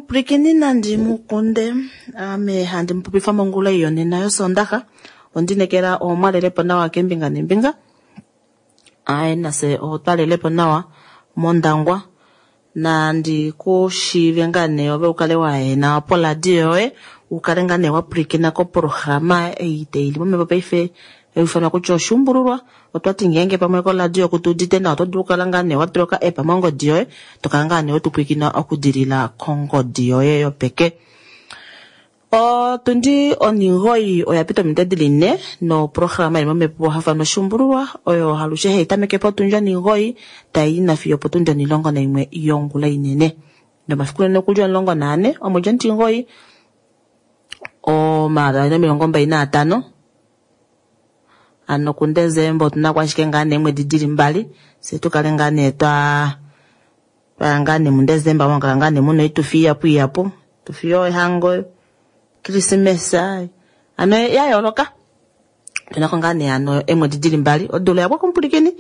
Omupwilikini nandi mukunde ame handi mupopifa mongula ei yonena yosondaxa ondinekela omwalelepo nawa keembinga neembinga aye nafye otwalelepo nawa mOndangwa nandi kushiive ngaa nee ove ukale waena poradio yoye ukale ngaa nee wapwilikina koprograma ei taili momhepo paife haiufanwa kutya oshuumbululwa. Otwati ngeenge pamwe koradio kutuudite nawa oto dulu okukala ngaa nee watula oka app mongodi yoye tokala ngaa nee wetupwilikina okudilila kongodi yoye yopeke. Otundi 9 oya pita ominute dili 4 noprograma ili momhepo haiufanwa oshuumbululwa oyo alushe haitameke potundi 9 tayi nafiyo opotundi 11 yongula inene. Nomafiku nena okuli 14 omwedi omutimugoyi 2025 hano kuDesemba otuna ko ashike ngaa nee eemwedi dili mbali fyee tukale ngaa nee twaya ngaa nee muDesemba mwakala ngaa nee muna oitufi ihapu ihapu oitufi yohango, Krismesa hano yayooloka. Otunako ngaa nee hano eemwedi dili mbali odula oyapwako omupwilikini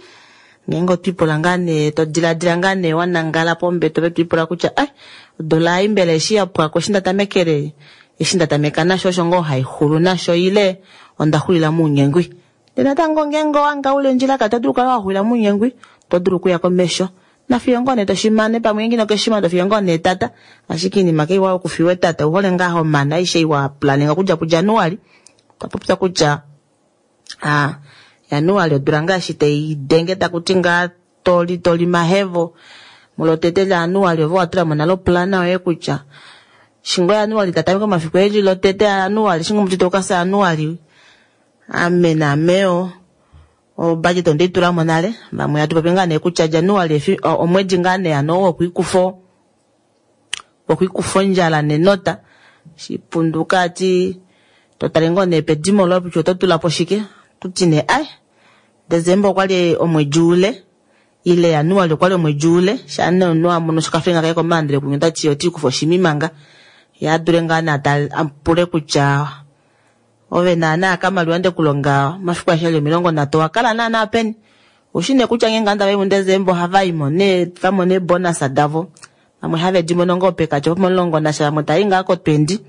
ngeenge otwiipula ngaa nee todilaadila ngaa nee wanangala pombete ove twiipula kutya ai odula ei mbela eshi yapwako eshi ndatamekele eshi ndatameka nasho osho ngoo haixulu nasho ile ondaxulila mounyengwi. Ndee natango ngeenge owahanga uli ondjilakati oto dulu okukala waxulila mounyengwi oto dulu okuya komesho nafiyo ngoo nee toshimane pamwe ngeenge inokeshimana tofiyo ngoo nee etata ashike oinima kaiwa okufiwa etata ouhole ngaa homane aishe ei waplaninga okudja kuJanuali otwapopya kutya Januali odula ngaa eshi taidenge takuti ngaa toli toli mahevo mulotete laJanuali ove watulamo nale oplana yoye kutya shingo Januali tatameke omafiku eli lotete aJanuali shingo omutete okafya Januali ame naameo obudget ondeitulamo nale vamwe hatu popi ngaa nee kutya Januali omwedi ngaa nee hano wokwiikufa wokwiikufa ondjala nenota shipunduka ati totale ngoo nee pedimo loye kutya oto tulapo shike otuti nee ai Desemba okwali omwedi ule ile Januali okwali omwedi ule shaa nee omunhu amono okafilinga kaye komaandelo kunya otati otiikufa oshima manga yee adule ngaa nee apule kutya ove naana kamaliwa ndekulonga omafiku aeshe eli 30 owakala naana peni oushi nee kutya ngeenge ovanhu tavai muDesemba ohavaimo nee vamona eebonus davo vamwe have dimono ngoo pekatya pomulongo nasha vamwe tavai ngaa ko 20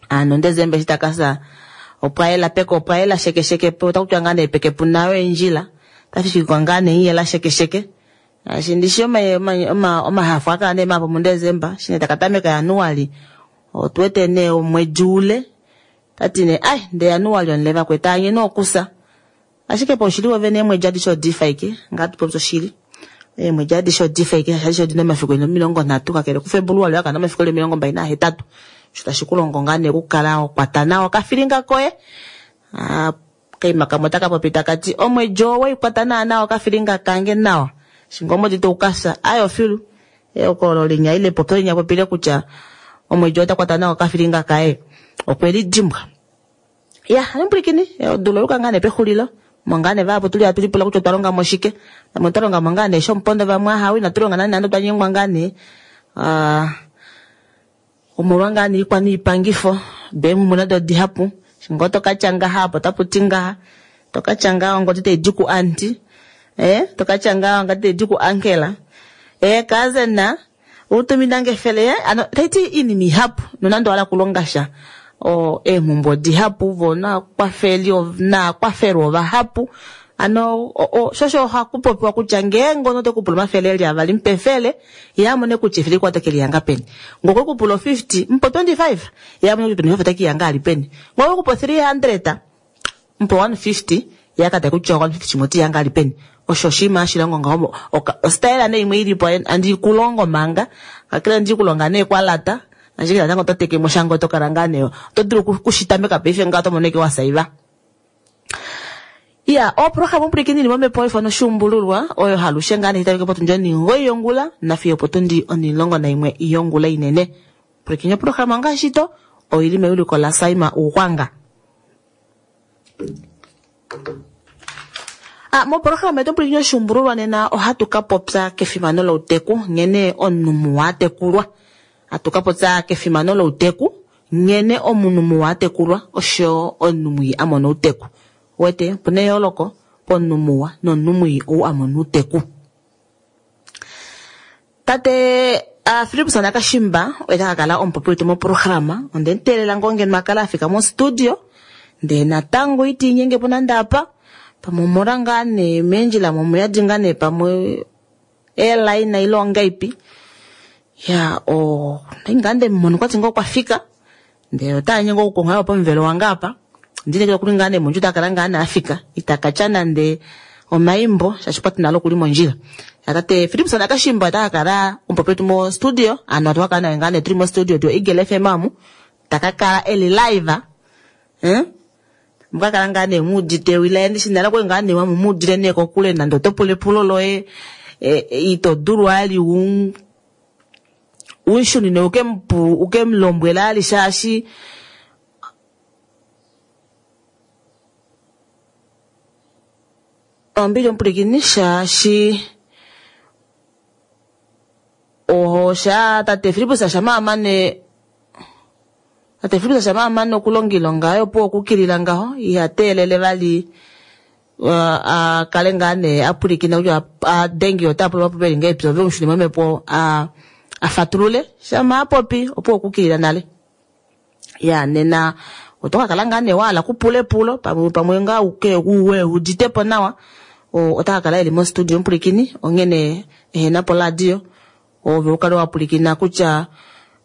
hano Desemba eshi takafya opwayela peke opwayela shekesheke otakutiwa ngaa nee peke puna eendjila otafifikwa ngaa nee iyela shekesheke shaashi ndishi omahafo ohaakala nee mahapu muDesemba eshi nee takatameka Januali otuwete nee omwedi ule tati nee ai ndee Januali omule vakwetu anye nee okusa ashike paushili wovene eemwedi adishe odifa ashike ngaa tupopye oshili eemwedi adishe odifa ashike shaashi adishe odina omafiku eli 30 kakele kuFebuluali akana omafiku eli 28 osho tashi kulongo ngaa nee okukala wakwata nawa okafilinga koye okaima kamwe otakapopi takati omwedi oo waikwata naana okafilinga kange nawa shinga omwedi taukafya aye ofilu ehokololo linya ile epopyo linya popile kutya omwedi oo otakwata nawa okafilinga kaye okwelidimbwa. Ya hano pwilikini odula oyuka ngaa nee pexulilo omo ngaa nee vahapu tuli hatu lipula kutya otwa longamo shike vamwe otwa longamo ngaa nee shomupondo vamwe ahawe inatu longa nande nande otwa nyengwa ngaa nee omolwa ngaa nee oikwa noipangifo deemhumbwe nado odihapu eshi ngoo tokatya ngaha apa otaputi ngaha tokatya ngaha ongodi taidi ku aunty tokatya ngaha ongodi taidi ku uncle cousin utuminange efele hano taiti oinima ihapu nonande owahala okulonga sha eemhumbwe odihapu voo nakwafeli nakwafelwa ovahapu hano shosho ohakupopiwa kutya ngeenge omunhu otekupula omafele eli avali mupe efele yee amone kutya efele likwao otekelihanga peni ngee okwekupula o 50 mupe o 25 yee amone kutya 25 otekeihanga ali peni ngee okwekupa o 300 mupe 150 yee akatale kutya 150 shimwe oteihanga ali peni osho oshinima hashi longo ngaho ostyle nee imwe ilipo andiikulongo manga kakele andiikulonga nee kwalata ashike natango oto tekemo sha ngoo otokala ngaa nee oto dulu okushitameka paife ngaho otomono ashike wasaiva. Iya, oprograma omupwilikini ili momhepo haifano oshuumbululwa oyo halushe ngaa nee tameke potundi 9 yongula nafiyo opotundi 11 yongula inene. Pwilikini oprograma ngaashi to oili mewiliko laSaima Ugwanga. Moprograma yetu omupwilikini oshuumbululwa nena ohatu ka popya kefimano louteku nghene omunhu muwa atekulwa. Hatu ka popya kefimano louteku nghene omunhu muwa atekulwa oshoyo omunhu mwii amona outeku. Uwete opuna eyooloko pomunhu muwa nomunhu mwii ou amona outeku. Tate Philipus Nakashimba oye ta ka kala omupopi wetu moprograma. Onde mu teelela ngoo ngeno a kala a fika mostudio, ndee natango ita inyenge po nande apa. Pamwe omola ngaa nee meendjila mo omuyadi ngaa nee pamwe eelaina ile ongaipi. Ya, o, ndai ngaa nde mu mona okwati ngoo okwa fika, ndele ota nyengwa okukonga yo pomuvelo wange apa. Ondinekela okuli ngaa nee mondjila ota kala ngaa nee a fika, ita ka tya nande omaimbo shaashi okwati nale okuli mondjila. Ya tate Philipson Nakashimba ota ka kala omupopi wetu mo studio, ano atu ka kala naye ngaa nee tuli mo studio yo Eagle FM amu, ta ka kala eli live. Muka kala ngaa nee mu udite ewi laye, ndishi nale okwali ngaa nee wamu mu udile nee kokule nande oto pula epulo loye, ito dulu ali u unshunine uke mu uke mu lombwele ali shaashi ombili omupulikini shaashi oho sha tate Filippus shama amane tate Filippus shama amane okulonga iilonga yaye opo okukilila ngaho iha teelele vali a kale ngaa nee a pwilikina kutya a denge ota pula omapulo eli ngahelipi ove umushune momhepo a fatulule shama a popi opo okukilila nale. Ya nena oto ka kala ngaa nee wa hala okupula epulo pamwe pamwe ngaa uke uwe udite po nawa ota ka kala eli mostudio omupulikini onghene ehena poradio ove u kale wa pwilikina kutya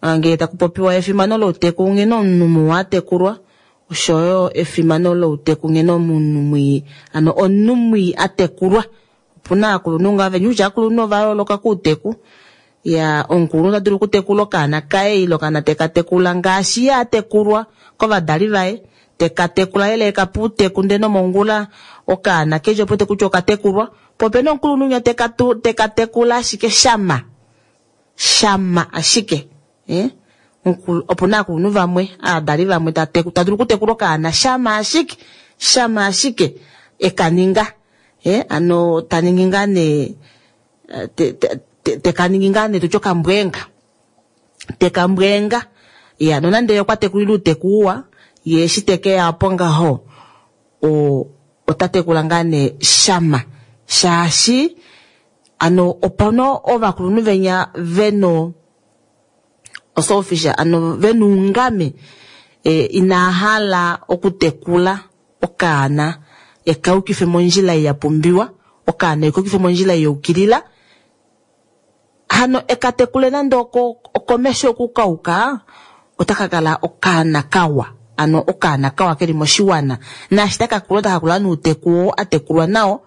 ngee taku popiwa efimano louteku nghene omunhu muwa a tekulwa oshoyo efimano louteku nghene omunhu mwii ano omunhu mwii a tekulwa. Opuna aakulunhu ngaa venya kutya aakulunhu ova yooloka kouteku. Ya omukulunhu ota dulu okutekula okaana kaye ile okaana teka tekula ngaashi ye a tekulwa kovadali vaye, teka tekula lela eka pa outeku ndele nomongula okaana keli opo wete kutya okatekulwa. Po opena omukulunhu winya teka teka tekula ashike shama shama ashike. Eh? Opu na aakulunhu vamwe, aadali vamwe ta dulu okutekula okaana shama ashike shama ashike eka ninga. Eh, ano ta ningi ngaa nee te ka ningi ngaa nee tutye okambweenga. Te ka mbweenga. Ya, nonande ye okwa tekulile uuteku uwa, ye eshi te ke ya po ngaho, o, ota tekula ngaa nee shama. Shaashi, ano opana ovakulunhu venya veno oselfish, ano vena oungame, e, inaa hala okutekula okaana eka yukife mondjila ei ya pumbiwa, okaana eka yukife mondjila ei ya yukilila, hano eka tekule nande oko okomesho okukauka, otaka kala okaana kawa, ano okaana kawa keli moshiwana, naashi taka kula otaka kula nouteku oo a tekulwa nao.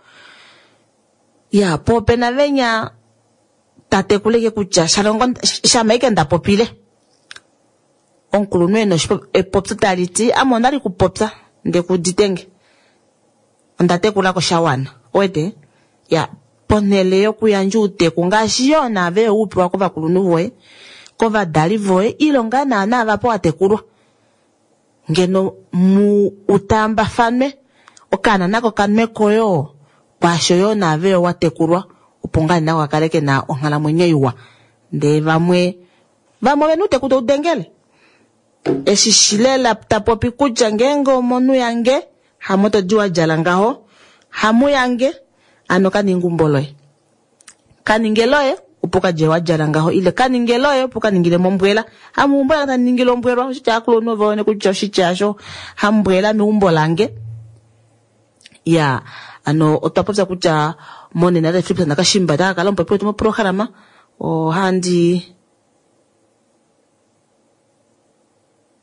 Ya, po opena venya ta tekula ike kutya shalongo shama ike nda popile. Omukulunhu ena epopyo tali ti ame ondali kupopya nde ku udite nge. Onda tekulako sha wana. Owete? Ya, ponhele yokuyandja outeku ngaashi yoo naave yo upewa kovakulunhu voye, kovadali voye ile ngaa naana ava pa watekulwa. Ngeno mu utaambafanwe, okaana nako kanweko yoo kwaasho yoo naave yo watekulwa opo ngaa nako kakale kena onghalamwenyo iwa. Ndee vamwe Vamwe ovena outeku tau dengele. Eshi shi lela ta popi kutya ngeenge omonhu yange hamo to di wa djala ngaho, hamu yange, ano ka ninga eumbo loye. Ka ninge loye opo ka dje wa djala ngaho ile ka ninge loye opo ka ningile mombwela. Hamu eumbo lange tali ningile ombwelwa, oshitya aakulunhu ove wene kutya oshitya asho hambwela meumbo lange. Ya, ano otwa popya kutya monena tate Philip Nakashimba ota ka kala omupopi wetu moprograma. Ohandi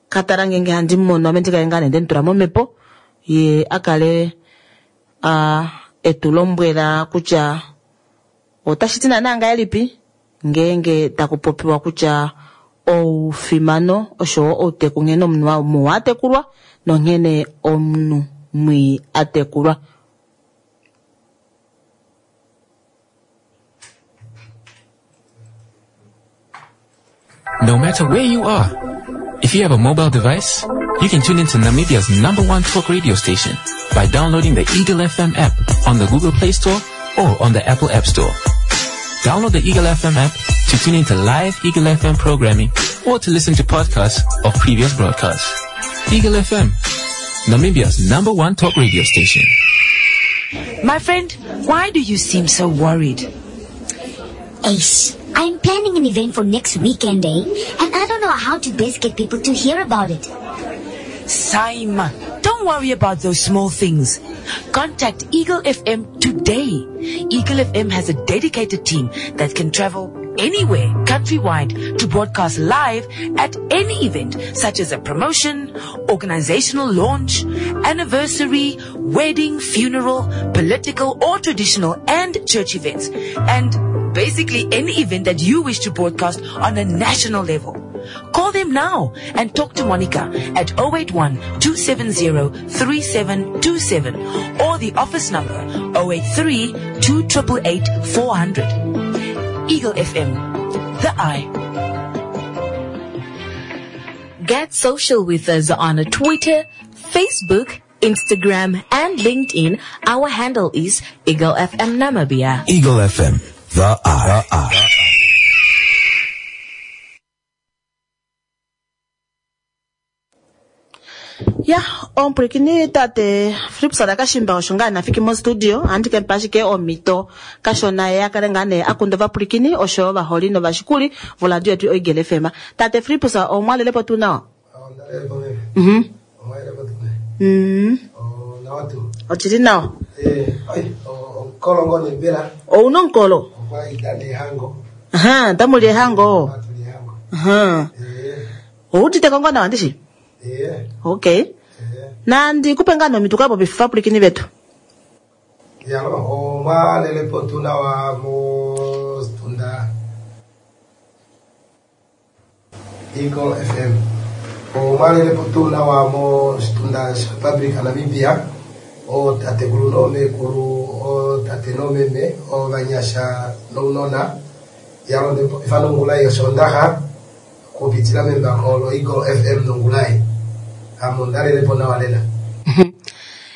ka tala ngeenge handi mu mono ame ndi kale ngaa nee nde mu tula momhepo ye a kale a etu lombwela kutya otashi ti naanaa ngahelipi ngeenge taku popiwa kutya oufimano oshowo outeku nghene omunhu muwa a tekulwa nonghene omunhu mwii a tekulwa. No matter where you are, if you have a mobile device, you can tune into Namibia's number one talk radio station by downloading the Eagle FM app on the Google Play Store or on the Apple App Store. Download the Eagle FM app to tune into live Eagle FM programming or to listen to podcasts of previous broadcasts. Eagle FM, Namibia's number one talk radio station. My friend, why do you seem so worried? Ace. I'm planning an event for next weekend, eh? And I don't know how to best get people to hear about it. Saima, don't worry about those small things. Contact Eagle FM today. Eagle FM has a dedicated team that can travel anywhere countrywide to broadcast live at any event such as a promotion, organizational launch, anniversary, wedding, funeral, political or traditional and church events and basically any event that you wish to broadcast on a national level. Call them now and talk to Monica at 081 270 3727 or the office number 083 2888 400. Eagle FM, the eye. Get social with us on Twitter, Facebook, Instagram, and LinkedIn. Our handle is Eagle FM Namibia. Eagle FM, the eye. The eye. Ya, omupwilikini tate Philips Kashimba osho ngaa nafiki mostudio ohandi ke mupa ashike omhito kashona ye akale ngaa nee akunda ovapwilikini oshoyo ovaholi novashikuli voradio yetu Eagle FM. Tate Philips omwalelepo tuu nawa? Mhm. Oshili nawa. Ouna omukolo? Aha, otamuli ehango. Aha. Owuuditeko ngoo nawa ndishi? Okay. Nandi kupe ngaa nee omhito ukapopife ovapwilikini vetu. Yalo, omwalelepo tuu nawa mostunda Eagle FM. Omwalelepo tuu nawa moshitunda shaRepublic Namibia, ootatekulu noomekulu, ootate noomeme, ovanyasha nounona, yalo ndepopifa nongula yoshoondaxa okupitila membako loEagle FM nongulai. Ame ondalelepo nawa lela.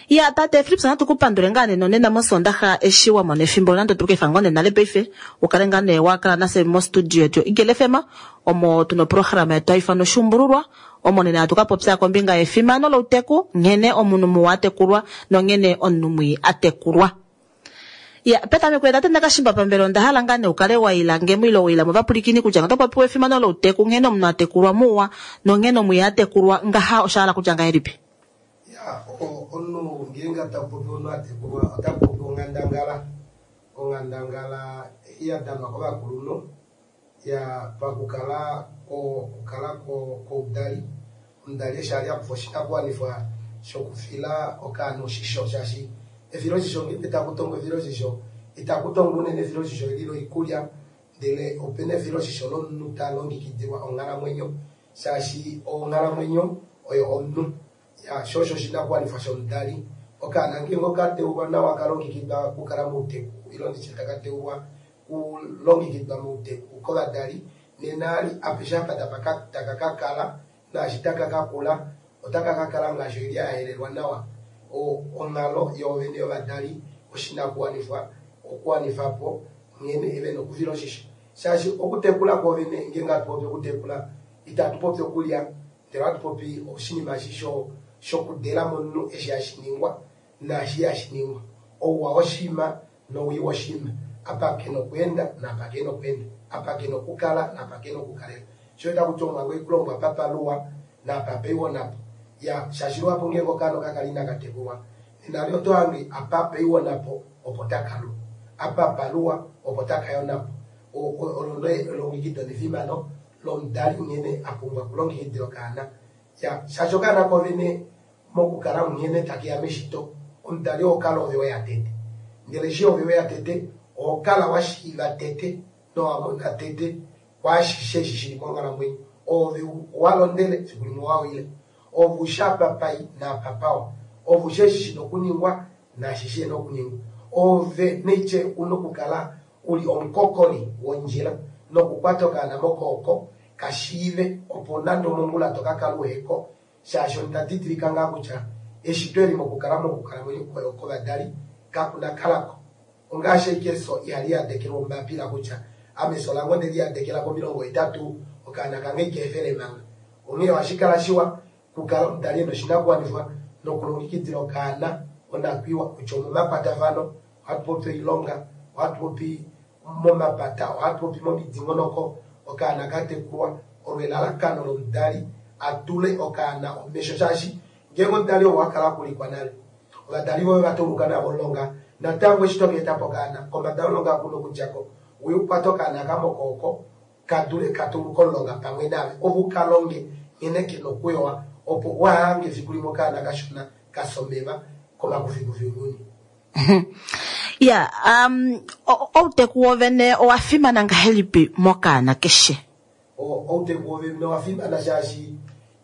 Ya tate Philips natu ku pandule ngaa nee nonena mosondaxa eshi wa mona efimbo nande otu kefa ngoo nee nale paife ukale ngaa nee wa kala nafye mostudio yetu Eagle FM omo tuna oprograma yetu haifanwa Oshuumbululwa omo nena hatu ka popya kombinga yefimano louteku nghene omunhu muwa atekulwa nonghene omunhu mwii atekulwa. Ya petameko tate Ndakashimba pambele onda hala ngaa nee ukale wa ila ngemo ile wa ila movapwilikini kutya oto popiwa efimano louteku nghene omunhu atekulwa muwa nonghene omwii atekulwa ngaha osha hala kutya ngahelipi? Ya, omunhu ngeenge taku popi omunhu atekulwa otaku popi onghandangala. Onghandangala ya danwa kovakulunhu ya pakukala kukala koudali. Omudali eshi ali akufa oshinakuwanifwa shokufila okaana oshisho shaashi efiloshisho ngeenge taku tongwa efiloshisho itaku tongwa unene efiloshisho eli loikulya ndele opena efiloshisho lomunhu talongekidilwa onghalamwenyo shaashi onghalamwenyo oyo omunhu. Ya, sho osho oshinakuwanifwa shomudali. Okaana ngeenge okateulwa nawa kalongekidwa okukala mouteku ile nditye taka teulwa kulongekidwa mouteku kovadali nena ali apeshe apa taka kakala naashi taka kakula otaka kakala ngaashi oili yahelelwa nawa. Onghalo yoovene yovadali oshinakuwanifwa okuwanifapo nghene vena okufila oshisho shaashi okutekula kwoovene ngeenge hatu popi okutekula itatu popi okulya ndele ohatu popi oshinima eshi shokudela momunhu eshi hashi ningwa naashi ihashi ningwa. Ouwa woshinima nowii woshinima apa kena okweenda naapa kena okweenda apa kena okukala naapa kena okukalela. Sho taku ti omhango oikulongwa apa paluwa naapa paiwa napo. Ya, shaashi luhapu ngeenge okaana okakala inakatekulwa nena li oto hange apa paiwa napo opo taka lu. Apa paluwa opo taka yonapo. Olo elongekido nefimano lomudali nghene apumbwa okulongekidila okaana. Ya, shaashi okaana kovene mokukala nghene takeya meshito omudali oho kala ove weya tete. Ndele eshi ove weya tete oho kala washiiva tete nowamona tete kwaashishe eshi shili monghalamwenyo. Ove walondele fiku limwe wawile. Ove ushi apa pai naapa pawa. Ove ushi eshi shina okuningwa naashi shihena okuningwa. Ove neitye una okukala uli omukokoli wondjila nokukwata okaana mokooko kashiive opo nande omongula tokakala uheko shaashi onda didilika ngaa kutya eshito eli mokukala mokukalamwenyo kovadali kakuna kalako. Ongaashi ashike efyo ihali yadekelwa ombapila kutya ame efyo lange onde liyadekela komilongo hetatu okaana kange ikeefele manga. Onghee ohashi kala shiwa kukala omudali ena oshinakuwanifwa nokulongekidila okaana onakwiiwa kutya omomakwatafano ohatu popi oilonga, ohatu popi Momapata, ohatu popi momidingonoko, okaana ka tekulwa olo elalakano lomudali a tule okaana omesho shaashi ngeenge omudali ou a kala akulikwa nale ovadali voye ova tauluka navo omulonga natango eshi toka eta po okaana kombada yomulonga kuna okudjako uye ukwate okaana kamokooko ka dule ka tauluke omulonga pamwe naave ove uka longe nghene kena okuyowa opo wahange efiku limwe okaana kashona kafya omeva komakufikufi ounyuni. Ya, um, outeku wovene owa fimana ngahelipi mokaana keshe? Outeku wovene owa fimana shaashi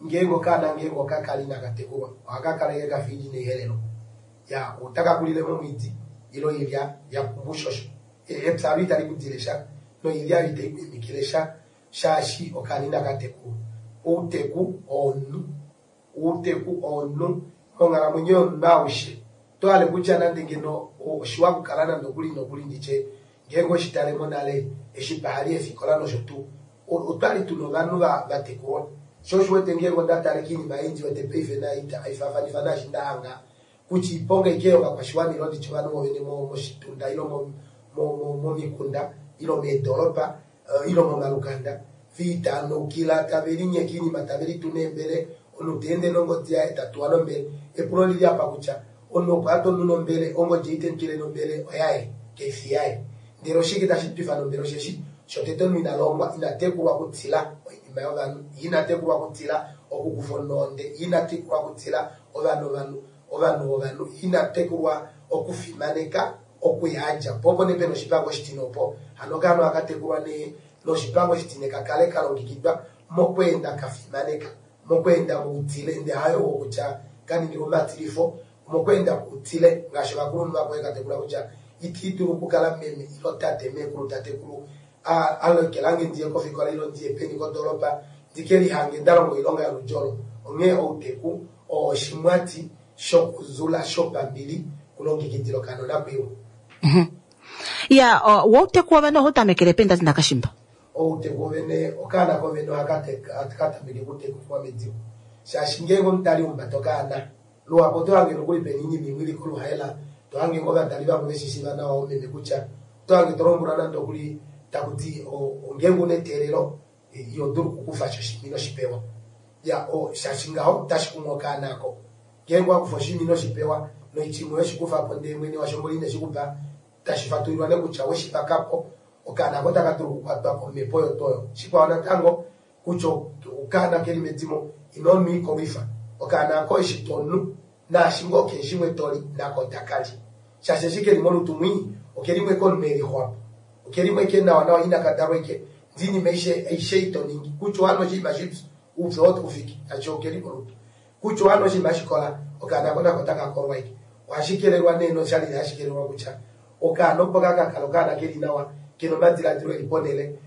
ngeenge okaana ngeenge oka kala inaka tekulwa ohaka kala eke kafa oilya ina ihelelwa. Ya, otaka kulile momwiidi ile oilya ya pumbwa oushosho. Epya olo itali ku dile sha noilya oyo itai ku imikile sha shaashi okaana inaka tekulwa. Outeku oo omunhu. Outeku oo omunhu monghalamwenyo yomunhu aushe. Oto hale kutya nande ngeno oshiwa okukala nande okuli nokuli nditye ngeenge oweshi tale monale eshi pahali eefikola nosho tuu otwali tuna ovanhu va tekulwa. Sho osho uwete ngeenge onda tale koinima ei ndi wete paife nayo itaifafanifa naashi nda hanga kutya oiponga aike yovakwashiwana ile nditye ovanhu vovene moshitunda ile momikunda ile meedolopa ile momalukanda viitanaukila tave linyeke oinima tave litu neembele omunhu ta ende nongodi yaye ta tuwa nombele. Epulo olili apa kutya omunhu opo a twa omunhu nombele ongodi ei temutwile nombele oyaye kaifi yaye. Ndele oshike tashi twifa nombele osheshi shotete omunhu ina longwa ina tekulwa okutila oinima yovanhu ye ina tekulwa okutila okukufa omunhu ohonde ye ina tekulwa okutila ovanhu ovanhu ovanhu vovanhu ye ina tekulwa okufimaneka okuya a dja po opo nee pena oshipango oshitine opo. Hano okaana ohaka tekulwa nee noshipango oshitine ka kale ka longekidwa mokweenda ka fimaneka, mokweenda moutile ndee hayo wokutya ka ningilwe omatilifo, mokweenda kwoutile ngaashi ovakulunhu vakwao ka tekula kutya iti dulu okukala meme ilo tate, meekulu tatekulu a lokelange ndiye kofikola ilo ndiye peni kodoolopa ndi ke lihange nda longa oilonga yoludi olo. Onghee outeku oo oshimwati shokuzula shopambili kulongekidila okaana onakwiiwa. Ya, wouteku wovene ohau tamekele peni tate Nakashimba? Outeku wovene, okaana kovene ohaka tameke okutekulwa medimo. Shaashi ngeenge omudali humbata okaana, luhapu oto hange nokuli pena oinima imwe ili koluhaela, to hange ngoo ovadali vamwe veshi shiiva nawa oomeme kutya, oto hange to lombwelwa nande okuli taku ti ngeenge una eteelelo iho dulu okukufa sha oshinima ino shi pewa. Ya, shaashi ngaho otashi kumu okaana ako. Ngeenge owa kufa oshinima ino shi pewa, noitya imwe we shi kufa po ndee mwene washo mboli ine shi ku pa, tashi fatulilwa nee kutya we shi vaka po, okaana ako otaka dulu okukwatwa komhepo oyo tuu oyo. Shikwao natango, kutya okaana ke li medimo, ino nwa oikolwifa. Okaana ako eshi to nu, naashi ngoo keshe shimwe to li, nako otaka li. Shaashi eshi ke li molutu mwii, oke limwe komunhu e lixwa po. Oke limwe ke nawanawa inaka dalwa eke, ndee oinima aishe, aishe ei to ningi, kutya owa nwa oshinima shipyu, oupyu oo otau fiki, shaashi oke li molutu. Kutya owa nwa oshinima shikola, okaana ako nako otaka kolwa eke. Ohashi kelelwa nee noshali hashi kelelwa kutya okaana opo ka ka kala okaana ke li nawa, ke na omadiladilo e li ponhele,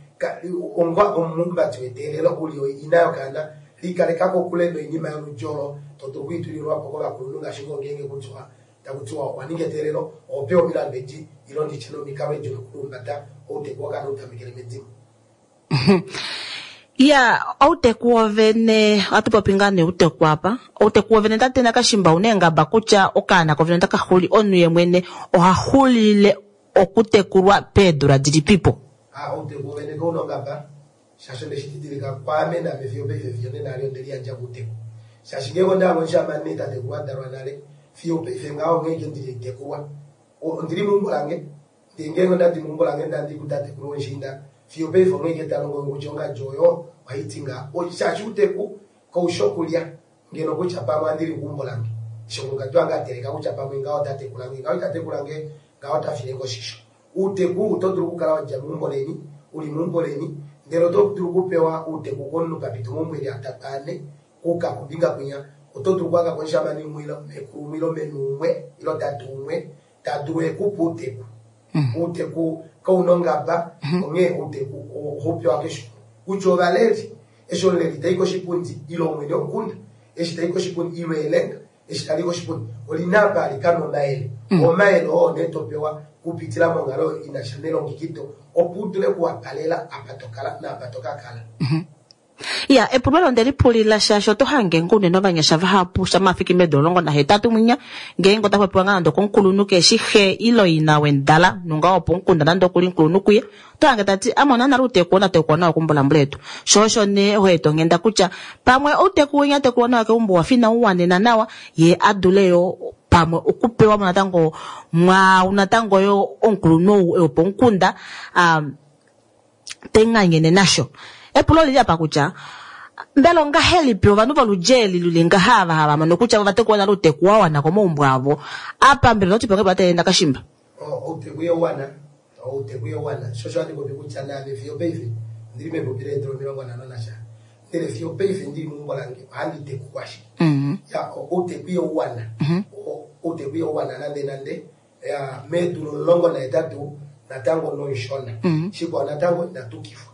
onga omuhumbati weteelelo u li ina yokaana, likaleka kokule noinima yoludi olo to dulu okwiitulilwa po kovakulunhu ngaashi ngoo ngeenge kutya taku tiwa owa ninga eteelelo, oho pewa omilandu edi ile nditye nomikalo edi dokuhumbata outeku wokaana u tamekele medimo. Ya, outeku wovene, ohatu popi ngaa nee outeku apa. Outeku wovene tate Nakashimba ouna eengaba kutya okaana kovene otaka xuli, omunhu ye mwene oha xulile okutekulwa peedula dilipipo? A, outeku wovene kauna ongaba, shaashi onde shi didilika kwaame naame fiyo opaife fiyo nena ali onde liyandja kouteku. Shaashi ngeenge onda hanga omushamane tatekulu a dalwa nale, fiyo opaife ngaho onghee ike ndili haitekulwa. Ondili meumbo lange, Ndee ngeenge onda di meumbo lange nda di kutatekulu womushiinda, fiyo opaife onghee ike ta longo nge kutya ongadji oyo ohai ti ngaa. Shaashi outeku kau shi okulya ngeno kutya pamwe ohandi li keumbo lange. Eshi omukulukadi wange a teleka kutya pamwe ngaho ota tekula nge, ngaho ita tekula nge, ngaho ota file nge oshisho. Outeku oto dulu okukala wa dja meumbo leni, u li meumbo leni, ndele oto dulu okupewa outeku komunhu pa pita omaumbo e li atatu ane, kuuka kombinga kwinya. Oto dulu okuhanga ko omushamane umwe ile meekulu umwe ile meme umwe ile tate umwe ta dulu e ku pa outeku. Outeku kau na ongaba, onghee outeku ohau pewa keshe umwe. Kutya ovaleli, eshi omuleli ta i koshipundi ile omwene womukunda eshi ta i koshipundi ile elenga eshi tali i koshipundi, oli na apa hali ka nwa omayele. Omayele oo nee to pewa okupitila monghalo i na sha nelongekido opo u dule okuwapalela apa to kala naapa to ka kala. Ya, epulo olo onde lipulila shaashi oto hange ngoo unene ovanyasha vahapu shamha fiki meedula 18 mwinya, ngeenge ota popiwa ngaa nande okomukulunhu keshi xe ile ina wendala, nonga wopomukunda nande okuli omukulunhu kuye, oto hange ta ti ame onda nale outeku oo ndatekulwa nawa kumbulambula yetu. Sho osho nee ho eta onghenda kutya pamwe outeku winya a tekulwa nawa keumbo owa fa inau wanena nawa, ye a dule yo pamwe okupewa mo natango mwaau natango yo omukulunhu ou wopomukunda a tenganyene nasho. Epulo olili apa kutya, mbela ongahelipi ovanhu voludji eli luli ngaha ava hava mono kutya ova tekulwa nale outeku wa wana komaumbo avo? Apa mbela ototi po ngahelipi tate Ndakashimba? Outeku iha wana, outeku iha wana. Sho osho handi popi kutya naame fiyo opaife ondili mepupi leedula 50 nasha, ndele fiyo opaife ndili meumbo lange ohandi tekulwa ashike. Ya, outeku iha wana, outeku iha wana nande nande. Ya, meedula 18 natango nomushona. Shikwao natango ina tukifwa.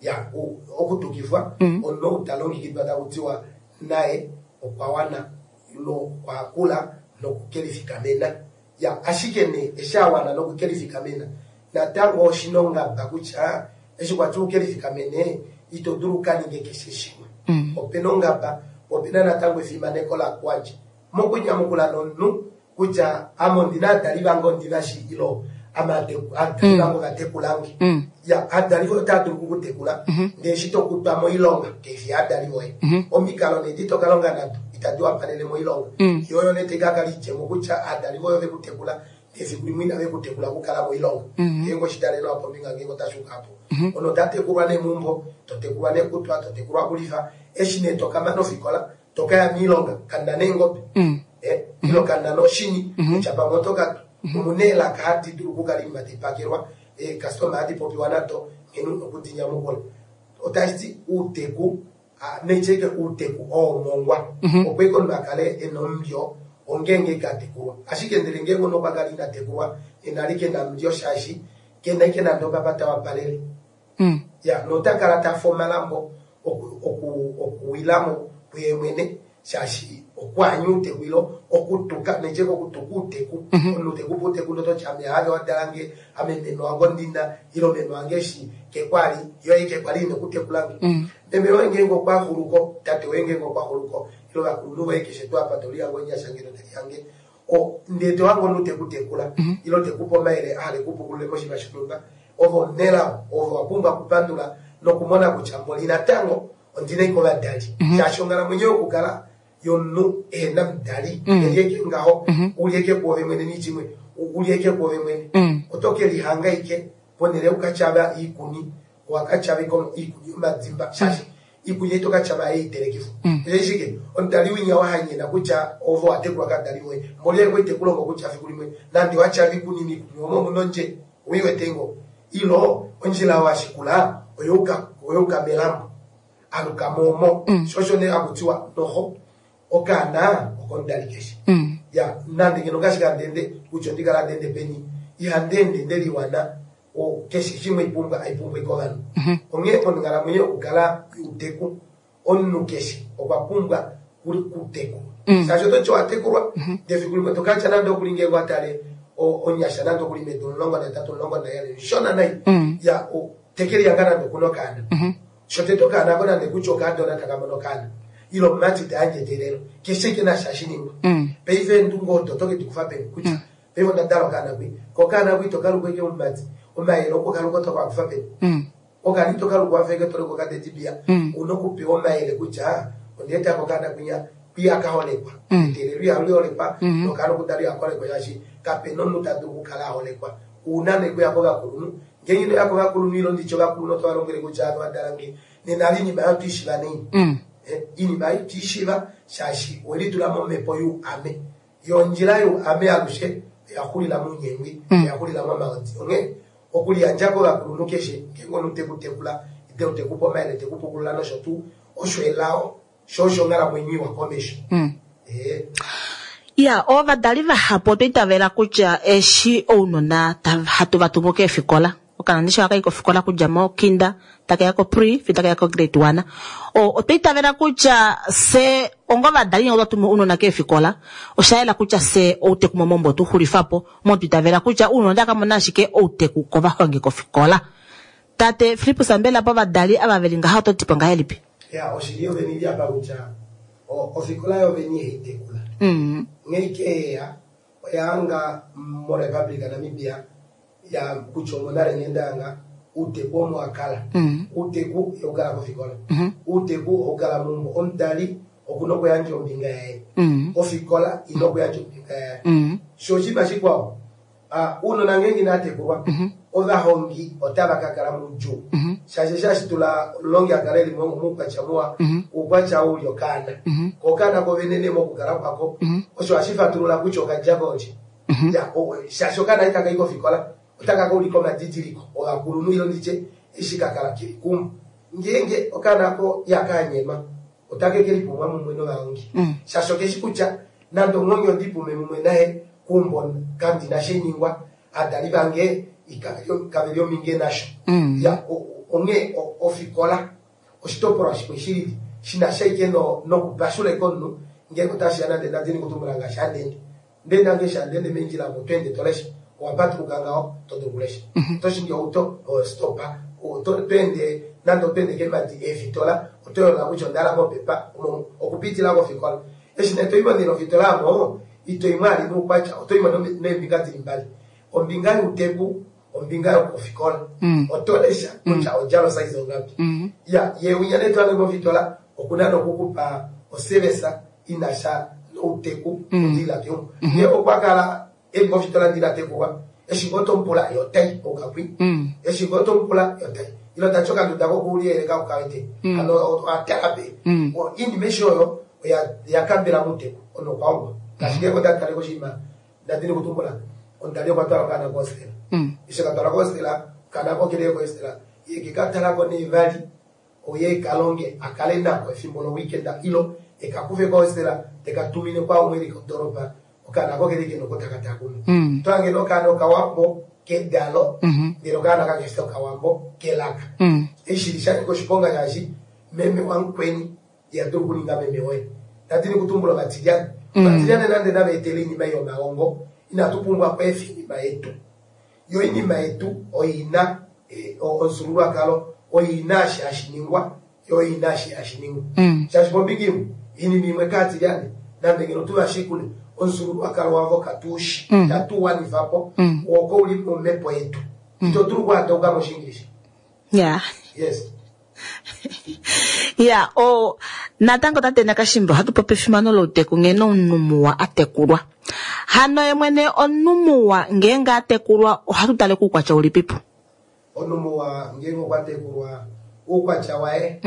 Ya, okutukifwa omunhu ou ta longekidwa taku tiwa naye okwa wana ilo okwa kula nokukelifikamena. Ya, ashike nee eshi a wana nokukelifikamena natango oshi na ongaba kutya eshi kwa tiwa ukelifikamene ito dulu uka ninge keshe shimwe. Ope na ongaba, po ope na natango efimaneko la kuadja mokunyamukula nomunhu kutya ame ondi na aadali vange ondi va shi ilo ame aadali vange ova tekulange. Ya, aadali voye otava dulu oku ku tekula, ndele eshi to kutwa moilonga, kai fi yaadali voye. Omikalo nee edi to ka longa nado itadi wapalele moilonga. Yo oyo nee tai ka kala idjemo kutya aadali voye ove ku tekula, ndele efiku limwe inave ku tekula okukala moilonga. Ngeenge oshitale nawa pombinga ngeenge otashi uka po. Omunhu ota tekulwa nee meumbo, to tekulwa nee kutwa, to tekulwa kulifa. Eshi nee to ka mana ofikola, to ka ya miilonga kanda neengobe eh, ilo kanda noshini kutya pamwe oto ka twa. Omu na eelaka hadi dulu okukala oinima tai pakelwa, eekastoma hadi popiwa nado nghene u na oku di nyamukula. Otashi ti uuteku, naitya ike uuteku oo omongwa, opo ike omunhu a kale e na omulyo ongeenge ike a tekulwa. Ashike ndele ngeenge omunhu okwa kala ina tekulwa, nena ali ke na omulyo shaashi ke na ike nande opapa ta wapalele. Ya, nota kala ta fe omalambo oku, oku, okuwila mo kuye mwene, shaashi okwaanya outeku ilo okutuka, nendje kokutuka outeku. Omunhu te ku pe outeku ndele oto ti ame haave wa dala nge, ame meme wange ondina, ilo meme wange eshi kekwali, yo ei kekwali ina okutekula nge. Meme woye ngeenge okwa xulu ko, tate woye ngeenge okwa xulu ko, ilo ovakulunhu voye keshe tuu apa to lihange omunyasha ngeno te lihange, O, ndee to hange omunhu te ku tekula, ilo te ku pe omayele a hala e ku pukulule moshinima shonhumba, ove omunelao, ove owa pumbwa okupandula nokumona kutya mboli natango ondi na ike ovadali. Shaashi onghalamwenyo yokukala yomunhu ehe na omudali, e li eke ngaho, u li eke kwoove mwene niitya imwe, u li eke kwoove mwene, oto ke lihanga ike ponhele yoku ka tyava iikuni, owa ka tyava ike iikuni yomadimba, shaashi iikulya ito ka tyava yeitelekifwa. Osheshi shike? Omudali winya wa hanyena kutya ove owa tekulwa kadali voye. Mboli oye kwali te ku longo kutya fiku limwe nande wa tyava iikuni miikuni omo omuna ondje, owi wete ngoo? Ilo ondjila oyo wa shikula oyuuka oyuuka melambo. Aluka mo omo. Sho osho nee haku tiwa noho okaana okomudali keshe. Ya, nande ngeno ngaashi handi ende kutya ondi kala handi ende peni, ihandi ende nde liwana keshe shimwe ipumbwa aipumbwa ike ovanhu. Onghee onghalamwenyo yokukala youteku, omunhu keshe okwa pumbwa kutekulwa. Shaashi oto ti owa tekulwa, ndele efiku limwe to ka tya nande okuli ngeenge owa tale onyasha nande okuli medu 18, 17, omushona nai, ya teke lihanga nande okuna okaana. Shotete okaana ako nande kutya okaadona taka mono okaana, ile omumati ta yandje eteelelo, keshe ike nashi hashi ningwa. Paife eendunge odo oto ke di kufa peni kutya paife onda dala okaana kwi, ko okaana kwi ito ka luku eke omumati, omayele oku ka luka oto ka kufa peni? Okaana ito ka luku wafa eke to luku okateddy bear, ouna okupewa omayele kutya onda etako okaana kwinya, kwi ihaka holekwa, eteelelo ihali holekwa, nokaana okudalwa ihaka holekwa shaashi kapena omunhu ta dulu okukala a holekwa. Ouna nee okuya kovakulunhu, ngeenge ino ya kovakulunhu ilo nditye ovakulunhu oto va lombwele kutya ave wa dala nge, nena ali oinima oyo otwe i shiiva naini? Oinima ei otwe i shiiva shaashi owe litula momhepo youame. Yo ondjila youame alushe oya xulila mounyengwi, oya xulila momahodi. Onghee okuliyandja kovakulunhu keshe ngeenge omunhu te ku tekula, ile te ku pe omayele, te ku pukulula nosho tuu, osho elao, sho osho onghalamwenyo iwa komesho. Ee. Ya, ovadali vahapu otwa itavela kutya eshi ounona hatu va tumu keefikola, Okaana eshi ohaka i kofikola okudja mokinda taka ya ko-pre fiyo taka ya ko-grade 1. Otwa itavela kutya fye onga ovadali ngeenge otwa tumu ounona keefikola, osha yela kutya fye outeku momaumbo otwe u xulifa po, omo twa itavela kutya ounona otava ka mona ashike outeku kovahongi kofikola. Tate Fillipus mbela povadali ava ve li ngaha oto ti po ngahelipi? Ya, oshili yovene ili apa kutya ofikola yovene ihai tekula. Nghee ike yeya oya hanga moRepublic Namibia ya kutya omonale nghee ndahanga outeku omo wa kala. Outeku ihau kala kofikola. Outeku ohau kala meumbo. Omudali okuna okuyandja ombinga yaye. Ofikola ina okuyandja ombinga yaye. Sho oshinima shikwao, ounona ngeenge inava tekulwa, ovahongi otava ka kala moudjuu. Shaashi eshi hashi tula omulongi a kale eli moukwatya muwa, oukwatya ou uli okaana. Ko okaana ko venene mokukala kwako, osho hashi fatulula kutya okadja koolye. Ya, shaashi okaana itaka i kofikola, otaka ka ulika omadidiliko ovakulunhu ile nditye eshi ka kala keli keumbo. Ngeenge okaana ko ihaka anyenwa, otake ke lipumwa mumwe novahongi. Shaashi okeshi kutya nande omuhongi ondi pume mumwe naye keumbo kandina sheningwa, adali vange kaveli ominge nasho. Ya, onghee ofikola oshitopolwa shimwe shilili shina sha ike nokupashula ike omunhu ngeenge otashiya nande ndadini kutumbula ngaashi handende. Ndee nange eshi handende meendjila omo to ende to lesha, owa patuluka ngaho to dulu okulesha. Oto shingi outo, ostopa, to ende nande oto ende keemadi eefitola, oto yoolola kutya onda hala mopepa omo okupitila kofikola. Eshi nee to i mo nee nofitola omo, ito i mo ali noukwatya, oto i mo neembinga dili mbali. Ombinga youteku, ombinga yokofikola. Oto lesha kutya odjala osize ongapi. Ya, ye winya nee to hange mofitola okuna nokukupa oservice ina sha nouteku odilila keumbo. Ye okwa kala eli mofitola ndina tekulwa, eshi ngoo to mupula ye otai oukakwi. Eshi ngoo to mupula ye otai. Ile otati okanduda kokuliyeleka okawete. Hano owa tala pe. Oinima eshi oyo oya kambela mouteku ono okwa hongwa. Ngaashi ngeenge onda tale koshinima ndadini kutumbula, omudali okwa twala okaana kohostela. Eshi ka twala kohostela, okaana ko kele kohostela, ye ke ka talako nee vali oye eka longe a kale nako efimbo loweekend ilo eka kufe kohostela teka tumine kwaumwe eli kodoropa, okaana ko kele kena oko taka takuma. To hange nee okaana okawambo kedalo, ndele okaana kakefi okawambo kelaka. Eshi shili sha nyika oshiponga shaashi meme wamukweni iha dulu okuninga meme woye. Ndadini kutumbula ovatilyane. Ovatilyane nande nava etele oinima ei yomahongo, inatu pumbwa okweefa oinima yetu. Yo oinima yetu oina omufyuululwakalo, oina eshi hashi ningwa, yo oina eshi hashi ningwa. Shaashi pombinga imwe, oinima imwe kaatilyane, nande ngeno tuvashikule, omufyuululwakalo wavo katuushi, tatu wanifa po, oko uli momhepo yetu. Ito dulu okuhadauka mOshiingilisha. Yes. Ya, natango tate Nakashimba ohatu popi efimano louteku nghene omunhu muwa a tekulwa. Hano ye mwene omunhu muwa ngeenge a tekulwa ohatu tale koukwatya ulipipo? Omunhu muwa ngeenge okwa tekulwa oukwatya waye,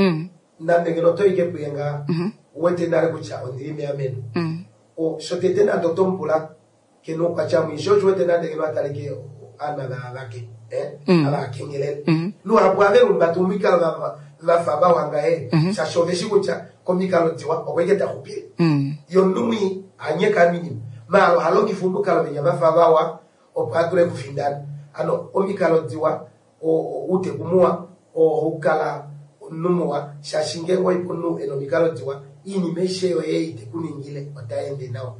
nande ngeno oto ike puye nga, uwete nale kutya ondili meameno. Shotete nande oto mupula kena oukwatya mwii, sho osho uwete nande ngeno ataleke ovanhu ava vake, ava akengelele. Luhapu ohave lumbata omikalo vafa vawa ngahe, shaashi oveshi kutya komikalo diwa oko ike taxupile. Ye omunhu mwii hanyeka oinima, maala oha longifa omukalo venya vafa vawa opo a dule okufindana. Hano omikalo diwa, outeku muwa oo ohau kala omunhu muwa, shaashi ngeenge oipa omunhu ena omikalo diwa, oinima aishe yoye ei te ku ningile otai ende nawa.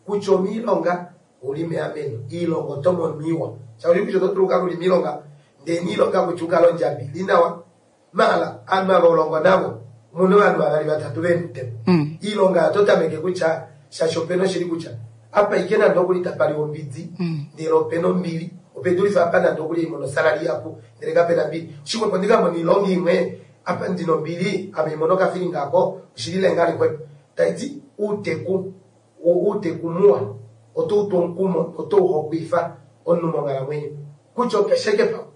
Kutya omiilonga ouli meameno, iilonga oto mono iwa. Shaashi kutya oto dulu okukala uli miilonga, ndee niilonga kutya ukale ondjabi ili nawa, maala aanhu ava holongo navo, omuna ovanhu vavali vatatu vemutemo. Iilonga oto tameke kutya, shaashi opena oshili kutya, apa ike nande okuli tapa liwa ombidi, ndele opena ombili, ope dulife apa nande okuli haimono osalary ihapu, ndele kapena ombili. Oshixwepo ndikamone oilonga imwe, apa ndina ombili, ame imono okafilinga ako, oshilile ngaa lixwepo. Taiti outeku, outeku muwa, oto utu omukumo, oto uhokwifa omunhu monghalamwenyo. Kutya okeshe ike pamwe,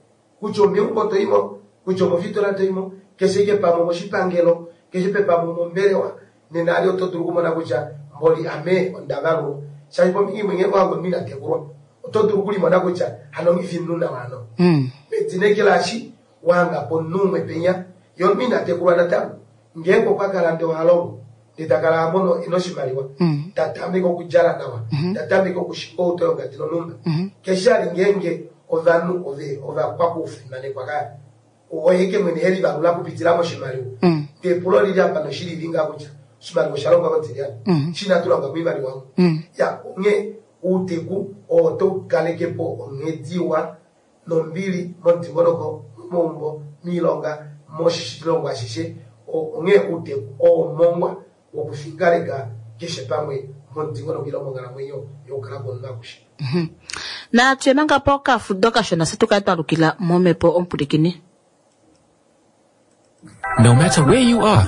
kutya omeumbo toimo, kutya omofitola toimo, keshe ike pamwe omoshipangelo, keshe pamwe omombelewa, nena ali oto dulu okumona kutya mboli ame onda valulwa. Shaashi pombinga imwe ngeenge owange omunhu ina tekulwa, oto dulu okulimona kutya hano nghifi omunhu nawa hano. Medina eke laashi wahanga po omunhu umwe penya, ye omunhu ina tekulwa natango, ngeenge okwa kala ndee oha longo, ndee ta kala ha mono ena oshimaliwa, ta tameke okudjala nawa, ta tameke okushinga outo yongadi nonhumba, keshe ali ngeenge ovanhu ovakwakufimanekwa kaya. Oye ke mwene helivalula okupitila moshimaliwa. Ndee epulo olili apa noshili li ngaa kutya oshimaliwa osha longwa kotilyane. Shi inatu longa moimaliwa omu. Ya, onghee outeku oo oto kaleke po onghedi iwa nombili momudingonoko, momaumbo, moilonga, moshilongo ashishe. Onghee outeku oo omongwa wokufikaleka keshe pamwe momudingonoko ile monghalamwenyo yokukala kwomunhu akushe. Natye manga pokafudo kashona se tukale twa lukila momhepo omupwilikini. No matter where you are,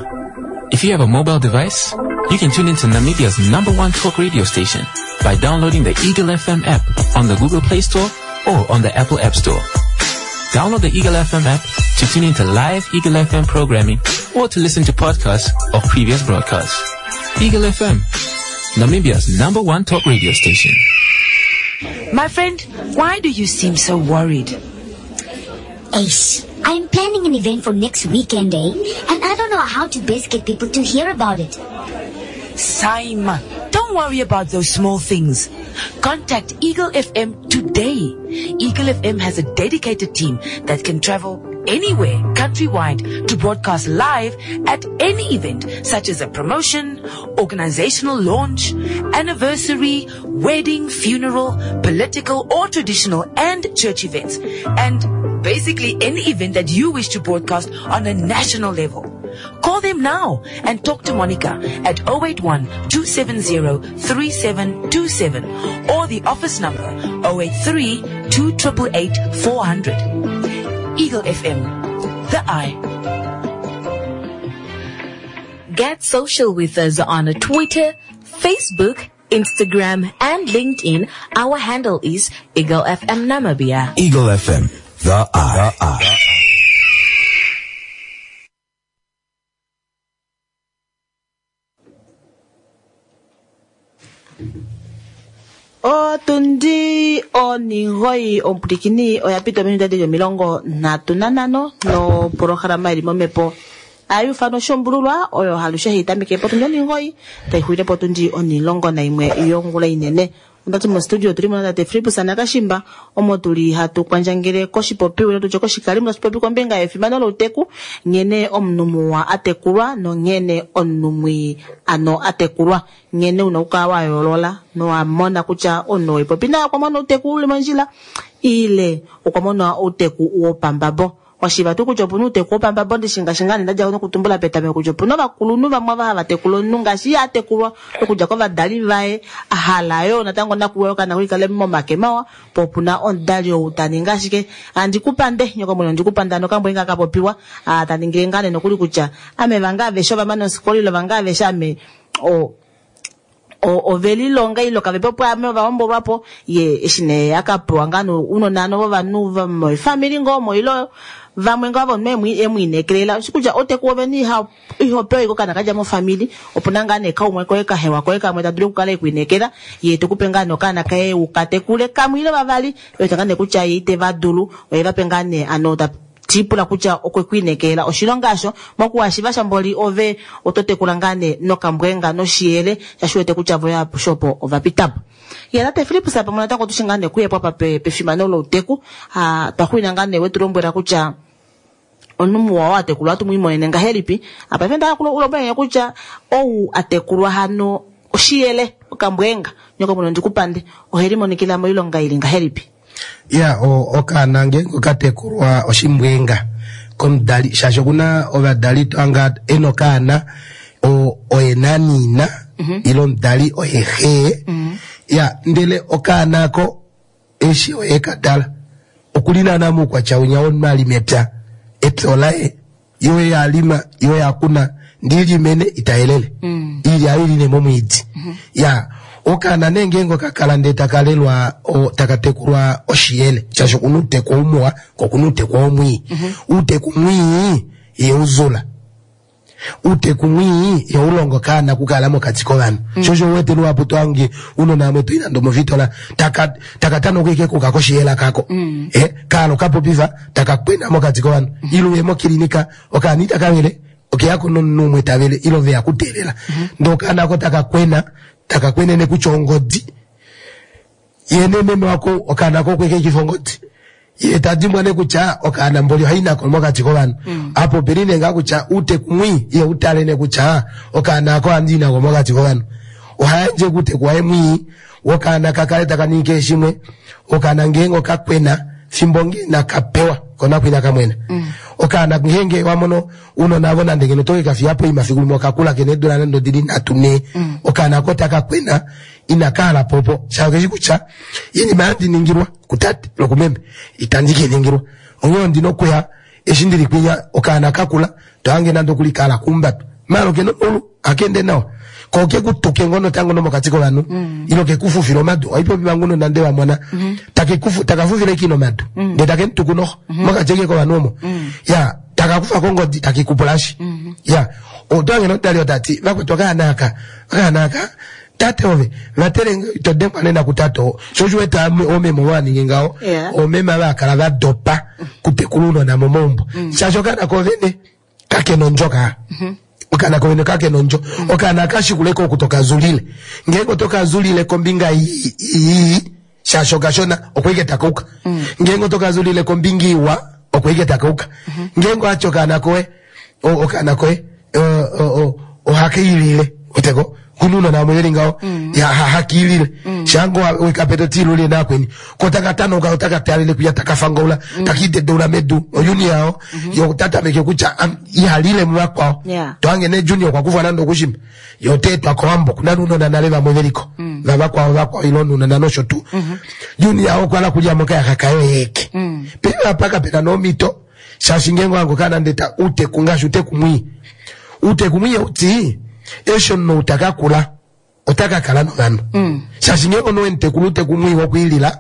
if you have a mobile device, you can tune into Namibia's number one talk radio station by downloading the Eagle FM app on the Google Play Store or on the Apple App Store. Download the Eagle FM app to tune into live Eagle FM programming or to listen to podcasts of previous broadcasts. Eagle FM, Namibia's number one talk radio station. My friend, why do you seem so worried? Ace, I'm planning an event for next weekend, eh? And I don't know how to best get people to hear about it. Saima, don't worry about those small things. Contact Eagle FM today. Eagle FM has a dedicated team that can travel anywhere countrywide to broadcast live at any event such as a promotion, organizational launch, anniversary, wedding, funeral, political or traditional and church events, and basically any event that you wish to broadcast on a national level. Call them now and talk to Monica at 081 270 3727 or the office number 083 288 400. Eagle FM, the eye. Get social with us on Twitter, Facebook, Instagram, and LinkedIn. Our handle is Eagle FM Namibia. Eagle FM, the eye. The eye. Otundi onigoyi omupwilikini oya pita ominute dili 35 nopolohalama ili momhepo ayufano shombululwa oyo halushe hayi tameke potundi onigoyi tayi xulile potundi 11 yongula inene. Ondati mostudio otuli mo natate Filippus Nakashimba omo tuli hatu kwandjangele koshipopiwa tutye koshikalimo tashi popi kombinga yefimano louteku, nghene omunhu muwa atekulwa nonghene omunhu mwii ano atekulwa, nghene una okukala wa yoolola nowamona kutya omunhu oipopi naye okwa mona outeku uli mondjila ile okwa mona outeku wopambabo. Washiva tuu kutya opuna outeku wopambabo ndishingashi ngaa ndadja nokutumbula petameko kutya opuna ovakulunhu vamwe ava hava tekula omunhu ngaashi ye atekulwa okudja kovadali vaye ahala yoo natango nakuwa okaana koikale momake mawa, po opuna omudali ou ta ningi ashike andikupande nyoko mwene ondikupande ano okambwa inga kapopiwa ta ningile ngaa nee nokuli kutya ame vange aveshe ovamane ofikola ile vange aveshe ame ovelilonga ile kavepo pwaame ovahombolwapo ye eshi nee akapewa ngaa ounona ano vovanhu vomoifamili ngoo omo ile vamwe ngoo avo omunhu emwiinekelela oshi kutya outeku wovene ihopewa ike okaana kadja mofamili, opuna ngaa nee kaumwe koye kahewa koye kamwe ta dulu okukala ekwiinekela ye tekupe ngaa nee okaana kaye ukatekule kamwe ile vavali wete ngaa nee kutya ye iteva dulu oye vape ngaa nee ano ta tipula kutya okwe kwiinekela oshilonga asho mokuwashiva shamboli ove oto tekula ngaa nee nokambwenga noshiyele shashi wete kutya voya shopo ovapitapo. Ye tate Filippus pamwe natango otushi ngaa nee kuyepo apa pefimano louteku twaxwina ngaa nee wetulombwela kutya omunhu muwa oo atekulwa ohatu mwiimonene ngahelipi. Apa paife nda ulombwelenge kutya ou atekulwa hano oshiyele okambwenga nyoko mwene ondikupande oheli monikila moilonga ili ngahelipi. Ya okaana ngeenge okatekulwa oshimbwenga komudali shaashi okuna ovadali anga ena okaana oye naniina ile omudali oye xee ya ndele okaana ako eshi oye kadala okuli naana moukwatya winya womunhu ali mepya epya olaye yo yalima yo yakuna ndilimene itayelele ili ayiline momwiidi ya okaana nee ngeenge okakala ndee takalelwa takatekulwa oshiyele shaashi okuna outeku oumuwa ko okuna outeku omwii. Outeku mwii ye uzula outeku mwii ye ulongo okaana okukala mokati kovanhu. Shosho uwete luhapu twange unona amwe toyi nande omovitola takatana okuike kuka koshiyela kako. Kaalo kapopifa takakwena mokati kovanhu. Ile uye mokilinika okaana itakavele okeyako nomunhu umwe tavele ile oveya kuteelela. Ndee okaana ako takakwena takakwenene kutya ongodi ye nememe wako okaana ako okwekekifa ongodi ye tadimbwa ne kutya okaana mboli ohayi nako mokati kovanhu. Apo opeli nee ngaa kutya outeku mwii ye utale ne kutya okaana ako ohandi nako mokati kovanhu. Ohayandje kuuteku waye mwii wokaana kakale taka ningi keshe shimwe okaana ngeenge okakwena fimbo ngee nakapewa Kona kwina kamwena. Okaana ngeenge wa mono unona avo nande ngeno toke ka fiya poima fiku limwe okakula kena eedula nande odili nhatu nhee. Okaana ko taka kwena inaka hala po opo shaashi okeshi kutya iinima handi ningilwa kutate lokumeme itandi ke ningilwa. Onghee ondina okuya eshi ndili kwinya okaana kakula tohange nande okuli kahala kuumbatwa. Maala okena omaulu ohaka ende nawa. Ko oke ku tuke ngoo natango nomokati kovanhu ile ke ku fufile omadu. Ohaipopi manga unona nde va mona take ku taka fufile kina omadu ndee take mu tuku noxo mokati eke kovanhu omo. Ya taka kufa kongodi take kupulashi. Ya oto hange nomudali oo tati vakwetu okaana aka okaana aka tate ove vatele ito dengwa nena kutate oo. Sho osho wete oomeme ovo va ningi ngaho oomeme ava va kala va dopa kutekula ounona momaumbo shaashi okaana kovene kakena ondjo ka. Okaana kovene kakena ondjo. Okaana ka shikuleko oku toka zulile. Ngeenge oto zulile kombinga ii shaashi okashona oko ike taka uka. Ngeenge oto zulile kombinga iwa oko ike taka uka. Ngeenge owati okaana koye okaana koye ohaka ilile oteko kuna unona vamwe veli ngaho ya haka ilile shango wekape to tilule nakweni ko taka tanauka otaka talele kwiya taka fangaula taka idedeula medu oyuni yao yo tatameke kutya ihalile muvakwao tohange ne junior okwa kufwa nande okushimba yo oteetwa kowambo kuna nounona nale vamwe veliko vavakwao vakwao ile ounona nosho tuu junior yao okwa hala kulya mokayaxa kayo yeeke paife apa kapena nomhito shaashi ngeenge ohange okaana nde ta uteku ngaashi uteku mwii uteku mwii outi eshi omunhu ou taka kula ota ka kala novanhu shaashi ngeenge omunhu wemutekula uteku mwii wokwiilila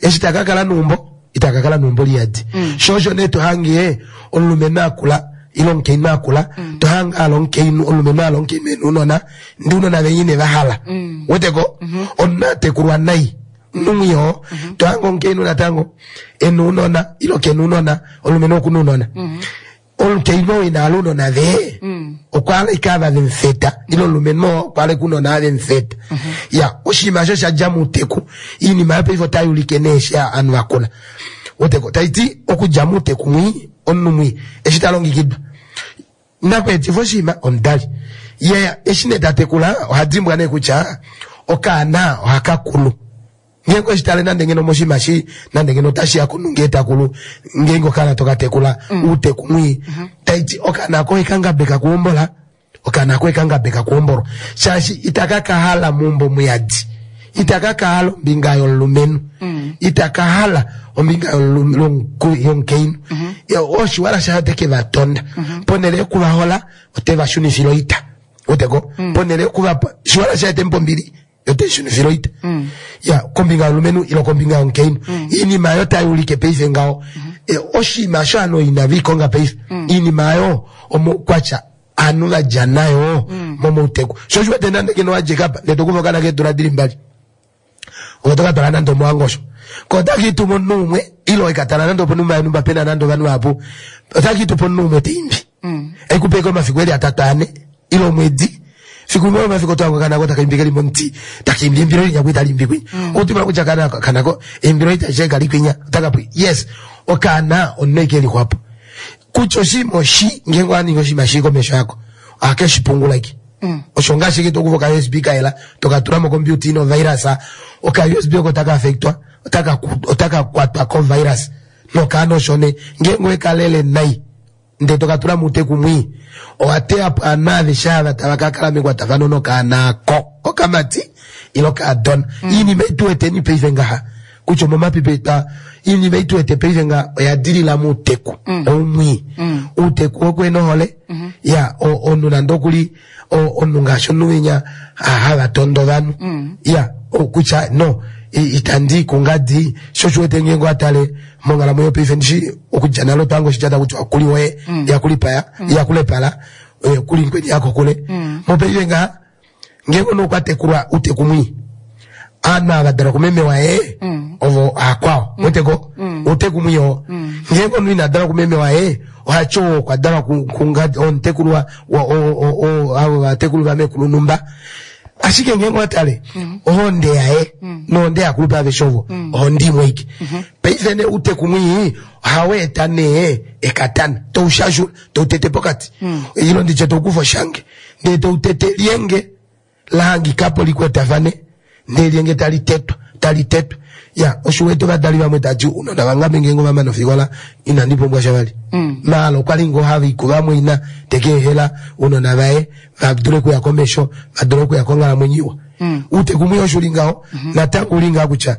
eshi taka kala neumbo itaka kala neumbo liyadi sho osho nee tohange omulumenhu akula ile omukainhu akula tohange ala omukainhu omulumenhu ala omukainhu ena ounona ndee ounona venye ine va hala weteko omunhu atekulwa nai omunhu oo tohange omukainhu natango ena ounona ile kena ounona omulumenhu okuna ounona omukainhu oo ina hala ounona vee okwa hala ike ava vemufeta ile omulumenhu oo okwa hala ike ounona ava vemufeta ya oshinima osho sha dja mouteku iinima yopaife otai ulike nee eshi ovanhu vakula weteko taiti okudja mouteku mwii omunhu mwii eshi ta longekidwa Nakweetifa oshinima omudali. Ye eshi nee ta tekula oha dimbwa nee kutya okaana ohaka kulu. Ngeenge oshi tale nande ngeno moshinima shi nande ngeno otashi ya komunhu ngee ta kulu ngeenge okaana toka tekula uuteku mwii taiti okaana koye ka ngabeka kuhombola okaana koye ka ngabeka kuhombolwa shaashi itaka ka hala meumbo muyadi itaka ka hala ombinga yomulumenhu itaka hala ombinga yomukainhu oshiwala shaye ote ke va tonda ponhele yokuvahola ote va shunifile oita weteko ponhele yokuvapa shiwala shaye te mu pe ombili ote shunifile oita ya kombinga yomulumenhu ile kombinga yomukainhu iinima oyo tai ulike paife ngaho oshinima osho ovanhu inave i konga paife iinima oyo omoukwatya ovanhu va dja nayo momouteku sho osho wete nande ngeno wa dja apa ndele to kufa okaana keedula dili mbali ove to ka twala nande omowango osho ko otaka itu momunhu umwe ile oe ka tala nande oponhumba yonhumba pena nande ovanhu vahapu otaka itu pomunhu umwe ta imbi ekupe ike omafiku eli atatu ane ile omwedi fiku limwe omafiku oto hango kanako taka imbi keli momuti taka imbi eimbilo linya kwi tali imbi kwinya otima kutya kana kanako eimbilo itashi kali kwinya otaka pwi yes okaana omunhu eke lixwapo kutya oshinima oshi ngeenge owa ningi oshinima shii komesho yako ohake shi pungula ike osho ngaashi ike tokufa oka USB kayela toka tula mokompiuta ina ovirus oka USB oko taka affectwa otaka kwatwa kovirus nokaana osho nee ngeenge owekalele nai ndee toka tula muuteku mwii owa teya po ovanhu aveshe ava tava ka kala mekwatafano nokaana ako kokamati ile okaadona iinima ei tu weteni paife ngaha kutya omomapipi eta iinima ei tu wete paife ngaha oya dilila muuteku oumwii uuteku wokuhena ohole ya omunhu nande okuli omunhu ngaashi omunhu winya hava tondo ovanhu ya kutya no itandi i kungadi sho osho wete ngeenge owa tale monghalamwenyo paife ndishi okudja nale otwa hanga oshitya taku tiwa kuli woye yakulipaya yakulepala kuli mukweni yakokule mopaife ngaha ngeenge omunhu okwa tekulwa uuteku mwii aanhu ava dalwa kumeme waye ovo akwao weteko uuteku mwii oo ngeenge omunhu ina dalwa kumeme waye ohati oo okwa dalwa kungadi omutekulwa avo vatekulu vamekulu numba ashike ngeenge owa tale ohonde yaye nohonde yakulupe aveshe ovo ohonde imwe ike paife nee uuteku mwii ohau eta nee ekatana toushashula toutete pokati ile nditye toukufa oshange ndee toutete lyenge la hangikapo likwatafane ndee lyenge tali tetwa. Tali tetwa. Ya, osho u wete ovadali vamwe tati ounona vange ame ngeenge ova mana ofikola inandi pumbwa sha vali. Maala okwa li ngoo hava i kuvamwaina teka ehela ounona vaye va dule okuya komesho, va dule okuya konghalamwenyo iwa. Uuteku mwii osho uli ngaho, natango uli ngaho kutya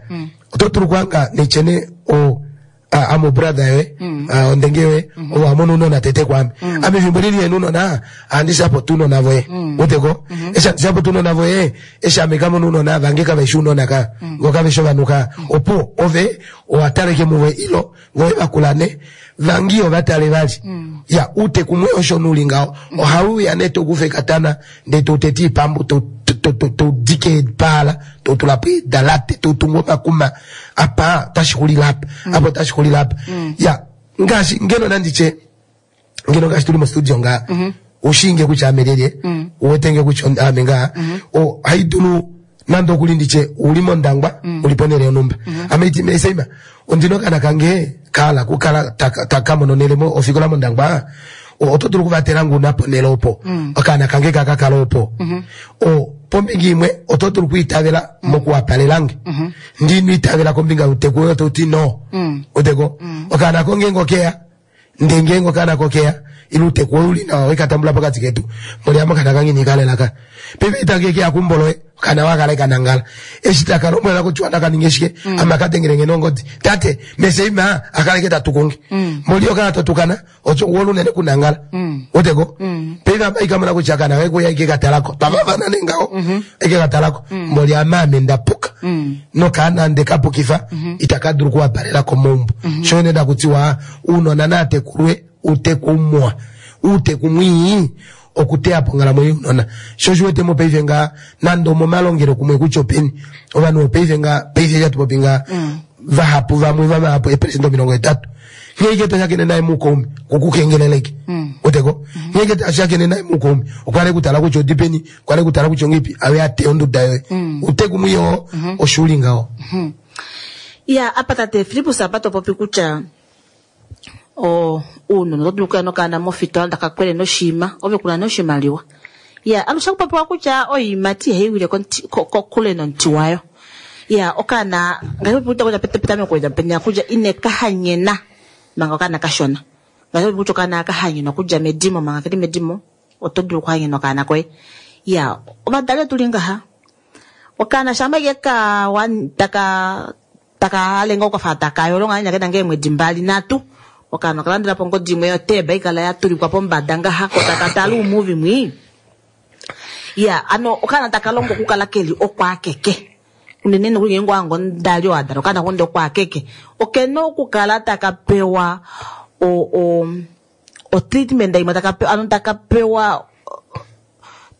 oto dulu okuhanga netyene o ame obrother yoye, ondenge yoye, ove wa mona ounona tete kwaame. Ame efimbo eli lihena ounona, ohandi support ounona voye. Weteko? Eshi handi support ounona voye, eshi ame kamona ounona vange kave shi ounona ka, ngo kave shi ovanhu ka, opo ove owa taleke muvo ilo voye vakula ne vangi ova tale vali. Ya, uuteku mwe osho nuli ngaho. Ohau uya ne tokufa ekatana, ndee toutete iipambu, toudike eepaala, totula po eedalate, totungu omakuma, apa otashi xulile apa, apa otashi xulile apa. Ya, ngaashi ngeno nanditye, ngeno ngaashi tuli mostudio ngaa, ushiinge kutya ame lyelye, uwetenge kutya ame ngaa, ohai dulu nande okuli nditye uli mOndangwa, uli ponhele yonhumba. Ame iti meeseima, ondina okaana kange kahala okukala taka mono onhele ofikola mOndangwa, oto dulu okuvatela nge una ponhele opo, okaana kange kaka kala opo. Pombinga imwe oto dulu okwiitavela mokuwapalelange. Ndi ino itavela kombinga youteku woye oto ti no. Uteko? Okaana ko ngeenge okeya, ndee ngeenge okaana kokeya, ile uuteku woye uli nawa weka tambula pokati ketu, mboli ame okaana kange ineka lela ka. Paife itange keya keumbo loye, okaana wakala eka nangala. Eshi taka lombwela kutya naka ninge shike, ame aka dengele nge nongodi. Tate, meseima, akala eke tatukunge. Mboli okaana totukana, ocho wolu unene kunangala. Uteko? Paife apa ikamona kutya akaana kaye kuya eke katalako. Twafafana nee ngaho, eke katalako. Mboli ame ame ndapuka. Nokaana nde kapukifa, itaka dulu okuwapalela komaumbo. Sho ene ndakutiwa, uunona naatekulwe uuteku muwa. Uuteku mwii, okuteya po onghalamwenyo younona. Sho osho uwete mopaife ngaa, nande omomalongelo kumwe kutya openi, ovanhu vopaife ngaa, paife eshi hatu popi ngaa, vahapu vamwe vavahapu eeperesenda 80. Nghee ike toshakene naye muukaume, okukengeleleke. Weteko? Nghee ike toshakene naye muukaume, okwa li kutala kutya odi peni, okwa li kutala kutya ongeipi, awe a teya onduda yoye. Uuteku mwii oo, osho uli ngaho. Ya, apa tate Fillipus apa to popi kutya uunona oto dulu okuya nokaana mofitola taka kwele noshiima, ove kuna nee oshimaliwa. Ya, alushe ohaku popiwa kutya oiimati ihai wile kokule nomuti wayo. Ya, okaana ngaashi popi kutya petameko penya kutya ine ka hanyena manga okaana kashona. Ngaashi popi kutya okaana ka hanyenwa okudja medimo manga keli medimo, oto dulu okuhanyena okaana koye. Ya, ovadali otuli ngaha. Okaana shampa ike ka taka taka hale ngoo kafa taka yolo ngahenya kena ngee eemwedi 2 3, okaana okalandela po ongodi imwe yoteb haikala ya tulikwa pombada ngaha ko taka tale uumuvi mwii. Ya, ano okaana taka longo okukala keli okwaakeke. Unene nokuli ngeenge owa hanga omudali oo a dala okaana konde okwaakeke, okena okukala taka pewa o, o, o treatment imwe taka pewa, ano taka pewa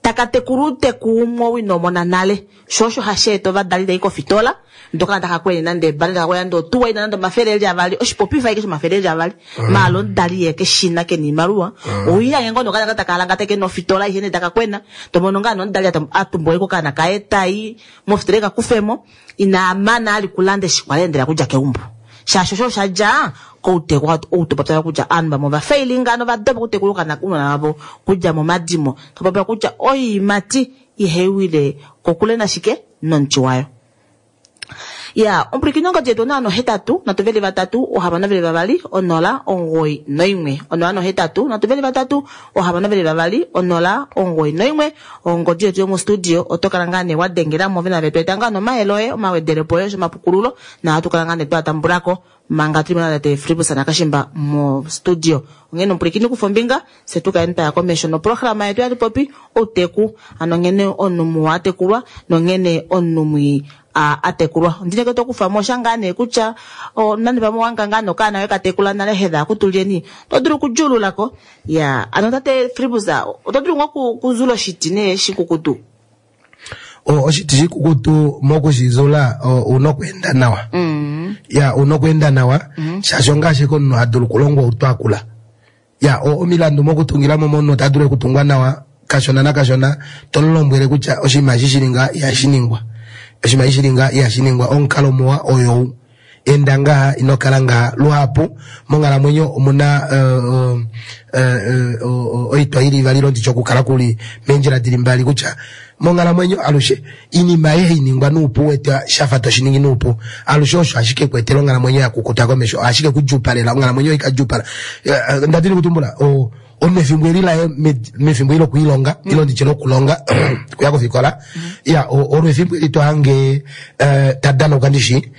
taka tekula uuteku umwe oo ino mona nale. Sho osho hashi eta ovadali tai kofitola, ndee okaana taka kwene nande ebale, taka kwene nande otuwa ina nande 200, oshipopifa ashike shomathele eli avali. Maala omudali yee keshina kena oimaliwa, owiihange ngoo nokaana taka alangata kena ofitola aishe nee taka kwena, tomono ngaa nee omudali atumba ashike okaana kaye tai mofitola eka kufemo, ina mana ali kulanda eshi kwali aendela kudja keumbo. Shaashi osho osha dja kouteku ou topopya kutya ovanhu vamwe ova failinga nova dopa okutekula ounona vavo kudja momadimo. Topopya kutya oiimati ihai wile kokule nashike nomuti wayo. Ya, omupwilikini ongodi yetu 083 323 622 0 91. 083 323 622 0 91. Ongodi yetu yomostudio oto kala ngaa nee wa dengela mo vena vetu eta ngaa nomayele oye, omawedelepo oye osho omapukululo, na ohatu kala ngaa nee twa tambulako manga tuli mo natate Fillipus Nakashimba mostudio. Onghene omupwilikini kufa ombinga, fye tu kaleni twaya komesho noprograma yetu yatu popi outeku, ano nghene omunhu muwa a tekulwa nonghene omunhu mwii a tekulwa. Ondine ke to kufa mo sha ngaa nee kutya nande pamwe owa hanga ngaa nokaana koye ka tekula nale hedha akutulyeni, oto dulu okudjuululako. Ya, ano tate Fillipus, oto dulu ngoo okuzula oshiti nee shikukutu? Oshiti shikukutu mokushizula una okweenda nawa. Ya, una okweenda nawa, shaashi ongaashi omunhu ha dulu okulongwa outwa akula. Ya, omilandu mokutungila mo momunhu ota dulu okutungwa nawa kashona nakashona, to mu lombwele kutya oshinima eshi shili ngaha ihashi ningwa. Oshinima eshi shili ngaha ihashi ningwa, omukalo muwa oyou. Enda ngaha, ino kala ngaha. Luhapu monghalamwenyo omuna oitwa ili ivali ile nditye okukala kuli meendjila dili mbali kutya Monghalamwenyo alushe inima ayihe hainingwa nuupu wete shafa toshiningi nuupu alushe osho ashike kuetela onghalamwenyo yakukuta komesho ashike kudjuupalela onghalamwenyo ikadjuupala. Ndadini kutumbula omunhu efimbo eli laye mefimbo eli lokwiilonga ile nditye lokulonga kuya kofikola ya olo efimbo eli tohange tadanauka ndishi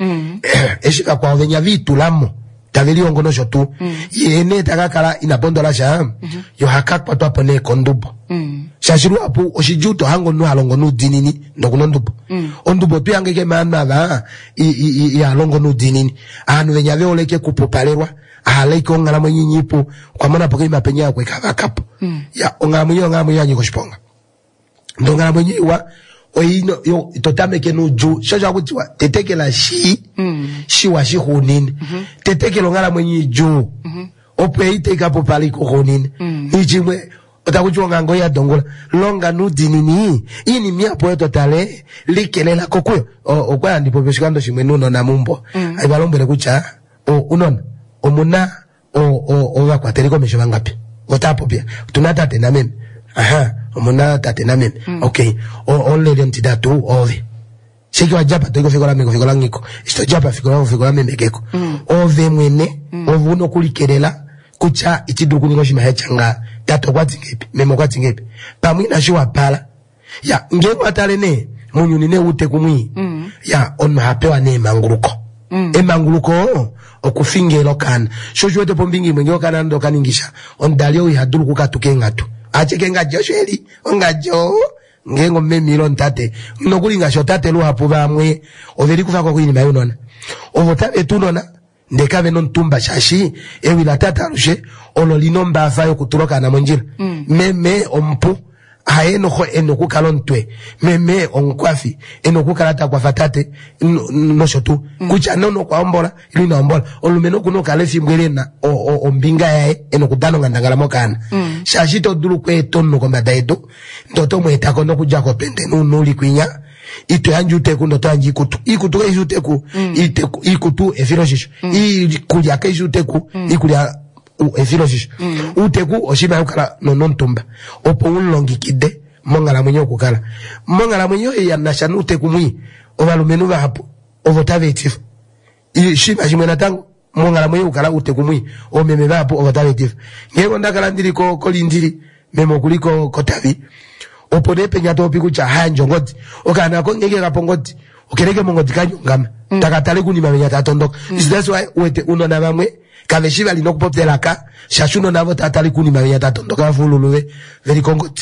eshi vakwao venya viitulamo tave lihongo nosho tuu ye nee takakala ina pondola sha yo hakakwatwapo nee kondubo shaashi luhapu oshidjuu tohange omunhu halongo noudiinini nokuna ondubo. Ondubo otwihange ike maanhu ava ihalongo noudiinini. Ovanhu venya vehole ike kupupalelwa ahala ike onghalamwenyo inyipu okwa monapo koima penya okwe kavakapo. Ya onghalamwenyo onghalamwenyo yanyika oshiponga. Ndee onghalamwenyo iwa oino yo totameke noudjuu sho osho hakutiwa tetekela shi shiwa shixuunine. Tetekela onghalamwenyo idjuu opo ei taikapupala ikuxuunine. Nichimwe otakutiwa ongango yadongula longa noudiinini iinima ihapu oyo totale likelela kokuyo. Okwa handi popi oshikando shimwe nounona meumbo haiva lombwele kutya unona omuna ovakwateli komesho vangapi otapopya otuna tate nameme aha omuna tate nameme okay omuleli omutitatu ove sheke wadjapa toyi kofikola meme kofikola ngiko eshi todjapa fikola kofikola meme keko ove mwene ove una okulikelela kutya itidulu okuninga oshinima shatya nga tate okwati ngeipi meme okwati ngeipi pamwe inashi wapala ya ngeenge watale nee mounyuni nee wouteku mwii ya omunhu ohapewa nee emanguluko. Emanguluko okufingela okaana sho oshiwete pombinga imwe ngee okaana nande okaningisha omudali ou ihadulu okukatuka eenghatu ashike ongadji osho eli ongadji oo ngeenge omumeme ile omutate nokuli ngaashi otate luhapu vamwe ovelikufako koinima younona ovo tave tu unona ndee kavena omutumba shaashi ewi latate alushe olo lina ombaafa yokutula okaana mondjila. Meme omupu haye noxo ena okukala omutwe meme omukwafi ena okukala takwafa tate nosho tuu kutya nee okwa hombola ile ina hombola omulumenhu okuna okukala efimbo eli ena ombinga yaye ena okudana onghandangala mokaana shaashi ito dulu okweeta omunhu kombada yedu ndee oto mweetako nokudja kopende nounhu uli kwinya ito yandje outeku ndee oto yandje oikutu. Oikutu kaifi outeku oikutu efiloshisho. Iikulya kaifi outeku iikulya efiloshisho. Outeku oshinima shokukala nomutumba opo umulongekide monghalamwenyo yokukala. Monghalamwenyo ei yanasha nouteku mwii ovalumenhu vahapu ovo tava etifa. Oshinima shimwe natango monghalamwenyo yokukala outeku mwii oomeme vahapu ovo tava etifa. Ngeenge ondakala ndili kolindili meme okuli kotavi opo nee penya topopi kutya hayandje ongodi okaana ko ngeenge kapo ongodi okeleke mongodi kanyongama taka tale kunima venya tatondoka. That's why uwete unona vamwe kaveshi vali nokupopya elaka shaashi unona avo tatale kunima venya tatondoka vafa oululu veli kongodi.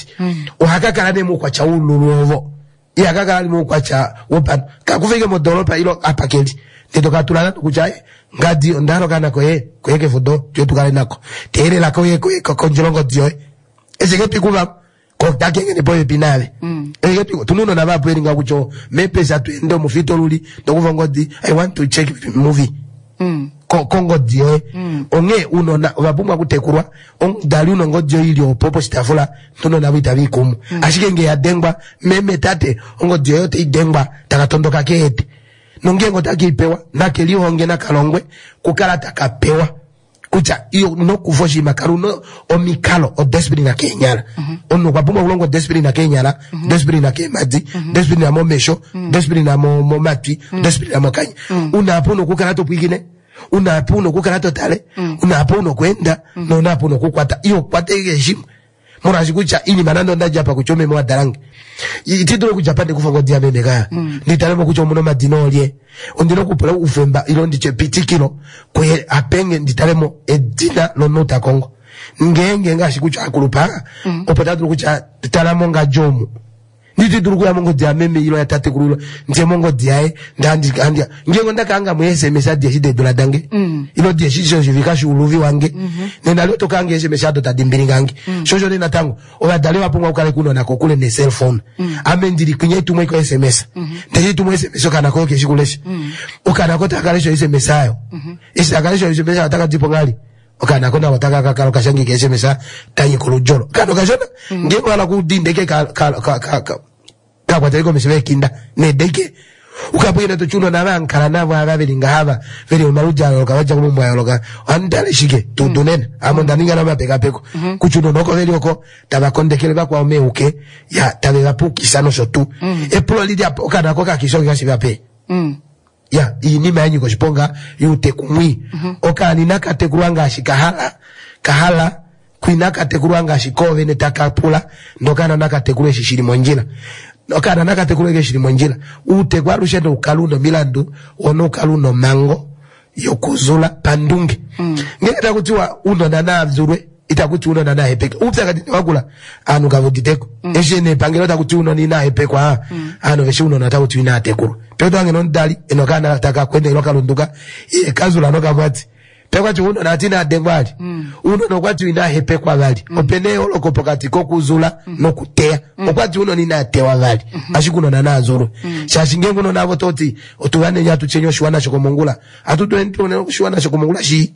Ohakakala nee moukwatya woululu ovo ihakakala ali moukwatya wopanhu kakufike modoropa ilo apa keli ndee tokatula nande kutya ngadi ondahala okaana koye koye kefudo tuye tukale nako teelela koye koye kondjela ongodi yoye eshi kepiku vamwe kotakengene popepi naave ekepiku tuna unona vahapu veli ngaho kutya mepesa tuende omufito luli ndokufa ongodi I want to check movie kongodi yoye. Onghee unona ovapumbwa okutekulwa omudali una ongodi yoye ili opo poshitaafula unona avo itava ikumu ashike ngee yadengwa meme tate ongodi yoye otaidengwa takatondoka keete nongeenge otakeipewa nakelihonge nakalongwe kukala takapewa kutya iyo nokufa oshinima kala una omikalo odiscipline keenyala. Omunhu okwa pumbwa okulonga odiscipline keenyala discipline keemadi discipline momesho discipline momatwi discipline mokanya. Una apa una okukala topwiikine una apa una okukala totale una apa una okweenda nouna apa una okukwata iyo kwata keshe shimwe molwaashi kutya iinima nande ondadjapa kutya omeme wadalange itidulu okudjapa ndikufa ongodi yameme kaya nditalemo kutya omuna omadina olye ondina okupula oufemba ilo nditye epitikilo kuye apenge nditalemo edina lomunhu takongo ngeenge ngaashi kutya akulupa opo tadulu kutya talamo ngadji omu nditidulu okuya mongodi yameme ilo yatatekulu ilo ndiye mongodi yaye ngeenge ondakahanga mo SMS adi eshi deedula dange ilo di eshi shoshivika shuuluvi wange nena lio tokahanga SMS ado tadi mbilingange. Shosho nee natango ovadali ovapumbwa okukaleka ounona kokule ne-cellphone. Ame ndili kwinya itumwe ko SMS ndele itumwe SMS okaana koye keshi kulesha okaana ko taka lesha SMS ayo eshi taka lesha SMS ayo otaka dipo ngali okaana ko nako taka kakala okashangika SMS tanyika oludjolo okaana okashona ngeenge ohala kudindeke kakwatele komesho vekinda nedeke Ukapwine to chunona vankala navo ava veli ngahava veli omaludi a yooloka vadja komaumbo a yooloka ohandi tale shike tudunene ame onda ninga nomapekapeko kutya unona oko veli oko tava kondekele vakwao meuke ya tave va pukisa nosho tuu epulo lili apa okaana ko kakisha oke vape ya iinima ya nyika oshiponga yuutekumwi okaana inaka tekulwa ngaashi kahala kahala kwinaka tekulwa ngaashi koovene taka pula nokaana naka tekulwe eshi shili mondjila okaana naka tekulwe eshi shili mondjila uuteku alushe noukala una omilandu wo noukala una omhango yokuzula pandunge ngenge takutiwa uunona naazulwe itakuti uunona nahepeke uupyakadhi wakula aantu kavuditeko eshi nepangelo takuti uunona inahepekwa aantu veshi uunona takuti inatekulwa peto ange nomudali ena okaana taka kwendelwa kalunduka iye kazula nokamwati pekwati uunona ati inadengwa ali uunona okwati inahepekwa vali opena eyooloko pokati kokuzula nokuteya okwati uunona inatewa vali ashike uunona naazulwe shaashi ngenge uunona avo toti otuvanenya atutyenya oshiwana shokomongula atutuene oshiwana shokomongula shii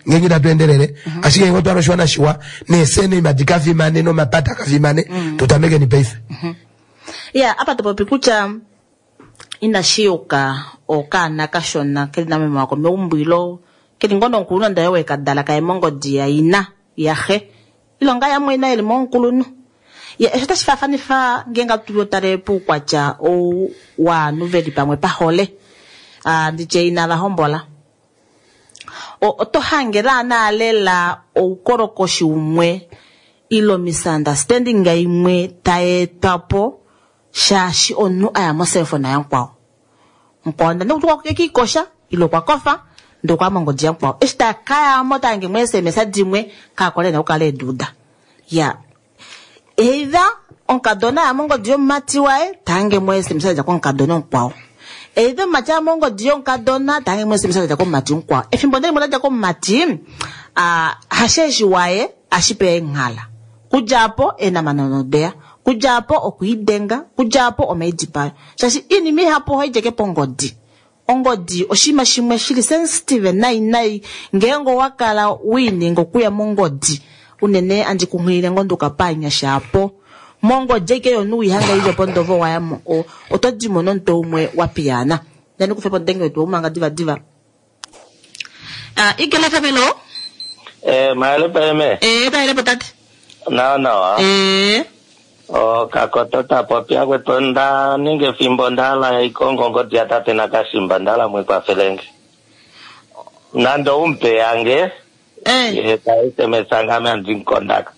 ngenge itatu endelele ashike ngenge otwala oshiwana shiwa neesenema dikafimane nomapata kafimane tutamekeni paife ya apa topopi kutya inashi yuka okaana kashona keli nameme wako meumbo ilo keli ngoo nomukulunhu ndaye wekadala kaye mongodi yaina yaxe ilo ngaa yamwe ina eli momukulunhu ya eshi otashi faafanifa ngeenge atu tale poukwatya ou waanhu veli pamwe pahole ah, nditye inava hombola oto hange laana lela oukolokoshi umwe ilo misunderstanding imwe tayeetwa po shaashi omunhu aya moselfona yamukwao mukwao ndane kuti kekiikosha ilo okwa kofa ndee okwaya mongodi yamukwao eshi takayamo tahange mo sms dimwe kaakole na okukala eduuda ya either omukadona aya mongodi yomumati waye tahange mo sms yadja komukadona omukwao either omumati aya mongodi yomukadona tahange mo sms yadja komumati mukwao efimbo ndelimwe ladja komumati ah, hasheeshi waye ashipe eenghala kudja po eenamana odeya kudja po okwiidenga kudja po omaidipayo shaashi iinima ihapu ohaidjeke pongodi ongodi oshinima shimwe shili sensitive nai nai ngeenge owakala wiininga okuya mongodi unene andi kunghilile ngoo nduka paanyasha apo mongodi aike yomunhu wiihanga ili pondovo wayamo oto dimo nomutwe umwe wa piyaana ndani kufepo odenge wetu waumanga diva diva uh, Eagle FM hello Eh, mahali peme. eh taelepo tate Nawa nawa. eh Okakoto tapopi akwetu nda ninga efimbo ndahala ikongo ngodi ya tate Nakashimba ndahala mwikwafelenge. Nando umpe yange eh ye ta SMS ngame andinkondak.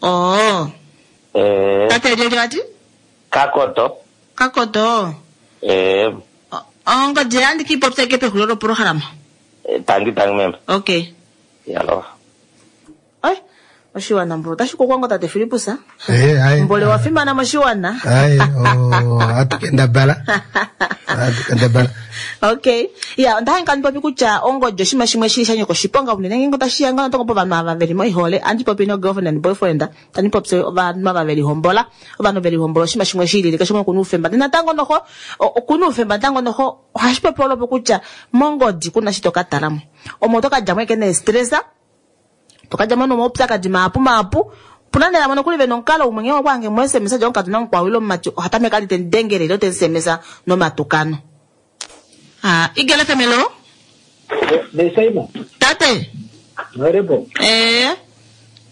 oh Eh, tate lyelyo ati Kakoto. kakoto Eh, ongodi yandi kiipopya ike pexulilo loprograma tangi tangi meme. okay Yalo. Ai, oshiwana mbo otashi kukwango tate Philipus Eh, aye. mbole wa fimana moshiwana Aye, oh, atukendabala atukendabala okay ya onda hange kandi popi kutya ongodi oshinima shimwe shili sha nyika oshiponga unene ngeenge otashi ya ngoo natango povanhu ava veli moihole andi popi no girlfriend and boyfriend tandi popi ovanhu ava veli hombola ovanhu veli hombola oshinima shimwe shilile keshe umwe okuna oufemba ndee natango noho okuna oufemba natango noho ohashi popi olopo kutya mongodi kuna shi toka talamo omo oto kadjamo eke neestresa tokadjamo nomaupyakadi mahapu mahapu puna nee vamwe nokuli vena omukalo umwe ngee okwaange mo sms dja omukadona mukwao ile omumati oha tameke ali tendengele ile tensms nomatukano ah Eagle FM hello Nesaima, tate Marepo. eh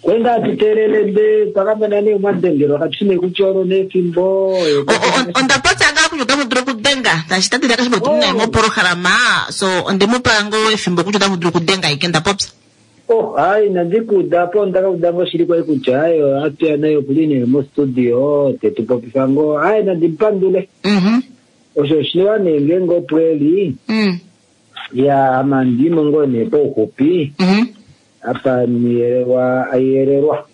Kwenda atutelele mbe pakamena ne mwadengero akatine kuchoro nefimbo. onda popya ngaa kutya otamu dulu okudenga tashi tate ndakashipa tuli naye moporohalama so ondemupa ngoo efimbo kutya otamu dulu okudenga ike ndapopya Oh, hayi nandikuda po ndakauda ngo shili kwai kutya hayi atuya nayo kuli ne mo studio tetupopifa ngo hayi nandipandule. Osho oshiwa ne ngenge opweli. Ya amandimo ngo ne pouxupi. Apa niyelelwa ayelelwa.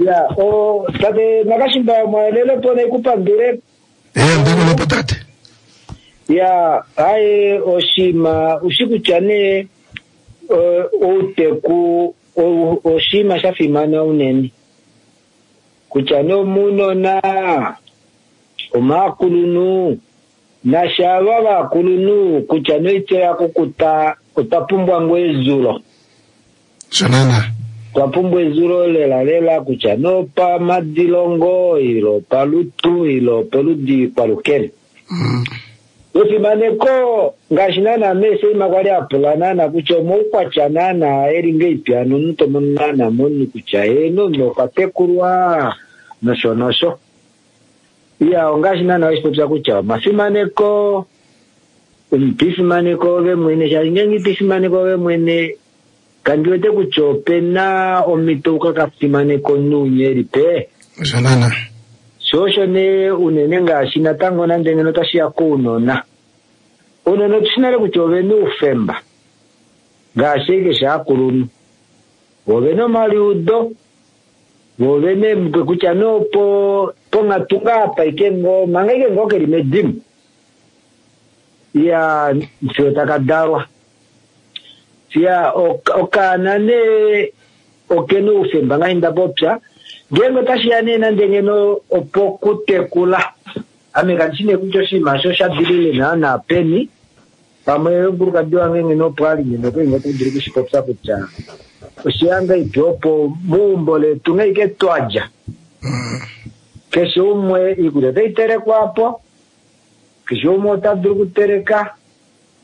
Ya o tate Nakashimba mwalele po nekupandule. Eh, ndikulepo tate. Ya hayi oshima ushikutya ne outeku oshinima sha fimana unene kutya nee omunona omaakulunhu nashava vakulunhu kutya noitya ya kukuta otwa pumbwa ngoo ezulo shonana Twa pumbwa ezulo lela lela kutya nopamadilongo ile opalutu ile opoludi kwalukele. Efimaneko ngaashi naana meeseima kwali a pula naana kutya omaukwatya naana eli ngeipi ano omunhu to mono naana momunhu kutya heeno omunhu okwa tekulwa nosho nosho. Iya ongaashi naana weshi popya kutya omafimaneko, omunhu to ifimaneke ove mwene shaashi ngeenge ito ifimaneke ove mwene kandi wete kutya ope na omhito uka ka fimaneke omunhu unye eli pe. Osho naana. Sho osho nee unene ngaashi natango nande ngeno otashi ya kounona. Ounona otu shi nale kutya ove na oufemba ngaashi keshe aakulunhu. Vo ove na omaliudo, vo ove na eemutwe kutya nee opo ponghatu ngaa apa ike ngoo manga ike ngoo keli medimo. Iya fiyo taka dalwa. Iya okaana nee okena oufemba ngaashi nda popya. Ngeenge otashi ya nee nande ngeno opokutekula, ame kandi shi nee kutya oshinima osho osha dilile naana peni. Pamwe omukulukadi wange ngeno opo a li ngeno okwa li ngoo ta dulu okushipopya kutya osheya ngahelipi opo meumbo letu ngaike twa dja. Keshe umwe oikulya otai telekwa po, keshe umwe ota dulu okuteleka,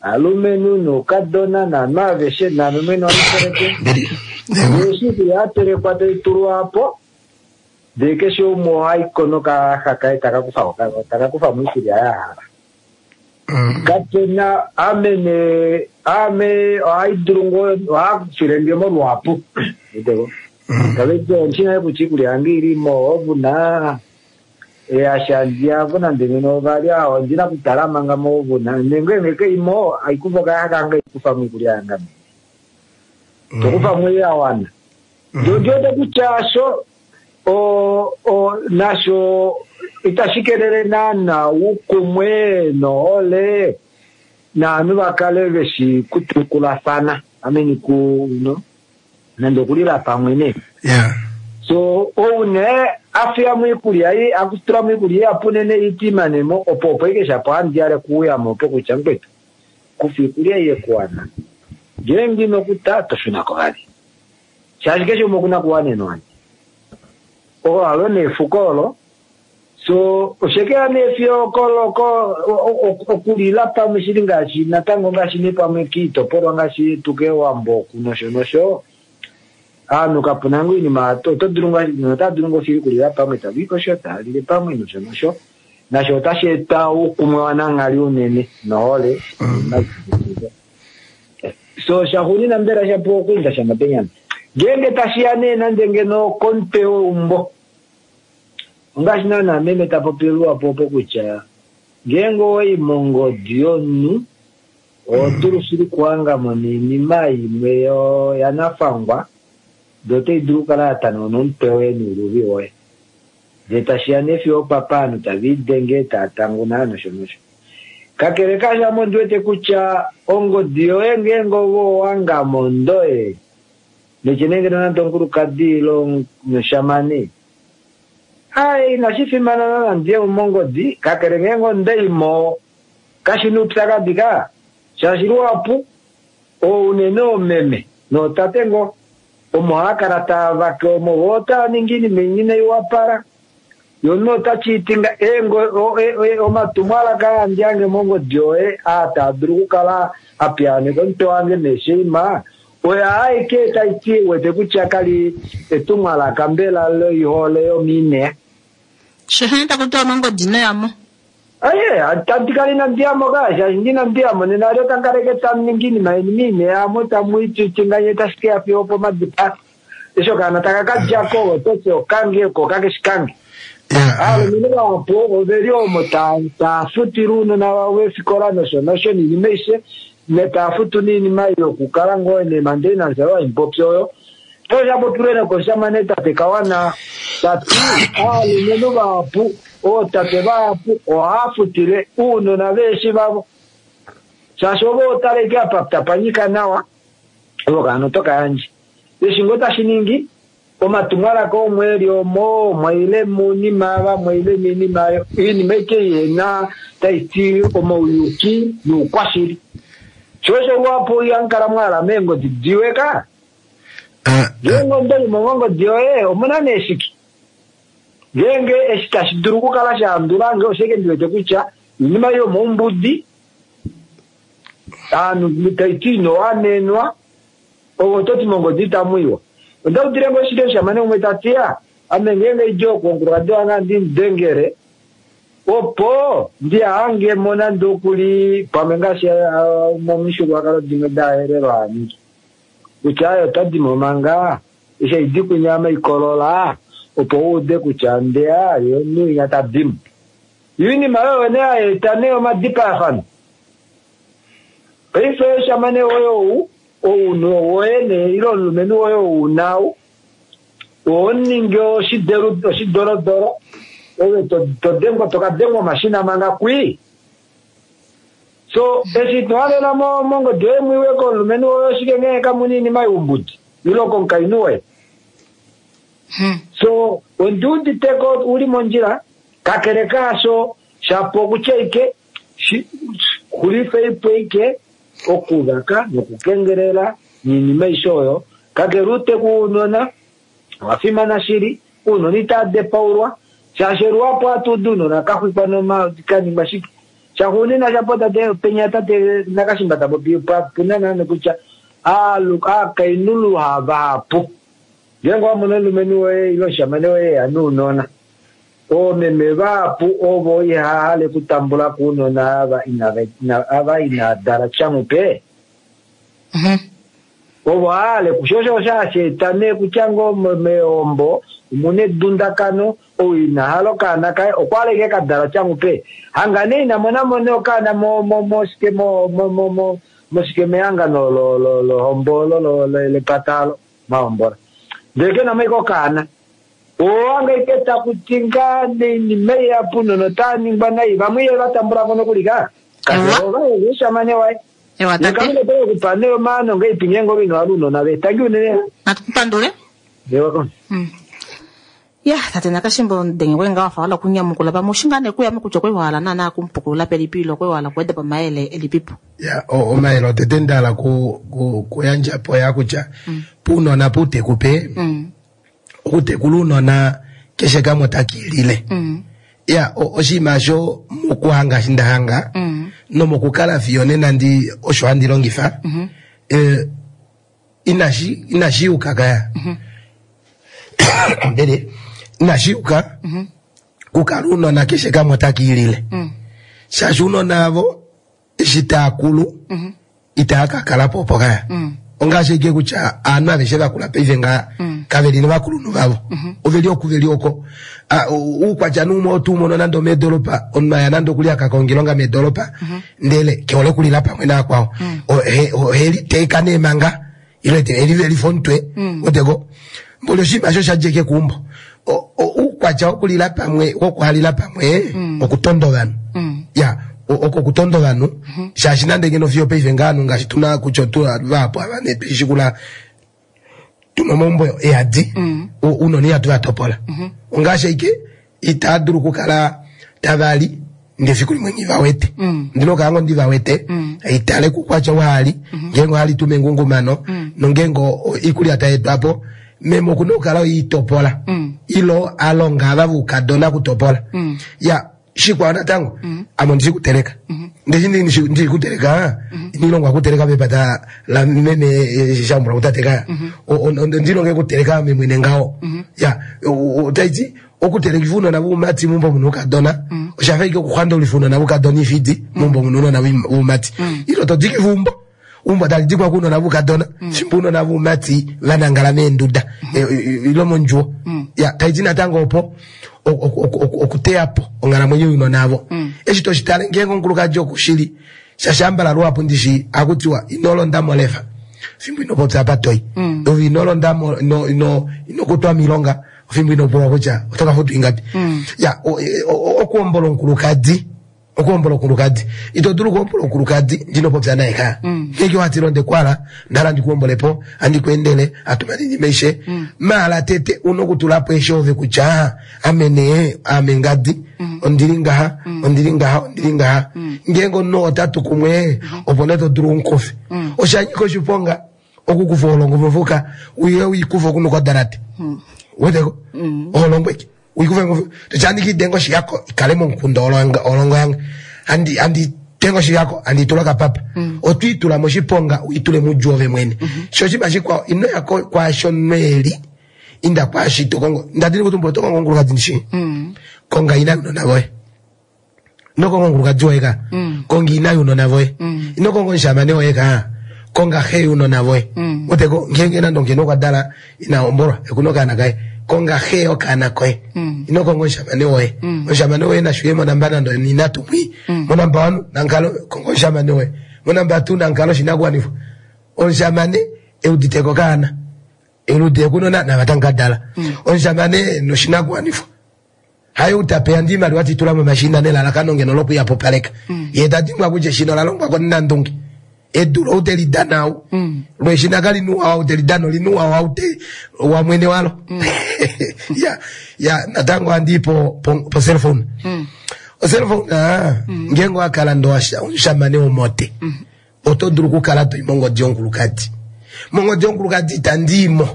alumenhu noukadona naanhu aveshe, naame mwene ohandi teleke. Ndele eshi oikulya ya telekwa tai tulwa po, ndele keshe umwe ohai ko nokayaxa kaye taka kufa mo oikulya ya hala. Kape na ame nee ame ohai dulu ngoo ohakufile nge mo luhapu. Udeko. Tave ti ondi nale kutya iikulya yange ili mo ovuna easha ndiavo nande ngeno ovalya ondi na kutala manga mo ovuna nenge nge keimo aikufa okayaxa kange aikufa mo iikulya yange ame. Tokufa mo ya wana. Ndi wete kutya sho o o nasho itashi kelele naana uukumwe nohole naanhu va kale veshi kutukulafana ameni ku no nande okulila pamwe nee. So ou nee a fiya mo iikulya ei a tula mo iikulya ihapu unene iti imane mo opo opo ike shapo handi yale kuuya mo opo kutya mukwetu kufa iikulya ei yekuwana ngeenge ino kuta to shuna ko vali. Shaashi keshe umwe okuna kuwanenwa andi. Olo halo nee efuko olo. So oshekeya nee fiyo kolo ko okulila pamwe shili ngaashi natango ngaashi nee pamwe kiitopolwa ngaashi yetu kEwambo oku nosho nosho. Aanhu kapuna ngoo oinima oto dulu ngaashi ota dulu ngoo shili okulila pamwe tava i kosho tava lile pamwe nosho nosho. Nasho otashi eta oukumwe wananghali unene nohole. So shaxuunina mbela shapuwa okuinda shanga penyama. Ngeenge tashi ya nee nande ngeno komutwe weumbo. Ongaashi naana meme ta popi luhapu opo kutya ngeenge owai mongodi yomunhu oho dulu shili okuhanga mo noinima imwe yanafangwa ndee otai dulu okukala ya tanauna omutwe woye nouluvi woye. Ndee tashi ya nee fiyo opapa ovanhu tave idenge tava tanguna nosho nosho. Kakele kaasho ame ondi wete kutya ongodi yoye ngeenge ove owanga mondoye netye nee ngeno nande omukulukadi ile omushamane ai inashi fimana naana ndiye mo mongodi kakele ngeenge ondaimo kashi na oupyakadi ka shaashi luhapu ounene oomeme nootate ngoo omo haa kala taa vake omo voo otaa ningi oinima inai wapala Yo omunhu ota cheatinga omatumwalaka aa handi hange mongodi yoye aa taa dulu okukala a piyaaneka omutwe wange neesheima oyo aeke tai ti wete kutya kali etumwalaka mbela loihole yomiinea. Shehene taku tiwa mongodi ino ya mo. Aye, tandi kala inandi ya mo ka, shaashi ndi inandi ya mo nena alyo tamu kaleke tamu ningi iinima yeni miineya amo tamu icheatinga nye tashi ke ya fiyo opomadipao. Eshi okaana taka ka dja ko oto ti okange ko kakeshi kange. Aalumenhu vahapu ove li omo taa futile ounona vavo eefikola nosho nosho noinima aishe, notaa futu noinima ei yokukala ngoo neemandenance oyo hai popi oyo. Osha popilwe nokomushamane tate Kawana ta ti aalumenhu vahapu, ootate vahapu ohaa futile ounona veeshi vavo shaashi ove otala ike apa tapa nyika nawa ove okaana oto ka yandje. Eshi ngoo tashi ningi omatumwalaka omo eli omo mwaile moinima ava mwaile moinima ayo oinima aike ihena tai ti omauyuki noukwashili. Sho osho luhapu ihamu kala mwa hala meengodi diwe ka. Ngeenge ondo li mongongodi yoye omuna nee shike? Ngeenge eshi tashi dulu okukala sha handula nge oshike ndi wete kutya oinima yomoumbudi aanhu tai ti ino wanenwa ove oto ti mongodi itamu iwa. Onda udile ngoo shili omushamane umwe ta ti ya ame ngeenge idi oku omukulukadi wange andi mu dengele opo ndi hange mo nande okuli pamwe ngaashi momifyuululwakalo dimwe daHerero haa ningi kutya aye ota di mo manga eshi haidi kwinya ame ikolola opo u ude kutya ndeya ye omunhu winya ta di mo. Yo oinima oyo nee hai eta nee omadipayafano. Paife oshamane woye ou, ounhu woye nee ile omulumenhu woye ou una ou, oho ningi oshidelu oshidorodoro ove to, to dengwa to ka dengwa omashina manga kwii. So eshi ito halela mo mongodi yoye mwiwe komulumenhu woye oshike ngee kamuna iinima youmbudi ile komukainhu woye. So ondi uditeko uli mondjila kakele kaasho shapo okutya ike xulifei po ike okuvaka nokukengelela noinima aishe oyo. Kakele outeku wounona owa fimana shili, ounona itava depaulwa shaashi luhapu ohatu udu ounona ka xwikwa noma ka ningwa shike. Shaxuuninwa shapo tate penya tate Nakashimba ta popi puna naana kutya aakainhu luha vahapu ngeenge owa mono omulumenhu woye ile omushamane woye eya nounona oomeme vahapu ovo ihava hale okutambula ko ounona ava ava inava dala tyamupe ovo hahale kusho osho osho hashi eta nee kutya ngoo meehombo omuna edundakano ou ina hala okaana kaye okwa hala ashike kadala tyamupe hanga nee ina monamo nee okaana mo mo moshike mo mo mo mo moshike mehangano lo lo lohombo olo lepata alo mahombola ndele kenamo ashike okaana Owange ike taku ti ngaa neinima ihapu nonotaa ningwa nai vamwe ihava tambula ko nokuli ka kakele ova yele omushamane waye. Ewa Ye tate. Kalunga ote ke ku pa nee omaano ngahelipi ngeenge ove ino hala ounona ve. Tangi unene. Natu ku pandule. Ewa ko. Ya, tate Nakashimbo denge kwe ngaa wafa wala okunyamukula pamwe oshi ngaa nee kuyamo kutya okwe wahala naana okumupukulula pelipi ile okwe wahala okuweda po omayele elipipo. Ya, omayele otete nda hala ku, ku, kuyandja po ya kutya puunona puuteku pe okutekula uunona keshe kamwe otaka ilile ya oshinima osho mokuhanga eshi nda hanga nomokukala fiyo nena ndi osho handi longifa eh, inashi inashi yuka kaya ndele inashi yuka kukala uunona keshe kamwe otaka ilile shaashi uunona avo eshi taa kulu itaa ka kala po opo kaya ongaashi ike kutya aanhu aveshe vakula paife ngaa kave li novakulunhu vavo ove li oku ve li oko. Uukwatya nuumwe otu mono nande omeedolopa omunhu aya nande okuli aka konga oilonga meedolopa ndele ke hole okulila pamwe navakwao ohe liteeka nee manga ile te elivelifa omutwe weteko mboli oshinima osho sha dja ike keumbo. Uukwatya wokulila pamwe wokuhalila pamwe okutonda ovanhu ya oko okutonda ovanhu shaashi nande ngeno fiyo paife ngaa ovanhu ngaashi tuna kutya otu vahapu ava nee tweshikula tuna omaumbo eyadi ounona ihatu va topola ongaashi aike itaa dulu okukala tava li ndee efiku limwe nghi va wete ndina okukala ngoo ndi va wete itale kukwatya waali ngeenge ohali tu mengungumano nongeenge oikulya tai etwa po meme okuna okukala oitopola ilo alonga ava voukadona okutopola ya shikwao natango ame ondi shi kuteleka ndeshi ndi shi kuteleka inilongwa kuteleka mepata la meme shambula kutate kaya ondilonge kuteleka ame mwene ngaho ya otaiti okuteleka uunona vuumati mumbo muna uukadona oshafa ike okuxwandaulifa uunona vuukadona ifidi mumbo muna uunona vuumati ilo to diki vumbo umbo tali dikwa kuunona vuukadona fimbo uunona vuumati va nangala meenduda ilo mondjuwo ya taiti natango opo okuteya po onghalamwenyo younona avo eshi to shi tale ngeenge omukulukadi okushili shashambala luhapu ndishi akutiwa ino londa molefa fimbo ino popya apa toi ove ino londa mo ino ino ino kutwa miilonga fimbo ino pulwa kutya oto ka futwa ingapi ya okuhombola omukulukadi okuhombola omukulukadi ito dulu okuhombola omukulukadi ndino popya naye ka ngeenge wati londe kwala ndala ndikuhombolepo andi kuendele atuma ninima aishe maala tete una okutula po eshi ove kutya ame nee ame ngadi ondili ngaha ondili ngaha ondili ngaha ngeenge omunhu otatu kumwe opo nee to dulu umukufe osha nyika oshiponga. Okukufa oholongo mofuka uye uikufa okunuka odalate. Weteko? Oholongo eke. Uikufa mofuka. Toti kidenga oshihako ikale momukunda oholongo yange. Andi andi tenga oshihako andi tula kapapa. Otwiitula moshiponga uitule mudju ove mwene. Sho oshinima shikwao ino ya kwaasho nweli inda kwaashi to kongo. Ndadini kutumbula oto kongo omukulukadi ndishi. Konga ina younona voye. Ino konga omukulukadi woye ka. Konga ina younona voye. Ino konga omushamane woye ka. Konga xe younona voye. Uteko ngeenge nande ngeno okwa dala ina hombolwa ekuna okaana kaye. Konga xe yokaana koye. Ino konga omushamane woye. Omushamane woye nashuye monamba nande ina tumwi. Monamba 1 nankalo konga omushamane woye. Monamba 2 nankalo oshinakuwanifwa. Omushamane euditeko okaana. Eludi ekunona navatangu kadala. Omushamane noshinakuwanifwa. Hayo utapeya ndi imaliwa titula momashina nelalakano ngeno lokuyapupaleka. Ye tadimbwa kutya eshina ola longwa konandunge. Edu oute lidana au. Lweshina kali nuwa aute lidana olinuwa aute wa mwene walo. Ya ya natango andi po po, cellphone. O cellphone ngeenge wakala ndo omushamane womote. Oto dulu okukala toi mongodi yonkulukadi. Mongodi yonkulukadi itandimo.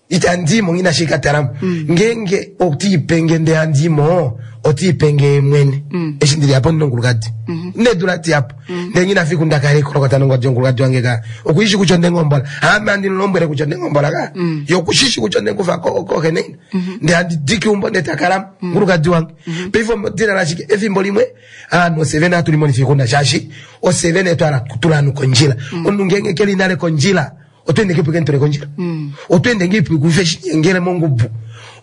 Itandimo ngina shikatalamo. Ngeenge otiipenge nde andimo otiipenge mwene. Eshi ndili apo ndinonkulukadi. Nedula ti apo. Ndee ngina fiku ndakale ikolokota nongodi yonkulukadi wange ka. Okuishi kutya ondengombola. Ama ndilombwele kutya ondengombola ka. Yokushishi kutya ondekufa kohe neina. Ndee andi diki umbo ndee takalamo. Nkulukadi wange. Paife omodina lashike efimbo limwe aanhu osevene hatu limonifa oixuna shaashi osevene twala kutula ovanhu kondjila. Omunhu ngeenge keli nale kondjila otwende ngepo kentule kondjila. Otwende ngepo kufe shinyengele mongubu.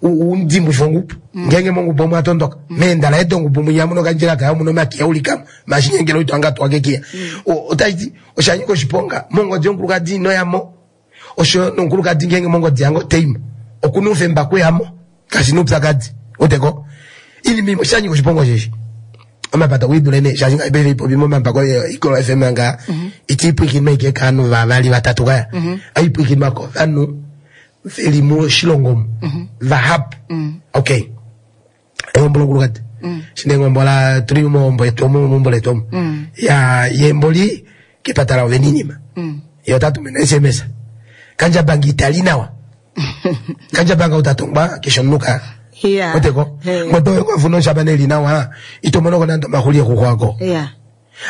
Undimbufa ongubu. Ngeenge mongubu omwa tondoka. Meendala edo ongubu mwinya muno kandjila kayo muno makiya ulikamo. Mashinyengele oito anga twake kiya. Otaiti oshanyika oshiponga mongodi yonkulukadi ino yamo. Osho nonkulukadi ngeenge mongodi yange oteimo. Okuna oufemba kuyamo. Kashi noupyakadi. Uteko. Inima imwe oshanyika oshiponga osheshi. Omapata okwiidule nee shaashi ngaashi paife ipopi momambako Eagle FM nga itiipwikinwa ike kaanhu vavali vatatu kaya. Aipwikinwa kovanhu veli moshilongo omu vahapu. Okay. Ehombo lokulukadi. Shinengombola tuli mohombo yetu omu meumbo letu omu. Ya yemboli kepata lao veninima. Ye ota tumine SMS. Kandjabanga itali nawa. Kandjabanga utatongwa keshe omunhu ka. Oteko. Ngoto kwafuna oshamane eli nawa ito mono ko nande omahuli ekukwako.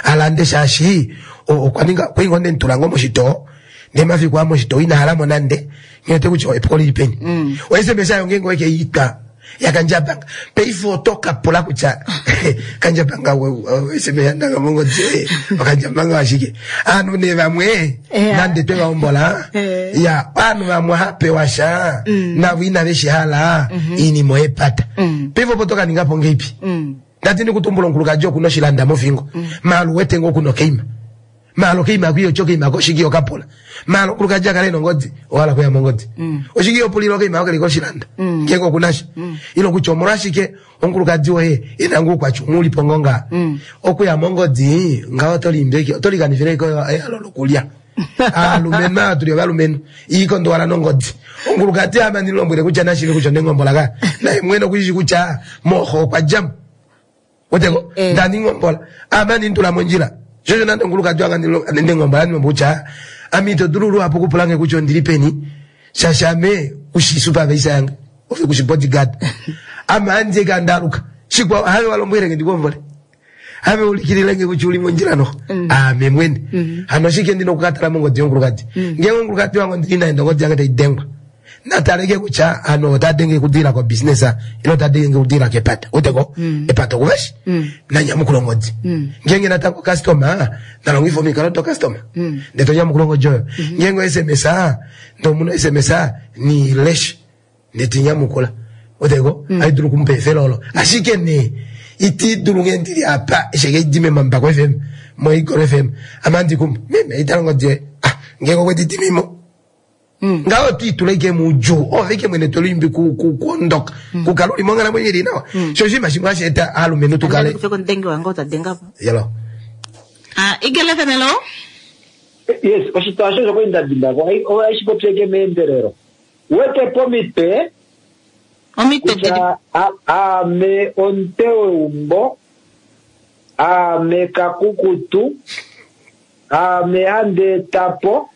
Alande shaashi okwa ninga kwingo ndentula ngo moshitoo ndee mafiku a moshitoo ina halamo nande ngete kutya epuko lili peni. O SMS ayo ngeenge weke itwa yakandjabanga paife oto kapula kutya kandjabanga SMS yandanga mongodi okandjabanga ashike aanhu nee vamwe nande twe vahombola ya aanhu vamwe ohapewa sha navo inave shi hala iinima oyepata. Paife opo toka ninga po ngeipi. Ndati ndikutumbula omukulukadi okuna oshilanda mofingo. Maala uwete ngoo okuna okeima. Maala okeima kwiyo okeima koshiki okapula. Maala omukulukadi akale nongodi ohala kuya mongodi. Oshiki opulila okeima okeli koshilanda. Ngeenge okunasha. Ilo kutya omolwashike omukulukadi woye ena ngoo oukwatya umwe ulipo ngoo nga. Okuya mongodi ngaho oto limbeke oto likanifile ko ehalo lokulya. Aalumenhu ava tuli ovalumenhu iikondo wala nongodi. Omukulukadi ama ndilombwele kutya nashive kutya ondengombola ka. Naye mwene okushishi kutya moho okwa djamo. Oteko ndandi ngombola ama ndintula mondjila. Shosho nande omukulukadi wange ndengombola ndilombo kutya ame ito dulu luhapu okupulange kutya ondili peni. Shaashi ame kushi supervisor yange. Ove kushi bodyguard. Ame andje kandaluka. Shikwao have walombwelenge ndikuombole. Have ulikililenge kutya uli mondjila noho. Ame mwene. Hano shike ndina okukatala mongodi yomukulukadi. Ngeenge omukulukadi wange ondili naye ndongodi yange taidengwa. Nataleke kutya ano ota denge kudila ko business ilo ota denge kudila kepata. Uteko epata okuveshi. Nanyamukula ongodi. Ngeenge natango customer nalongifa omikalo do customer. Ndee tonyamukula ongodi oyo. Ngeenge SMS ndomuna SMS ni lesh ndee tinyamukula. Uteko aidulu kumupa efelo olo. Ashike nee iti dulu ngee ndili apa esheke idime mambako FM mo Eagle FM ama ndikumba meme itala ongodi yoye. Ah ngeenge okwe didimimo. Ngaho twiitula ike muudjuu ove ike mwene tolimbi kuondoka kukala uli monghalamwenyo ili nawa. Sho oshinima shimwe hashi eta aalumenhu tukale Ndenge wange otadengapo. Yelo. Ah, Eagle FM hello. Yes, oshitwa osho kwali nda dimbako ohashi popyeke meendelelo. Wete pomitwe omitwe kutya ame omutwe weumbo, ame kakukutu, ame handi etapo,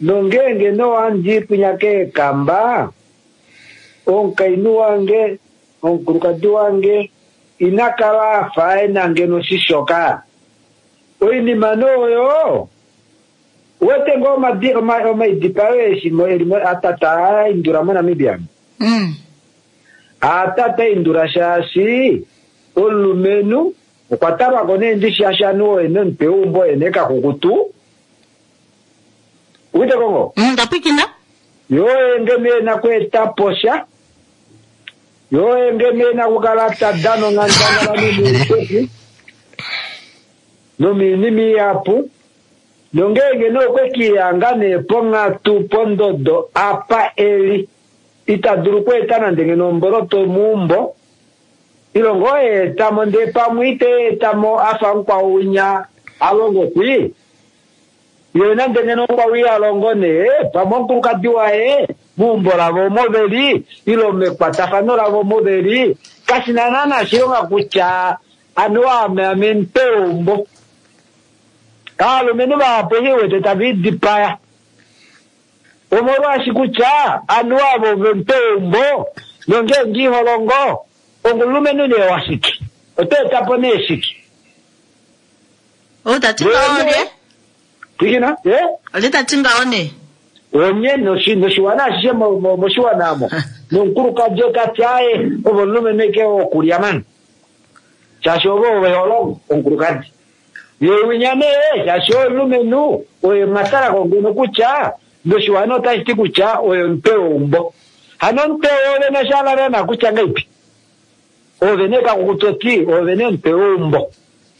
Nongeenge nohandi kwinya keekamba, omukainhu wange, omukulukadi wange, ina kala a fa e na ngeno oshishoka. Oinima nee oyo, uwete ngoo omadi, oma, omaidipayo eshi mo, eli mo, atata a indula moNamibia. Mm. Atata indula shaashi omulumenhu okwa talwa ko nee ndishi shaashi anuwa oye nomutwe weumbo oye nee kakukutu. Uwete ko ngoo? Mm, ndapwikina. Yo oye ngeno e na okweeta po sha. Yo oye ngeno e na okukala ta dana onghandangala nomuuteku nomiinima ihapu. Nongeenge nee okwe ke lihanga nee ponghatu pondodo apa e li, ita dulu okweeta nande ngeno omboloto meumbo, ile ngoo e eta mo ndee pamwe ite i eta mo a fa mukwao winya a longo kwii. Ye nande ngeno mukwao iha longo nee, pamwe omukulukadi waye meumbo lavo omo ve li, ile mekwatafano lavo omo ve li, kashi na naana oshilonga kutya anuwa ame ame omutwe weumbo. Aalumenhu vahapu eshi wete tava idipaya omolwaashi kutya anuwa avo ove omutwe weumbo nongeenge iho longo ongomulumenhu nee washike? Oto eta po nee shike? Ou ta ti ngaho olye? Pwilikina, ye? Olye ta ti ngaho nee? Onye noshiwana ashishe moshiwana omo. Nomukulukadi ota ti aye, ove omulumenhu eke wokulya mani. Shaashi ove ove ho longo, omukulukadi. Ye winya nee, shaashi oye omulumenhu, oye mwa tala ko ngeno kutya, noshiwana otashi ti kutya oye omutwe weumbo. Hano omutwe woove nosha hala naana kutya ngaipi? Oove nee kakukutu oti, oove nee omutwe weumbo.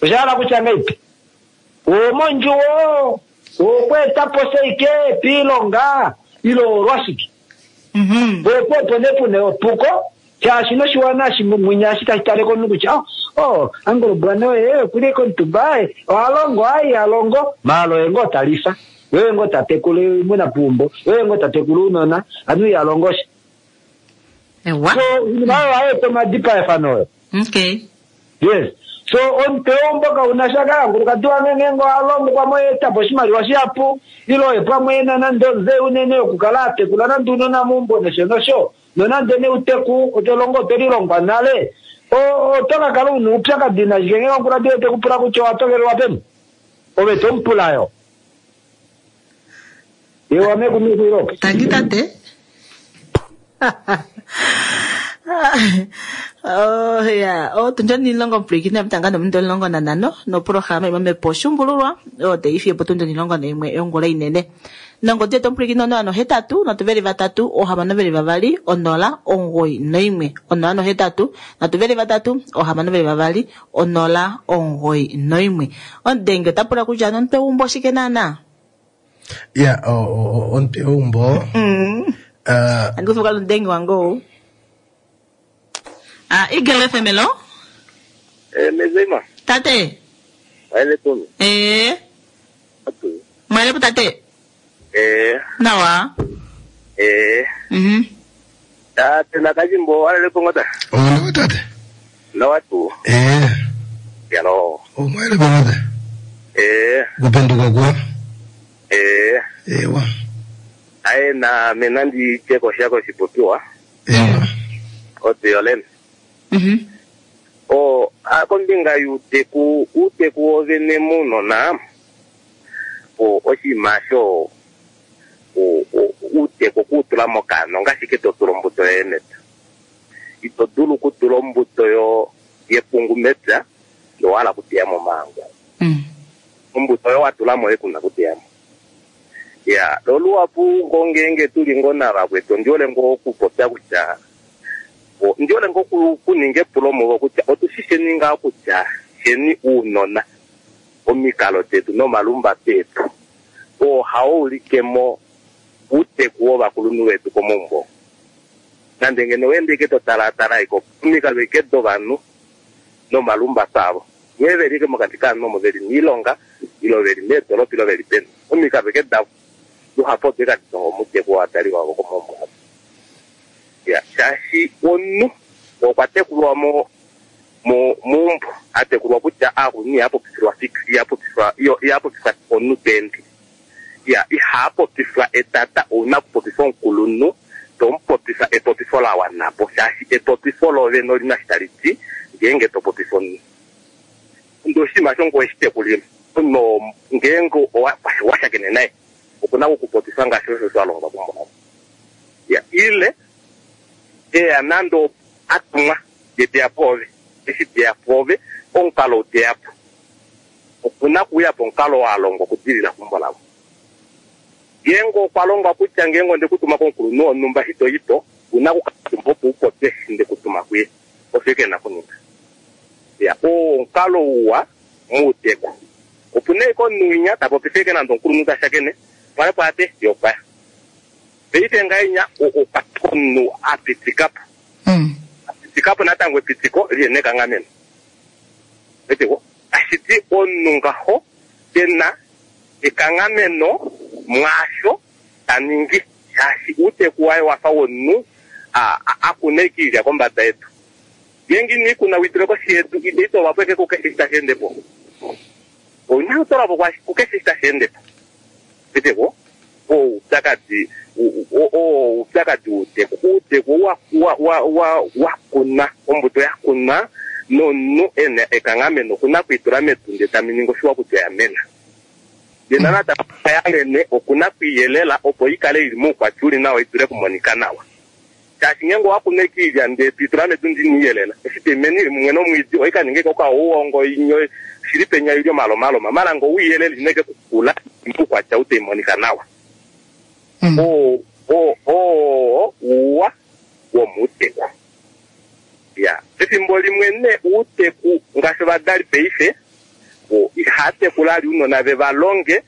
Osha hala kutya ngaipi? Owomondjuwo, owokweeta po shaike piilonga, ile owolwashike? Opo opo nee pu na epuko, shaashi noshiwana eshi mwinya eshi tashi tale komunhu kutya, oh, oh, Angolobwana oye oku li komutumba, oha longo, aye iha longo, maala oye ngoo ta lifa, ye oye ngoo ta tekula oimuna peumbo, ye oye ngoo ta tekula ounona, hano iha longo sha. Ewa. So, oinima oyo ohayi eta omadipayafano oyo. Okay. Yes. So, omutwe weumbo kau na sha ka, omukulukadi wange ngeenge oha longo pamwe oye eta po oshimaliwa shihapu, ile oye pamwe e na nande onze unene yokukala a tekula nande ounona meumbo nosho nosho, nonande nee outeku oto longo otwe lilongwa nale, oto ka kala u na oupyakadi nashike ngeenge omukulukadi woye te ku pula kutya owa tokelelwa peni? Ove to mu pula yo. Ye wa meku meku ilo. Tangi tate. Oh ya, oh tunja nilongo mpwikina mtanga nomundu 15 noprograma imwe mepo shumbululwa o teifi opo tunja 11 yongula inene. Nongodi yetu omupwilikini 083 3 622 091 083 3 622 091. Omudenge ota pula kutya nomutwe weumbo oshike naana? Ya, omutwe weumbo. Andi kufuka omudenge wange ou. Ah, Eagle FM hello. Mezima. Tate. Mwele kumi. Mwele tate. Nawa. Tate nakajimbo walele kongota. Oh, tate. Nawa tu. Yalo. Oh, mwele kongota. Kupenduka kwa. Ewa. Aye na menandi cheko shako shipopiwa. Ewa. Ote yolene. O kombinga yuuteku, uuteku wovene muunona, o oshinima sho uuteku okuutula mokano ngaashi ke to tula ombuto yoye mepya. Ito dulu okutula ombuto yepungu mepya nowa hala okuteya mo omahangu. Ombuto oyo wa tula mo oye kuna okuteya mo. Ya, loluhapu ngo ngeenge tuli ngo navakwetu, ondi hole ngo okupopya kutya ndi hole ngo okuninga epulo muvo kutya otu shi sheni ngaa kutya sheni uunona omikalo detu nomalumbato etu oo hao ulike mo uuteku wovakulunhu vetu komaumbo. Nande ngeno weende ike to talaatala iko omikalo ike dovanhu nomalumbato avo nghee veli ike mokati kaanhu omo veli miilonga ilo veli meedolopa ilo veli peni omikalo ike davo luhapu odo ike hadi tongo omuteku wovadali vavo komaumbo avo. Ya, shaashi omunhu okwa tekulwa meumbo, a tekulwa kutya aakulunhu iha popifilwa fik, iha popifwa, iyo, iha popifwa omunhu ta ende. Ya, iha popifwa etata, ouna okupopifa omukulunhu, to mu popifa epopifo la wana po, shaashi epopifo lovene oli na shi tali ti ngeenge to popifa omunhu. Ndee oshinima osho ngoye shi tekulilwa. Omunhu oo ngeenge owa shakene naye, oku na okukupopifa ngaashi osho wa longwa kumbulavo. Ya, ile eya nande a tumwa, ye te ya pwoove. Eshi te ya pwoove, omukalo ou te ya po, oku na okuuya po omukalo oo a longwa okudilila kumbulavo. Ngeenge okwa longwa kutya ngeenge onde ku tuma komukulunhu wonhumba eshi to i po, ou na okukala omutumba opo u popye eshi nde ku tuma kuye. Osho ashike e na okuninga. Ya, oo omukalo uwa mouteku. Opu na ashike omunhu winya ta popifa ashike nande omukulunhu ta shakene, pwale pwaate, ye okwa ya. Paife ngahenya okwa omunhu a pitika po. A pitika po natango epitiko li na ekanghameno. Wete ko? Tashi ti omunhu ngaho ke na ekanghameno mwaasho ta ningi, shaashi uuteku waye owa fa womunhu a kuna ashike iilya kombada yedu. Ngeenge ino i kuna u i tule koshi yedu, ite i toolwa po ashike kukeshe eshi tashi ende po. Ou na okutoolwa po kukeshe eshi tashi ende po. Wete ko? Oo oupyakadi, oo oupyakadi wouteku. Outeku ou wa kunwa, ombuto ya kunwa nomunhu e na ekanghameno oku na oku i tula medu ndele tamu ningi oshiwa kutya oya mena. Ndele natango ya mene oku na oku i yelela opo i kale i li moukwatya u li nawa i dule okumonika nawa. Shaashi ngeenge owa kunu ashike oilya ndele to i tula medu ndele ino i yelela, eshi tai mene i li mumwe nomwiidi ohai ka ninga ashike okaouongo inyo shili penya i li omalomaloma. Maala ngee owe i yelele ina ashike kukula moukwatya ou tai monika nawa. Oo oo ouwa womuuteku. Ya, pefimbo limwe nee outeku ngaashi ovadali paife ihava tekula vali ounona ve va longe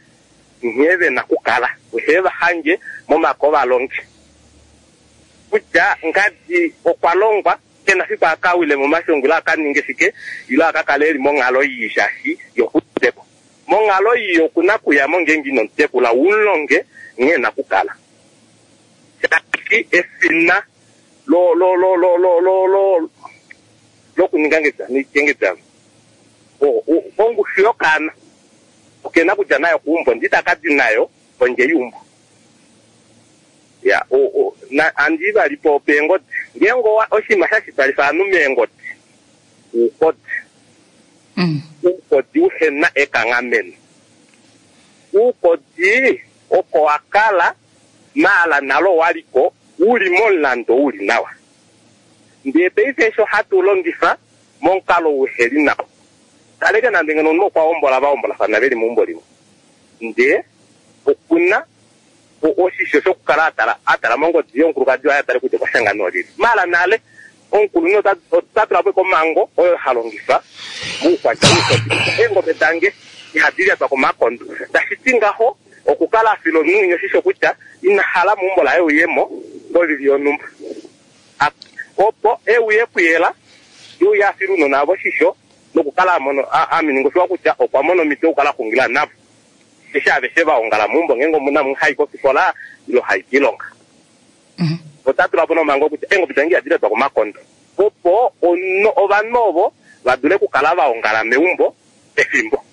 nghee ve na okukala. Ohe va hange momake ovalongi. Kutya ngadi okwa longwa, ke na fiku a ka wile momashongo ile a ka ninge shike ile a ka kale e li monghalo ii shaashi ye oku udite ko. Monghalo ii oku na okuya mo ngeenge ino mu tekula u mu longe nghee e na okukala. Shaashi efina lo lo lo lo lo lo lo lokuninga ngedjano ongushu yokaana oke na okudja nayo keumbo ndee itaka di nayo kondje yeumbo. Ya, na andi vali po peengodi. Ngeenge oshinima sha shitwalifa ovanhu meengodi, oukodi. Oukodi uhe na ekanghameno. Oukodi oko wa kala, maala nale owa li ko u li momulandu u li nawa. Ndee paife eshi ohatu u longifa momukalo uhe li nawa. Kaleke nande ngeno omunhu okwa hombola va hombolafana ve li meumbo limwe, ndee oku na oshisho shokukala a tala a tala mongodi yomukulukadi waye a tale kutya okwa shanga noolyelye. Maala nale, omukulunhu ota ota tula po ashike omhango oyo ha longifa moukwatya woukodi kutya eengobe dange ihadi lyatwa komakondo. Tashi ti ngaho okukala a fila omunhu winya oshisho kutya ina hala meumbo laye uye mo kovili yonhumba. Opo e uye kuyela, ye uye a file ounona vavo oshisho nokukala a mono a ninga oshiwa kutya okwa mona omhito yokukala a xungila navo eshi aveshe va ongala meumbo ngeenge omu na umwe ha i kofikola ile ha i koilonga. Ota tula po nomhango kutya eengobe dange ihadi letwa komakondo opo ovanhu ovo va dule okukala va ongala meumbo pefimbo.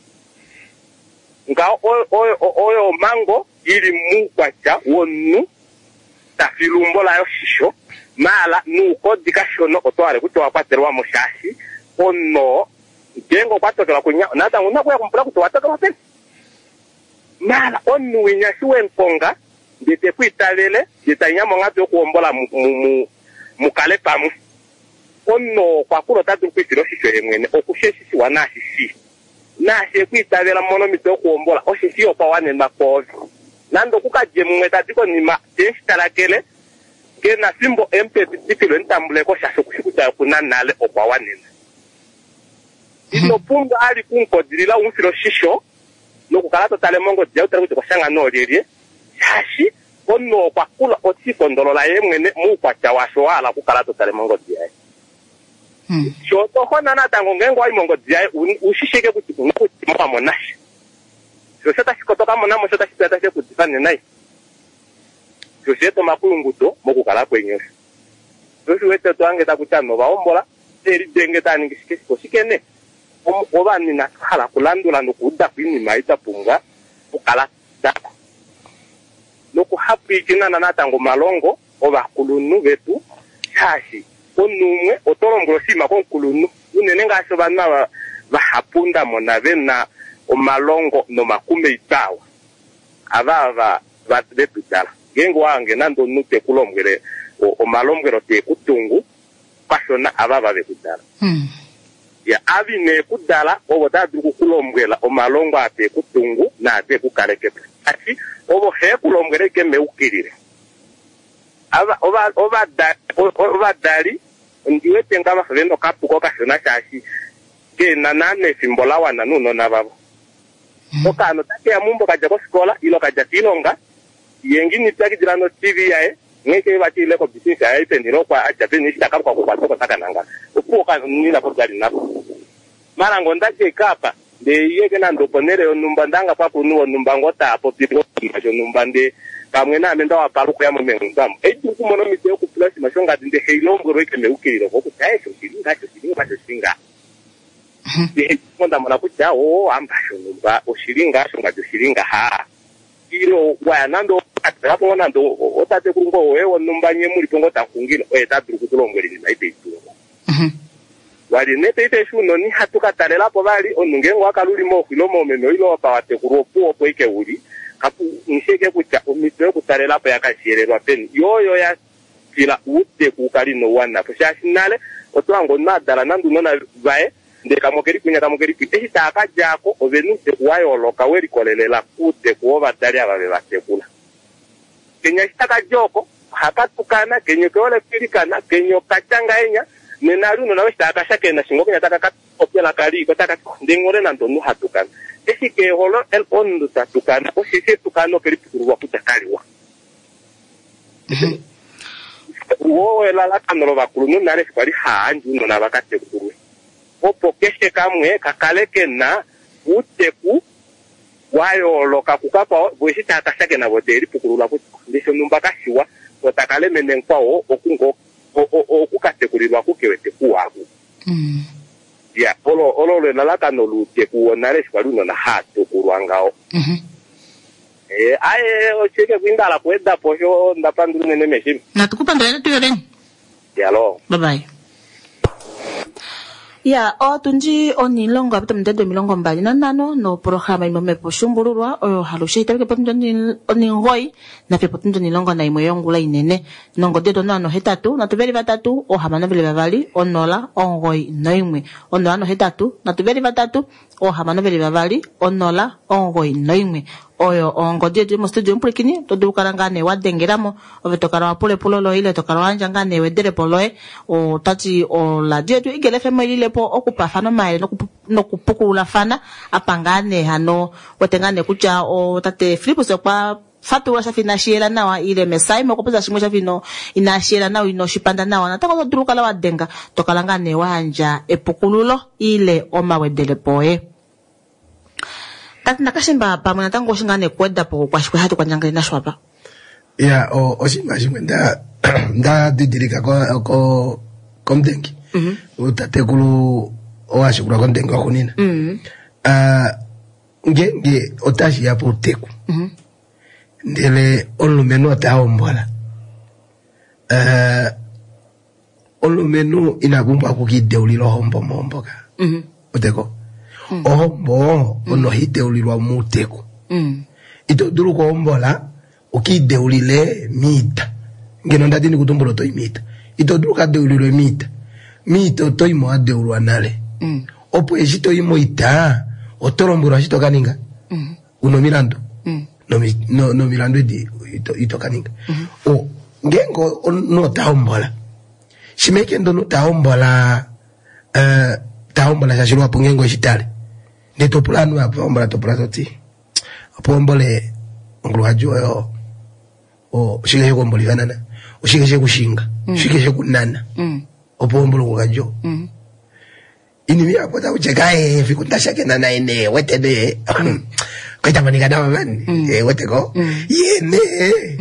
Ngaho oyo omhango i li moukwatya womunhu ta file eumbo laye oshisho, maala noukodi kashona oto hale kutya owa kwatelwa mo shaashi omunhu oo ngeenge okwa tokelwa kwinya natango ouna okuya kumupula kutya owa tokelwa peni. Maala omunhu winya eshi wemukonga ndee te ku itavele ndee tamu ya monghatu yokuhombola mu kale pamwe, omunhu oo okwa kula ota dulu okwiifila oshisho ye mwene okushe eshi shiwa naashi shii. Naashi e ku itavela mu mone omhito yokuhombola, osheshi ye okwa wanenwa kwoove. Nande oku ka dje mumwe ta di konima, te shi talakele, ke na fimbo e mu pe epitikilo e mu tambule ko, shaashi oku shi kutya ye oku na nale, okwa wanenwa. Ino pumbwa ali ku mu kodilila u mu file oshisho nokukala to tale mongodi yaye u tale kutya okwa shanga noolyelye, shaashi omunhu oo okwa kula oti ikondolola ye mwene muukwatya waasho wa hala okukala to tale mongodi yaye. Sho oto hona natango ngeenge wa yi mongodi yaye u shi shike kutya una kutya wa mona sha. Sho osho tashi to ka mona mo sho tashi tashi ku udifa nai. Sho osha eta omakuyunguto mokukala kweni osho. Sho osho u wete to hange taku ti ovanhu ova hombola, te lidenge tava ningi shike shike. Oshike nee? Ovanhu inatu hala okulandula nokuuda ko oinima ei twa pumbwa okukala twa uda ko. Nokuhapwiikina natango omalongo ovakulunhu vetu, shaashi omunhu umwe oto lombwele oshinima komukulunhu, unene ngaashi ovanhu ava vahapu nda mona ve na omalongo nomakumeitwa awa, ava ava ve tu dala. Ngeenge owa hange nande omunhu te ku lombwele omalombwelo te ku tungu kashona, ava ava ve ku dala. Ya, ava ine ku dala ovo tava dulu oku ku lombwela omalongo aa te ku tungu naa te ku kaleke po. Shaashi ovo he ku lombwele ashike meukililo. Ava, ova, ovadali, ovadali ondi wete nga vafa ve na okapuko kashona shaashi ke na naana efimbo la wana nounona vavo. Okaana ota keya meumbo ka dja kofikola ile ka dja koilonga, ye nge ina ipyakidila no-TV yaye, nghee ke vati ile kobisinisa yaye peni ile okwa a dja peni eshi ta kaluka okukwata oko taka nangala. Opuwo okaana ina popya vali nako. Mara ngee onda dja eke apa, ndee ye ke nande oponhele yonhumba, onda hanga pakulunhu vonhumba ngoo taa popi ngoo oshinima shonhumba ndee pamwe naame nda wapala okuya mo meumbo amu. Ohai dulu okumona omhito yokupula oshinima shongadi ndee hei lombwelwa ashike meukililo ko kutya eshi oshili ngaha, eshi oshili ngaha, eshi oshili ngaha. Ndee opo nda mona kutya oo hamba shonhumba oshili ngaha, shongadi oshili ngaha. Ile wa ya nande okatalela po ngoo nande otatekulu ngoo woye wonhumba nye mu li po ngoo tamu xungile, oye ta dulu oku ku lombwela oinima ei tai tungu. Vali nee paife eshi ounona ihatu ka talela po vali, omunhu ngeenge owa kala u li mooxo ile moomeme ile apa wa tekulwa opuwo opo ashike u li, kapu shi ashike kutya omhito yokutalela po oya ka shiyelelwa peni. Yo oyo ya tila outeku u kale inau wana po shaashi nale oto hange omunhu a dala nande ounona vaye ndele kamwe okeli kwinya kamwe okeli kwinya. Eshi tava ka dja ko ove na outeku wa yooloka we likolelela kouteku wovadali ava ve va tekula. Kenya eshi taka dja oko, ohaka tukana, kenya oke hole okwiilikana, kenya oka tya ngahenya, nena ali ounona eshi tava ka shakena shinga okenya taka ka popya elaka lii, ko taka ti, Ndi hole nande omunhu ha tukana. Eshi ke hole omunhu ta tukana, osheshi etukano oke li pukululwa kutya kaliwa. Woo elalakano lovakulunhu nale eshi kwali haa yandje ounona va ka tekulwe, opo keshe kamwe ka kale ke na outeku wa yooloka kukakwao, vo eshi tava ka shakena vo teve lipukulula kutya ndee shonhumba kashiwa, ko taka lemene mukwao oku ngoo oku ka tekulilwa ku ke wete kuwa aku. Ya, olo olo olo elalakano louteku wonale eshi kwali ounona haa tekulwa ngaho. Eh, aye oshike kwinda hala kuweda po osho nda pandula unene meshima. Natu ku pandula netu yovene. Yalo. Bye bye. Ya, otundi onilongo apita omundede 25 noprograma imwe omhepo shumbululwa oyo halushe itameke potundi oningoyi nafiyo potundi 11 yongula inene. Nongodi yetu 083 3 3 6 2 0 9 1 083 3 6 2 0 9 1 oyo ongodi yetu yomostudio omupwilikini oto dulu kala ngaa nee wa dengelamo ove to kala wa pula epulo loye ile to kala wa yandja ngaa nee ewedelepo loye. Otati oradio yetu Eagle FM oilile po okupafana omayele nokupukululafana apa ngaa nee hano wete ngaa nee kutya tate Fillipus okwa fatulula shafa inashi yela nawa ile Mesaima okwa popya shimwe shafa ino inashi yela nawa ino shipanda nawa natango oto dulu okukala wa denga to kala ngaa nee wa yandja epukululo ile omawedelepo oye. Tati Nakashimba pamwe natango oshi ngaa nee kuweda po kwashikwe hatu kwandjangele nasho apa. Ya, oshinima shimwe nda nda didilika ko ko komudengi. Tatekulu owashikula komudengi waxuunina. Ah, ngeenge otashi ya pouteku ndele omulumenhu ota hombola, eh, omulumenhu ina pumbwa okukiideulila ohombo mohombo ka. Uteko. Ohombo ono hai deulilwa mouteku. Ito dulu okuhombola ukiideulile miita. Ngeno nda dini kutumbula oto i miita. Ito dulu ukadeulilwe miita. Miita oto i mo wa deulwa nale. Opo eshi to i moita, oto lombwelwa eshi to ka ninga. Una omilandu. Nomilandu edi ito ka ninga. Ngeenge omunhu ota hombola, shimha ashike ndee omunhu ta hombola, ta hombola shaashi luhapu ngeenge oweshi tale, ndee to pula ovanhu vahapu va hombola to pula to ti, opo uhombole omukulukadi woye oo, oshike she ku hombolifa nana? Oshike she ku shinga? Oshike she ku nana? Opo uhombole omukulukadi oo. Inima ihapu ota kutya kaye fiku nda shakena naye nee wete nee kwali ta monika nawa mani wete ko ye nee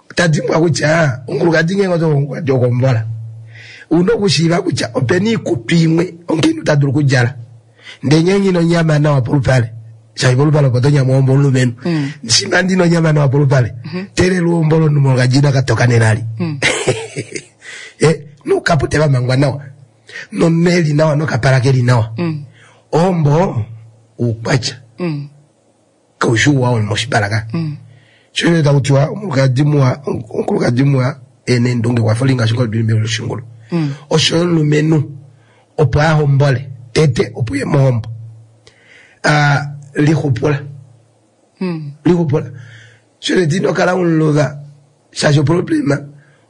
ota dimbwa kutya omukulukadi ngeenge oto omukulukadi okuhombola una okushiiva kutya opena iikutu imwe omukainhu ta dulu okudjala ndee ngeenge ino nyama nawa polupale. Shaashi polupale opo to nyamwa ohombo omulumenhu. Shimha ndi na onyama nawa polupale, teelelwa ohombo lomunhu molukadji ka toka nelali. Eh, noukapute va mangwa nawa. Nomunhu e li nawa nokapala ke li nawa. Ohombo oukwatya. Kau shi ouwa womoshipala ka. Sho osho taku tiwa omukulukadi muwa, omukulukadi muwa e na eendunge okwa fa olinga yoshingoli yoshingulu. Osho yo omulumenhu opo a hombole tete opo uye mohombo. A lixupula. Lixupula. Sho teti ino kala umuluva shaashi oproblema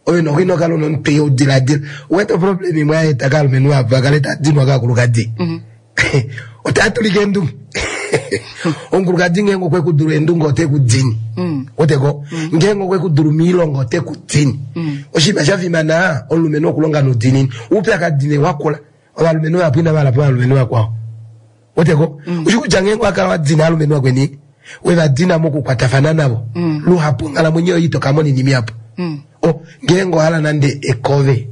oyo noho ino kala una omutwe udiladila. Uwete oproblema imwe ya eta kaalumenhu vahapu va kale tava dinwa kaakulukadi. Otava tulika eendunge. Omukulukadi ngeenge okwe ku dulu eendunge ote ku dini. Weteko? Ngeenge okwe ku dulu moilonga ote ku dini. Oshinima sha fimana omulumenhu okulonga noudiinini. Oupyakadi nee wakula. Ovalumenhu vahapu inava hala po ovalumenhu vakwao. Weteko? Ushi kutya ngeenge owa kala wa dina ovalumenhu vakweni, we va dina mokukwatafana navo, luhapu onghalamwenyo yoye ito ka mona oinima ihapu. O, ngeenge owa hala nande ekove,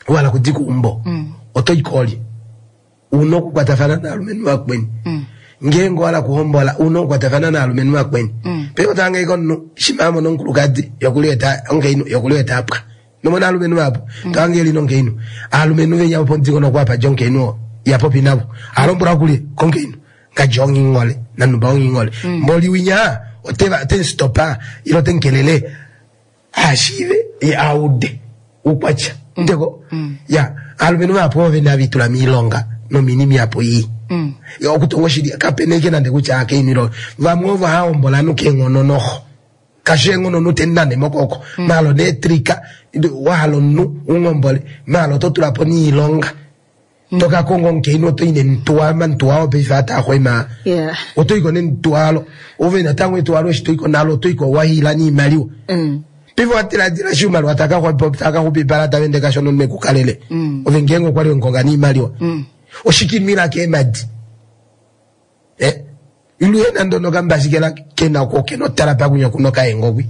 wa hala okudika eumbo, oto i koolye? Una okukwatafana naalumenhu vakweni. Ngeenge owa hala okuhombola, una okukwatafana naalumenhu vakweni. Paife oto hange ashike omunhu shimha a mona omukulukadi, ye okuli wete omukainhu, ye okuli wete a pwa. Nomona aalumenhu vahapu, to hange eli nomukainhu. Aalumenhu venya vopomudingonoko apa dja omukainhu oo, iha popi navo. Oha lombwelwa kulye? Komukainhu. Ngadja onghingole, nanhumba onghingole. Mboli winya ote va, ote mu stopa, ile ote mu kelele a shiive ye a ude oukwatya. Ndeko? Ya, aalumenhu vahapu ove na vitula miilonga nominima ihapu ii. Ya, okutonga oshili, kape na ike nande kutya akainhu ile vamwe ovo hava hombola ovanhu keenghono noho. Kashi eenghono omunhu te nane mokwooko. Maala oneetrika, wa hala omunhu u hombole, maala oto tula po niilonga. To ka konga omukainhu oto i nemutuwa, omamutuwa oo paife aa taa xwema. Oto i ko nemutuwalo. Ove natango etuwalo eshi to i ko nalo oto i ko wa hiila niimaliwa. Paife owa diladila eshi oimaliwa taa ka xupipala tava ende kashona omunhu e ku kalele. Ove ngeenge okwa li we mu konga niimaliwa. Oshike ino ila keemadi? Eh, iluye nande onokambasikela kena ko kena otala pakunya kuno kaengogwi.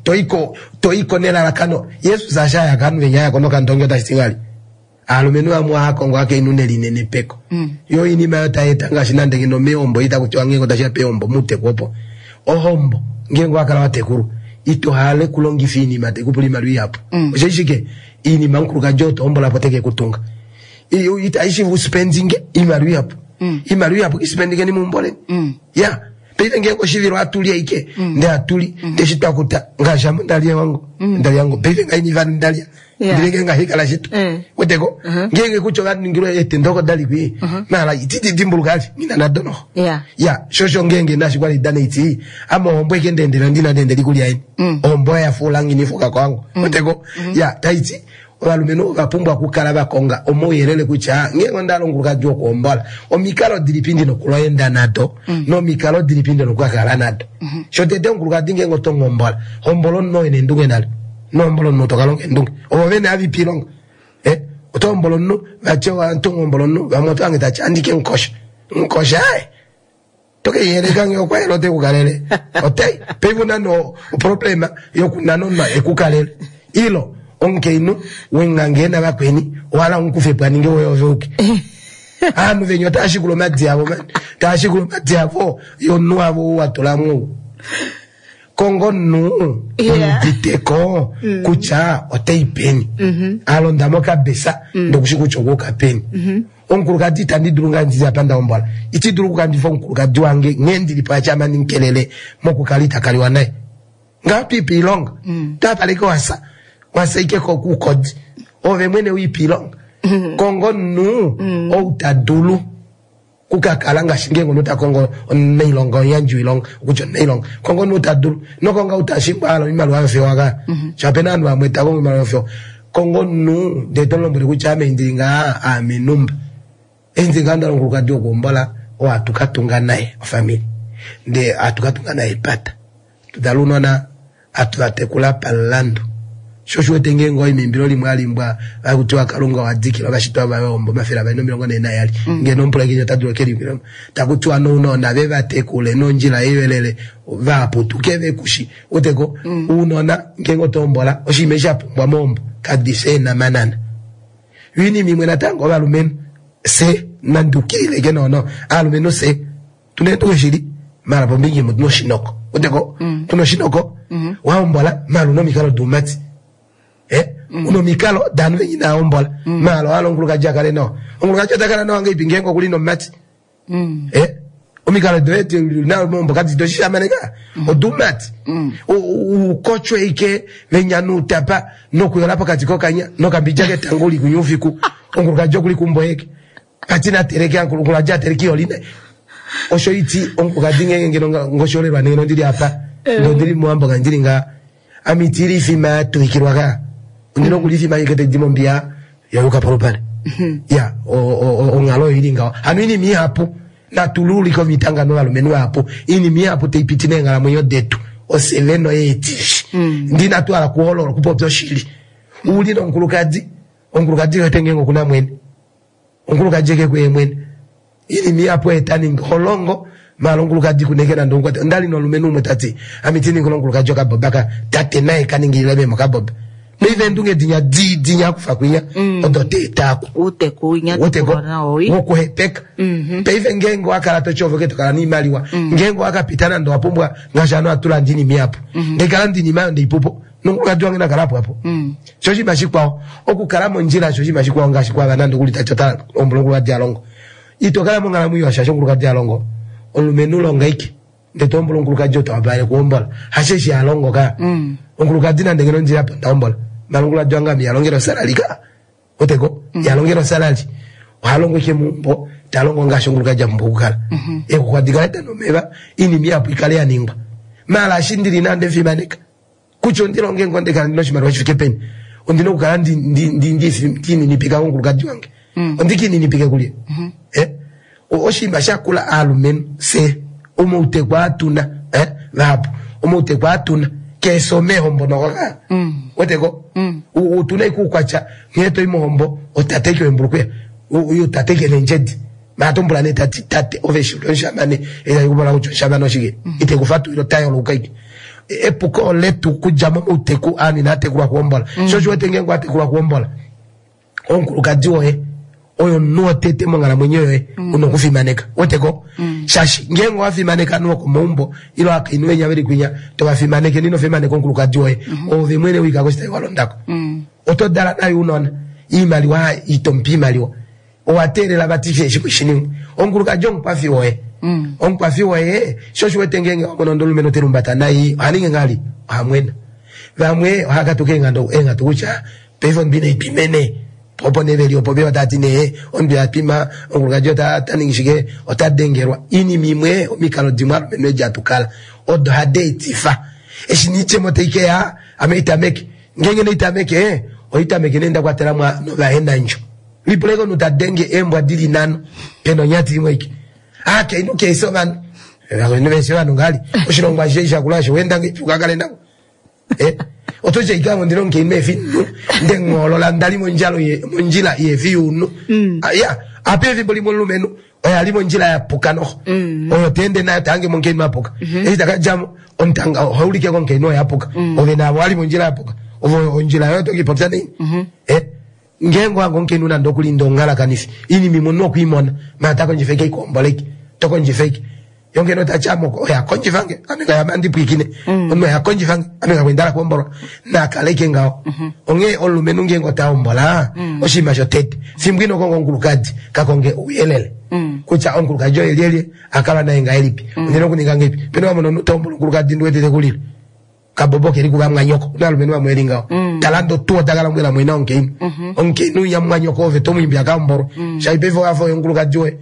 Toiko toiko nelalakano Jesus asha ya kanu venya ya kono kandongi otashi ti vali. Aalumenhu vamwe ohava kongo akainhu nelinenepeko. Yo oinima yo tai eta ngaashi nande ngeno meehombo itaku tiwa ngeenge otashi ya peehombo muuteku opo. Ohombo ngeenge owa kala wa tekulwa ito hale kulongifa iinima tai ku pula iimaliwa ihapu. Osho shike iinima omukulukadi oo to hombola po teke ku tunga. Itai shivu spendinge iimaliwa ihapu. Iimaliwa ihapu ki spendingeni meumbo leni. Ya, paife ngeenge oshivilo ohatu li ashike ndee hatu li ndee eshi twa kuta ngaashi ame onda lya ewango onda lya ewango paife ngaha ina vali nda lya. Ndele ngeenge ngaha ikala shito. Weteko? Ngeenge kutya ova ningilwa eetenda oko da li kwi maala itidi dimbuluka ali nghi na nado noho. Ya, sho osho ngeenge naashi kwa li dana iti ame ohombo eke ndeendela ndi na ndeendela ikulya yeni. Ohombo oyo ya fuula nghi nifuka kwangu. Weteko? Ya, taiti Ovalumenhu ova pumbwa okukala va konga omauyelele kutya ngeenge onda hala omukulukadi wokuhombola, omikalo dilipi ndi na okuloenda nado nomikalo dilipi ndi na okukakala nado. Shotete, omukulukadi ngeenge oto mu hombola, hombola omunhu oo e na eendunge nale. Ino hombola omunhu to ka longa eendunge. Ovo vene hava ipe oilonga. Eh, oto hombola omunhu, vati oto hombola omunhu, vamwe oto hange tati andi ke mu kosha. Mu kosha, aaye. To ke yeleka ngee okwa yela ote ku kalele. Otai, paife una no oproblema yokunana omunhu e ku kalele. Ilo, omukainhu wenghange na vakweni, owa hala u mu kufe po a ninge woye ove uke. Ovanhu venya otava shikula omadi avo mani. Tava shikula omadi avo yomunhu wavo ou wa tula mo ou. Konga omunhu omuditeko kutya otai peni. A londa mokabesa ndee okushi kutya okwa uka peni. Omukulukadi itandi dulu ngaa ndili apa nda hombola. Iti dulu okukandifa omukulukadi wange nghee ndili po ache ame ndimukelele mokukala ita kaliwa naye. Ngaho twiipe iilonga. Twapala ike wasa. Wasa ike kuukodi. Ove mwene wiipe iilonga. Konga omunhu ou ta dulu kukakala ngaashi ngeenge omunhu ta kongo omunailonga omuyandji woilonga okutya omunailonga. Konga omunhu ta dulu. Ino konga ou ta shingwa a hala oimaliwa yofewa ka. Shaashi opena ovanhu vamwe ta kongo oimaliwa yofewa. Konga omunhu ndee to mu lombwele kutya ame ndili ngaha aame numba. Eshi ndili ngaha onda hala omukulukadi wokuhombola oo hatu ka tunga naye ofamili ndee hatu ka tunga naye epata. Tu dale ounona hatu va tekula pamulandu. Sho osho u wete ngeenge owa i meimbilo limwe hali imbwa haku tiwa Kalunga owa dikila ovashitwa vaye ohombo 242 ngeno omupulakeni ota dulu okelimbila taku tiwa nounona ve va tekule nondjila yeyelele va putuke ve kushi weteko ounona ngeenge oto hombola oshinima eshi sha pumbwa mohombo kadi fi eenhamanana. Yo oinima imwe natango ovalumenhu fye nandi ukilileke noono aalumenhu fye. Tuna eendunge shili maala pombinga imwe otuna oshinoko. Weteko? Tuna oshinoko. Wahombola maala una omikalo doumati. Eh? Una omikalo daanhu venya inaa hombola. Maala owahala omukulukadi a kale nawa. Omukulukadi ota kala nawa ngahelipi ngeenge okuli nomumati? Eh? Omikalo doye na mohombo kadi doshishamane ka. Odoumati. Ukotshwe ike venya nuutapa nokuyola pokati kokanya nokambidja ketango uli kunya oufiku. Omukulukadi okuli keumbo yeke. Kati na teleke omukulukadi a teleke iholine. Osho iti omukulukadi ngeenge ngeno ngoshoolelwa nee ngeno ndili apa. Ngeno ndili mowambo ka ndili nga ame iti lifima ya tuvikilwa ka. Ondina okulifima ashike tai di mombiya ya yuka polupale. Ya onghalo oyo ili ngaho. Hano oinima ihapu natu luulike omitangano ovalumenhu vahapu. Oinima ihapu tai piti meenghalamwenyo detu ofye vene oyeetifi. Ndee inatu hala okuholola okupopya oshili. Uli nomukulukadi, omukulukadi wete ngeenge okuna mwene. Omukulukadi eke kuye mwene. Iinima ihapu oye ta ningi. Ho longo, maala omukulukadi ku neke nande omukwate. Onda li nomulumenhu umwe ta ti, Ame iti ningile omukulukadi okaboba ka tate naye ka ningilile meme okaboba. Paife eendunge dinya dii dinya akufa kwinya odo te eta aku. Uuteku winya Uuteku tekulwa nawo wi. wokuhepeka. Paife ngeenge owa kala to ti ove ke to kala noimaliwa, ngeenge owa ka pita nande owa pumbwa ngaashi ovanhu ohatu lande oinima ihapu. Ndee kala ndi na oinima oyo ndeipupo. Nomukulukadi wange na kala apo apo. Sho oshinima shikwao, okukala mondjila osho oshinima shikwao ngaashi kwava nande okuli tati ota hombola omukulukadi a longo. Ito kala monghalamwenyo iwa shaashi omukulukadi a longo. Omulumenhu longa aike ndele to hombola omukulukadi oo ta wapalele okuhombola. Hasheshi a longo ka. Omukulukadi nande ngeno ndili apa onda hombola. Maala omukulukadi wange ame iha longele osalali ka. Weteko? Iha longele osalali. Oha longo ashike meumbo, ta longo ngaashi omukulukadi a pumbwa okukala. Eexuxwa di kale dana omeva, oinima ihapu i kale ya ningwa. Maala eshi ndili nayo onde mu fimaneka. Kutya ondi longe ngoo ndee kala ndi na oshimaliwa shi fike peni, ondi na okukala ndi ndi ndi ndi lininipika komukulukadi wange. Ondi ka ininipike kulye? Eh? Oshinima sha kula aalumenhu fye omauteku aa tu na, eh, vahapu omauteku aa tu na keefi omeehombo noho ka. Weteko? Otu na ashike oukwatya nghee to i mohombo otate ke wembulukweya, otate ke neendjedi. Maala oto mupula nee tati, tate ove eshi uli omushamane, eshi tashi ku pula kutya omushamane oshike? Ite ku fatulile ota yoloka ashike. Epuko oletu okudja momauteku aanhu inaa tekulwa kuhombola. Sho osho wete ngeenge wa tekulwa kuhombola, omukulukadi woye oyo omunhu wotete monghalamwenyo yoye una okufimaneka. Weteko? Shaashi ngeenge owa fimaneka ovanhu vokomaumbo ile ovakainhu venya veli kwinya, to va fimaneke ndee ino fimaneka omukulukadi woye, oove mwene wika koshitayi wa londako. Oto dala naye ounona, oimaliwa ito mupe oimaliwa. Owa teelela vati keshe shimwe shi ningwe. Omukulukadi omukwafi woye. Omukwafi woye, sho osho wete ngeenge wa mono omulumenhu te lihumbata nai, oha ningi ngahelipi? Oha mwena. Vamwe ohava katuka eenghatu kutya paife omunhu inai twima nee. Opo nee ve li opo ve tava ti nee omunhu iha twima, omukulukadi ota ningi shike, ota dengelwa. Oinima imwe, omikalo dimwe alumenhu edi hatu kala odo hadi etifa eshi nee oidjemo tai ke ya, ame itameke. Ngeenge nee itameke, oitameke nee nda kwatela mo novahenandjo. Lipuleke omunhu ta denge eembwa di li nhano pena onyati imwe aike. Aakainhu keesi ovanhu. Ovakainhu veesi ovanhu ngali. Oshilongo ashishe eshi shakula osho wenda ngeipi uka kale navo. Eh? Oto tya ike ame ondina omukainhu efi nhu nde nghoolola nda li mondjalo ye mondjila yeefi younhu. Ah, ya, apa efimbo limwe omulumenhu oye a li mondjila ya puka noho. Oyo ta ende nayo ta hange mo omukainhu a puka. Eshi ta ka dja mo omutanga oha ulike komukainhu oye a puka. Ove naavo wa li mondjila ya puka. Ove ondjila yoye oto ke i popya naini? Eh? Ngeenge owa hange omukainhu nande okuli ndee omuhalakanifi, oinima imwe omunhu okwe i mona, maala ota kondjifa ashike eikuhombola ashike, oto kondjifa ashike. Ye omukainhu ota ti, Ame oye a kondjifa nge, ame ngaya ame andi pwiikine, omunhu oye a kondjifa nge, ame kakwa nda hala okuhombolwa. Na kale ashike ngaho. Onghee omulumenhu ngeenge ota hombola, oshinima shotete, fimbo ino konga omukulukadi, ka konge ouyelele kutya omukulukadi oye lyelye, a kala naye ngahelipi, ondi na okuninga ngahelipi. Pena wa mona omunhu ta hombola omukulukadi ndi wete te ku lile. Kabobo keli kuvamwanyoko una alumenhu vamwe veli ngaho tala ndo tuu otaka lombwela mwene omukainhu omukainhu unya mumwanyoko ove to mu imbi a ka hombolwe shaashi paife owa fa oye omukulukadi woye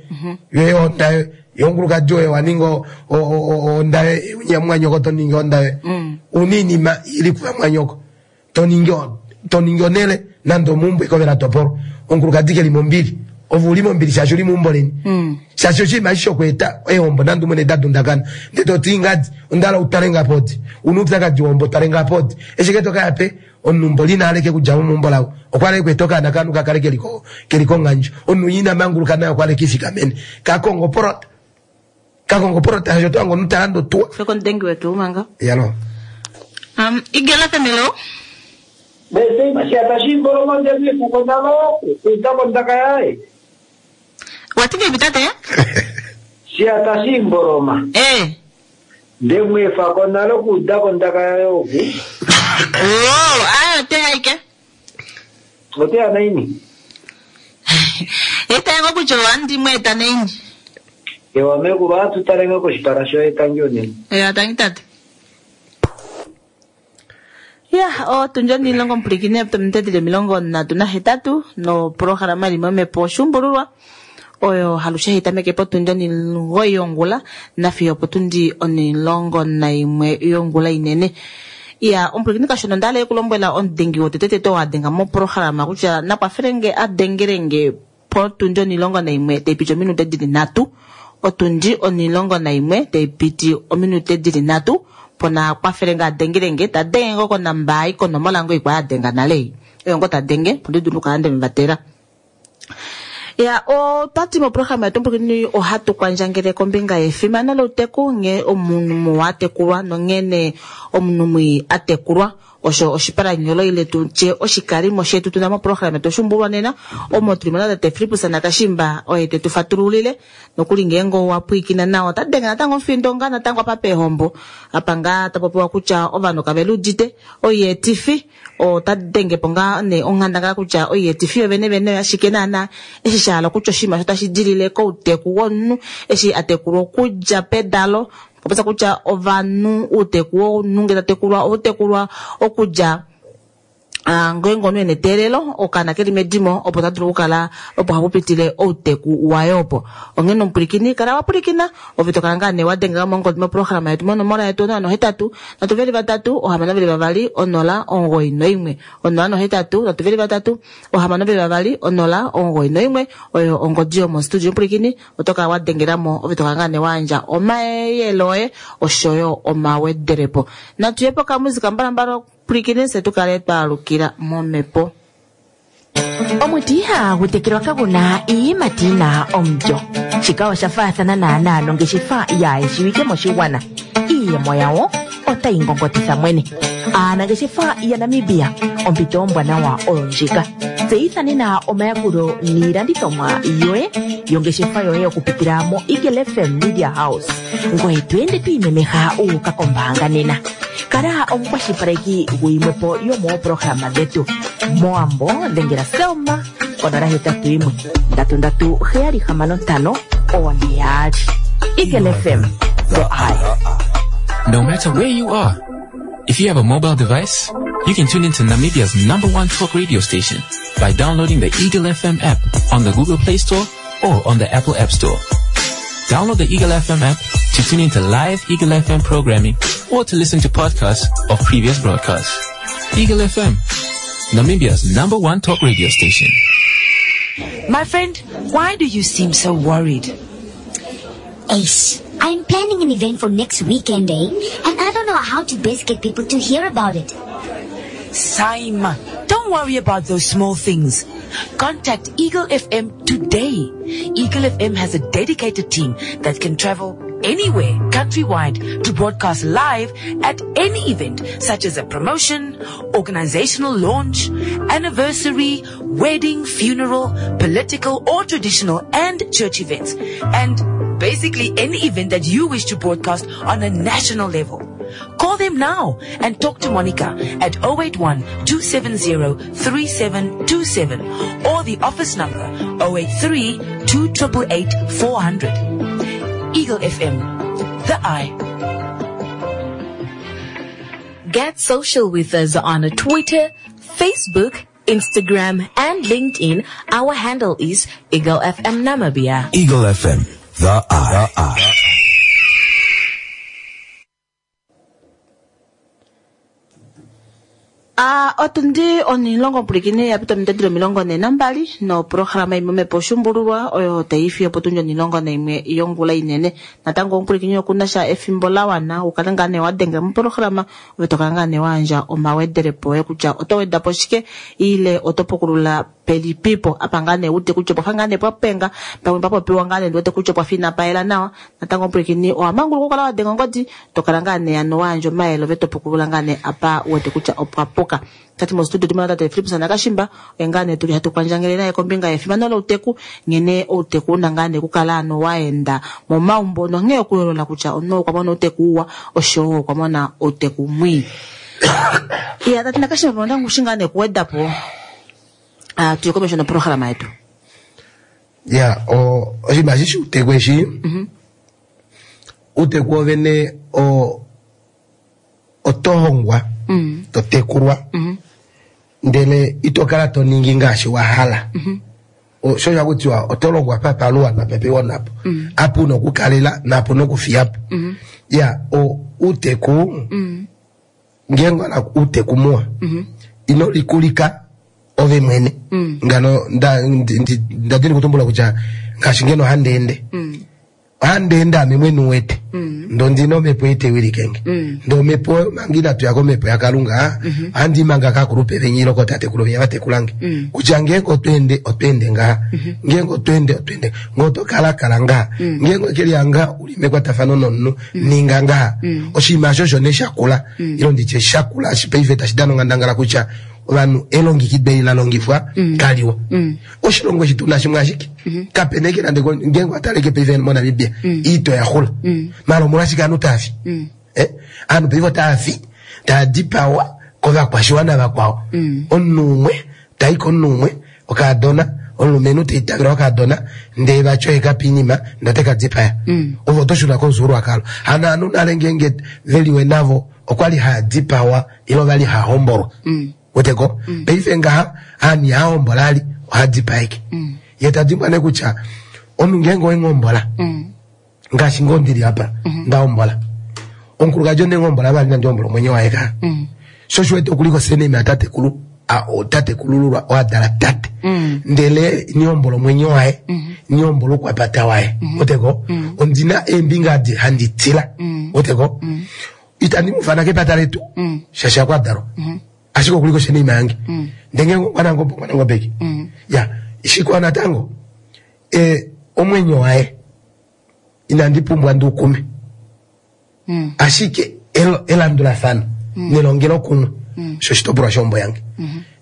yoye ohonda yoye ye omukulukadi woye wa ninga ohonda yoye unya mumwanyoko to ningi ohonda yoye una iinima ili kuvamwanyoko to ningi to ningi onhele nande omeumbo eke ove la topolwa omukulukadi keli mombili ove uli mombili shaashi uli meumbo leni shaashi oshinima eshi shokweeta eehombo nande umwene da dundakana ndee toti ngadi onda hala utale nge apa odi una oupyakadi wohombo tale nge apa odi eshi ke toka yape omunhu mboli ina hala eke kudja mo meumbo lavo okwa hala ekweeta okaana kovanhu ka kale keli konghandjo omunhu ina manguluka naye okwa hala ekiifikamene kakonga oporota kakonga oporota shaashi oto hange omunhu ta landa otuwa Feko omudengi wetu manga. Yalo. Igela Femelo. Bese masiata shimboloma ndemifuko nalo kuita kondaka yaye. Wati ngeipi tate? Shiyata shiimboloma. Eh. Nde mu efa ko nale okuuda ko ondaka yaye oku. Oh, ayo ote ya ike. Ote ya naini? Eta ngo kutya ohandi mu eta naini. Ewa mekulu, ohatu tale ngoo koshipala shoye tangi unene. Ewa, tangi tate. Ya, otundi onimulongo omupulikini ominute dili 38 noprograma ili momhepo oshuumbululwa oyo halushe hai tameke potundi 9 yongula nafiyo opotundi 11 yongula inene. Ya, omupulikini kashona onda hala okulombwela omudengi wotetetete oo a denga moprograma kutya nakwafelenge a dengelenge potundi 11 tai piti ominute dili 3 otundi 11 tai piti ominute dili 3 pona kwafele nga adengelenge ta denge ngo konamba ai konomola ngo ikwa adenga nale ei oyo ngo ta denge opo ndi dulu okukala nde Ya, otwati moprograma yetu omupulikini ohatu kwandjangele kombinga yefimano louteku nghee omunhu muwa atekulwa nonghene omunhu mwii atekulwa osho oshipalanyolo ile tu tye oshikalimo shetu tuna moprograma yetu oshuumbulwa nena omo tuli mo natate Fillipus Nakashimba oye te tu fatululile Nokuli ngeenge owa pwilikina nawa, ota denge natango omufindo ngaa natango apa peehombo apa ngaa ta popiwa kutya ovanhu kave liudite oietifi. Ota denge po ngaa nee onghandangala kutya oietifi yo venevene oyashike naanaa, eshi sha hala okutya oshinima osho tashi dilile kouteku womunhu eshi a tekulwa okudja pedalo. Okwa popya kutya ovanhu outeku womunhu ngee ta tekulwa ohau tekulwa okudja Ah, ngeenge omunhu ena eteelelo okaana keli medimo opo ta dulu okukala opo hapu pitile outeku waye opo. Onghene omupwilikini kala wa pwilikina ove to kala ngaa nee wa dengela mongodi moprograma yetu monomola yetu 081 323 622 091 081 323 622 091 oyo ongodi yomostudio omupwilikini oto kala wa dengela mo ove to kala ngaa nee wa yandja omayele oye oshoyo omawedelepo. Natu ye pokamusika mbalambala Pwilikine fye tu kale twa alukila momhepo. Omuti ihaagu tekelwa kagu na iiyimati yi na omulyo. Shika osha faathana naanaa nongeshefa yaayeshiwike moshigwana. Iiyemo yawo otayi ngongotitha mwene. Aanangeshefa yaNamibia, ompito ombwanawa oyo ndjika. Tseyitha nena omayakulo niilandithomwa yoye yongeshefa yoye okupitila moEagle FM Media House. Ngoye to ende to imemeha wu uka kombaanga nena. Kala omukwashilipaleki guyimwe po yomooprograma dhetu. Mowambo dhengela Selma konola 81 33 765 442. Eagle FM, the eye. No matter where you are, if you have a mobile device, you can tune into Namibia's number one talk radio station by downloading the Eagle FM app on the Google Play Store or on the Apple App Store. Download the Eagle FM app to tune into live Eagle FM programming or to listen to podcasts of previous broadcasts. Eagle FM, Namibia's number one talk radio station. My friend, why do you seem so worried? Ace, I'm planning an event for next weekend, eh? And I don't know how to best get people to hear about it. Saima, don't worry about those small things. Contact Eagle FM today. Eagle FM has a dedicated team that can travel anywhere countrywide to broadcast live at any event such as a promotion, organizational launch, anniversary, wedding, funeral, political or traditional and church events. And basically any event that you wish to broadcast on a national level. Call them now and talk to Monica at 081 270 3727 or the office number 083 2888 400. Eagle FM, the eye. Get social with us on Twitter, Facebook, Instagram, and LinkedIn. Our handle is Eagle FM Namibia. Eagle FM, the eye. The eye. A Otundi onhilongo omupulikini ya pita ominute dili 42 noprograma imwe Omhepo Oshuumbululwa oyo tai fiyo opotundi onhilongo naimwe yongula inene. Natango omupulikini oku na sha efimbo la wana u kale ngaa nee wa denga moprograma ove to kala ngaa nee wa yandja omawedelepo oye kutya oto weda po shike ile oto pukulula. Pelipipo apa ngaa nee wete kutya opwafa ngaa nee pwapenga pamwe papopiwa ngaa nee ndiwete kutya opwafa inapa yela nawa natango omupwilikini owa manguluka okukala wa denga ongodi to kala ngaa nee ano wa yandja omayele ove to pukulula ngaa nee apa u wete kutya opwa puka. Tati mostudio otu na tate Fillipus Nakashimba oye ngaa nee tuli hatu kwandjangele naye kombinga yefimano louteku nghene outeku una ngaa nee okukala ano wa enda momaumbo nonghee okuyoolola kutya omunhu okwa mona outeku uwa oshowo okwa mona outeku mwii. Iya tate Nakashimba onda ngushi ngaa nee okuweda po ah, tuye komesho noprograma yetu. Ya, oshinima eshi shouteku eshi, outeku wovene oto hongwa, to tekulwa, ndele ito kala to ningi ngaashi wa hala. Osho osha kutiwa oto longwa pa paluwa napepiwa napo. Apa una okukalela napo una okufiyapo. Ya, outeku, ngeenge wa hala outeku muwa, ino likulika ove mwene. Ngano nda dini kutumbula kutya ngaashi ngeno handi ende. Ohandi ende ame mwene u wete. Ndee ondina omhepo ei tai wilike nge. Ndee omhepo oyo manga inatu ya komhepo yaKalunga, ohandi i manga kaakulupe venya ile kootatekulu venya va tekula nge. Kutya ngeenge oto ende, oto ende ngaha. Ngeenge oto ende, oto ende. Ngee oto kala, kala ngaha. Ngeenge oke lihanga u li mekwatafano nomunhu, ninga ngaha. Oshinima osho osho nee sha kula, ile nditye sha kula paife tashi dana onghandangala kutya ovanhu elongekido eli la longifwa kaliwa. Oshilongo eshi tuna shimwe ashike kapena eke nande ngeenge wataleke paife moNamibia iito ya xula maala omolwashike ovanhu tava fi? Ovanhu paife otava fi tava dipawa kovakwashiwana vakwao. Omunhu umwe tai komunhu umwe okaadona omulumenhu teitavela okaadona ndee vati oye kapa oinima ndee ote ka dipaya. Ove oto shuna komufyuululwakalo. Hano ovanhu nale ngeenge veliwe navo okwali haa dipawa ile ovali haa hombolwa. Weteko? Paife ngaha aanhu ihaa hombola ali oha dipaeke. Ye ta dimbwa nee kutya omunhu ngeenge owe nghombola ngaashi ngoo ndili apa nda hombola omukulukadi onde nghombola vali nandi hombola omwenyo waye ka. Sho osho wete okuli kosename yatatekulu tatekulululwa oo a dala tate. Ndele ini hombola omwenyo waye, ini hombola oukwapata waye. Weteko? Ondina eembinga adi handi tila. Weteko? Itandi mu fana kepata letu shaashi akwa dalwa. Ashike okuli koshenima yange. Ndele ngeenge okwa nangobe, okwa nangobeke. Ya, shikwao natango, omwenyo waye inandi pumbwa ndi ukume. Ashike elandulafano nelongelokumwe osho oshitopolwa shohombo yange.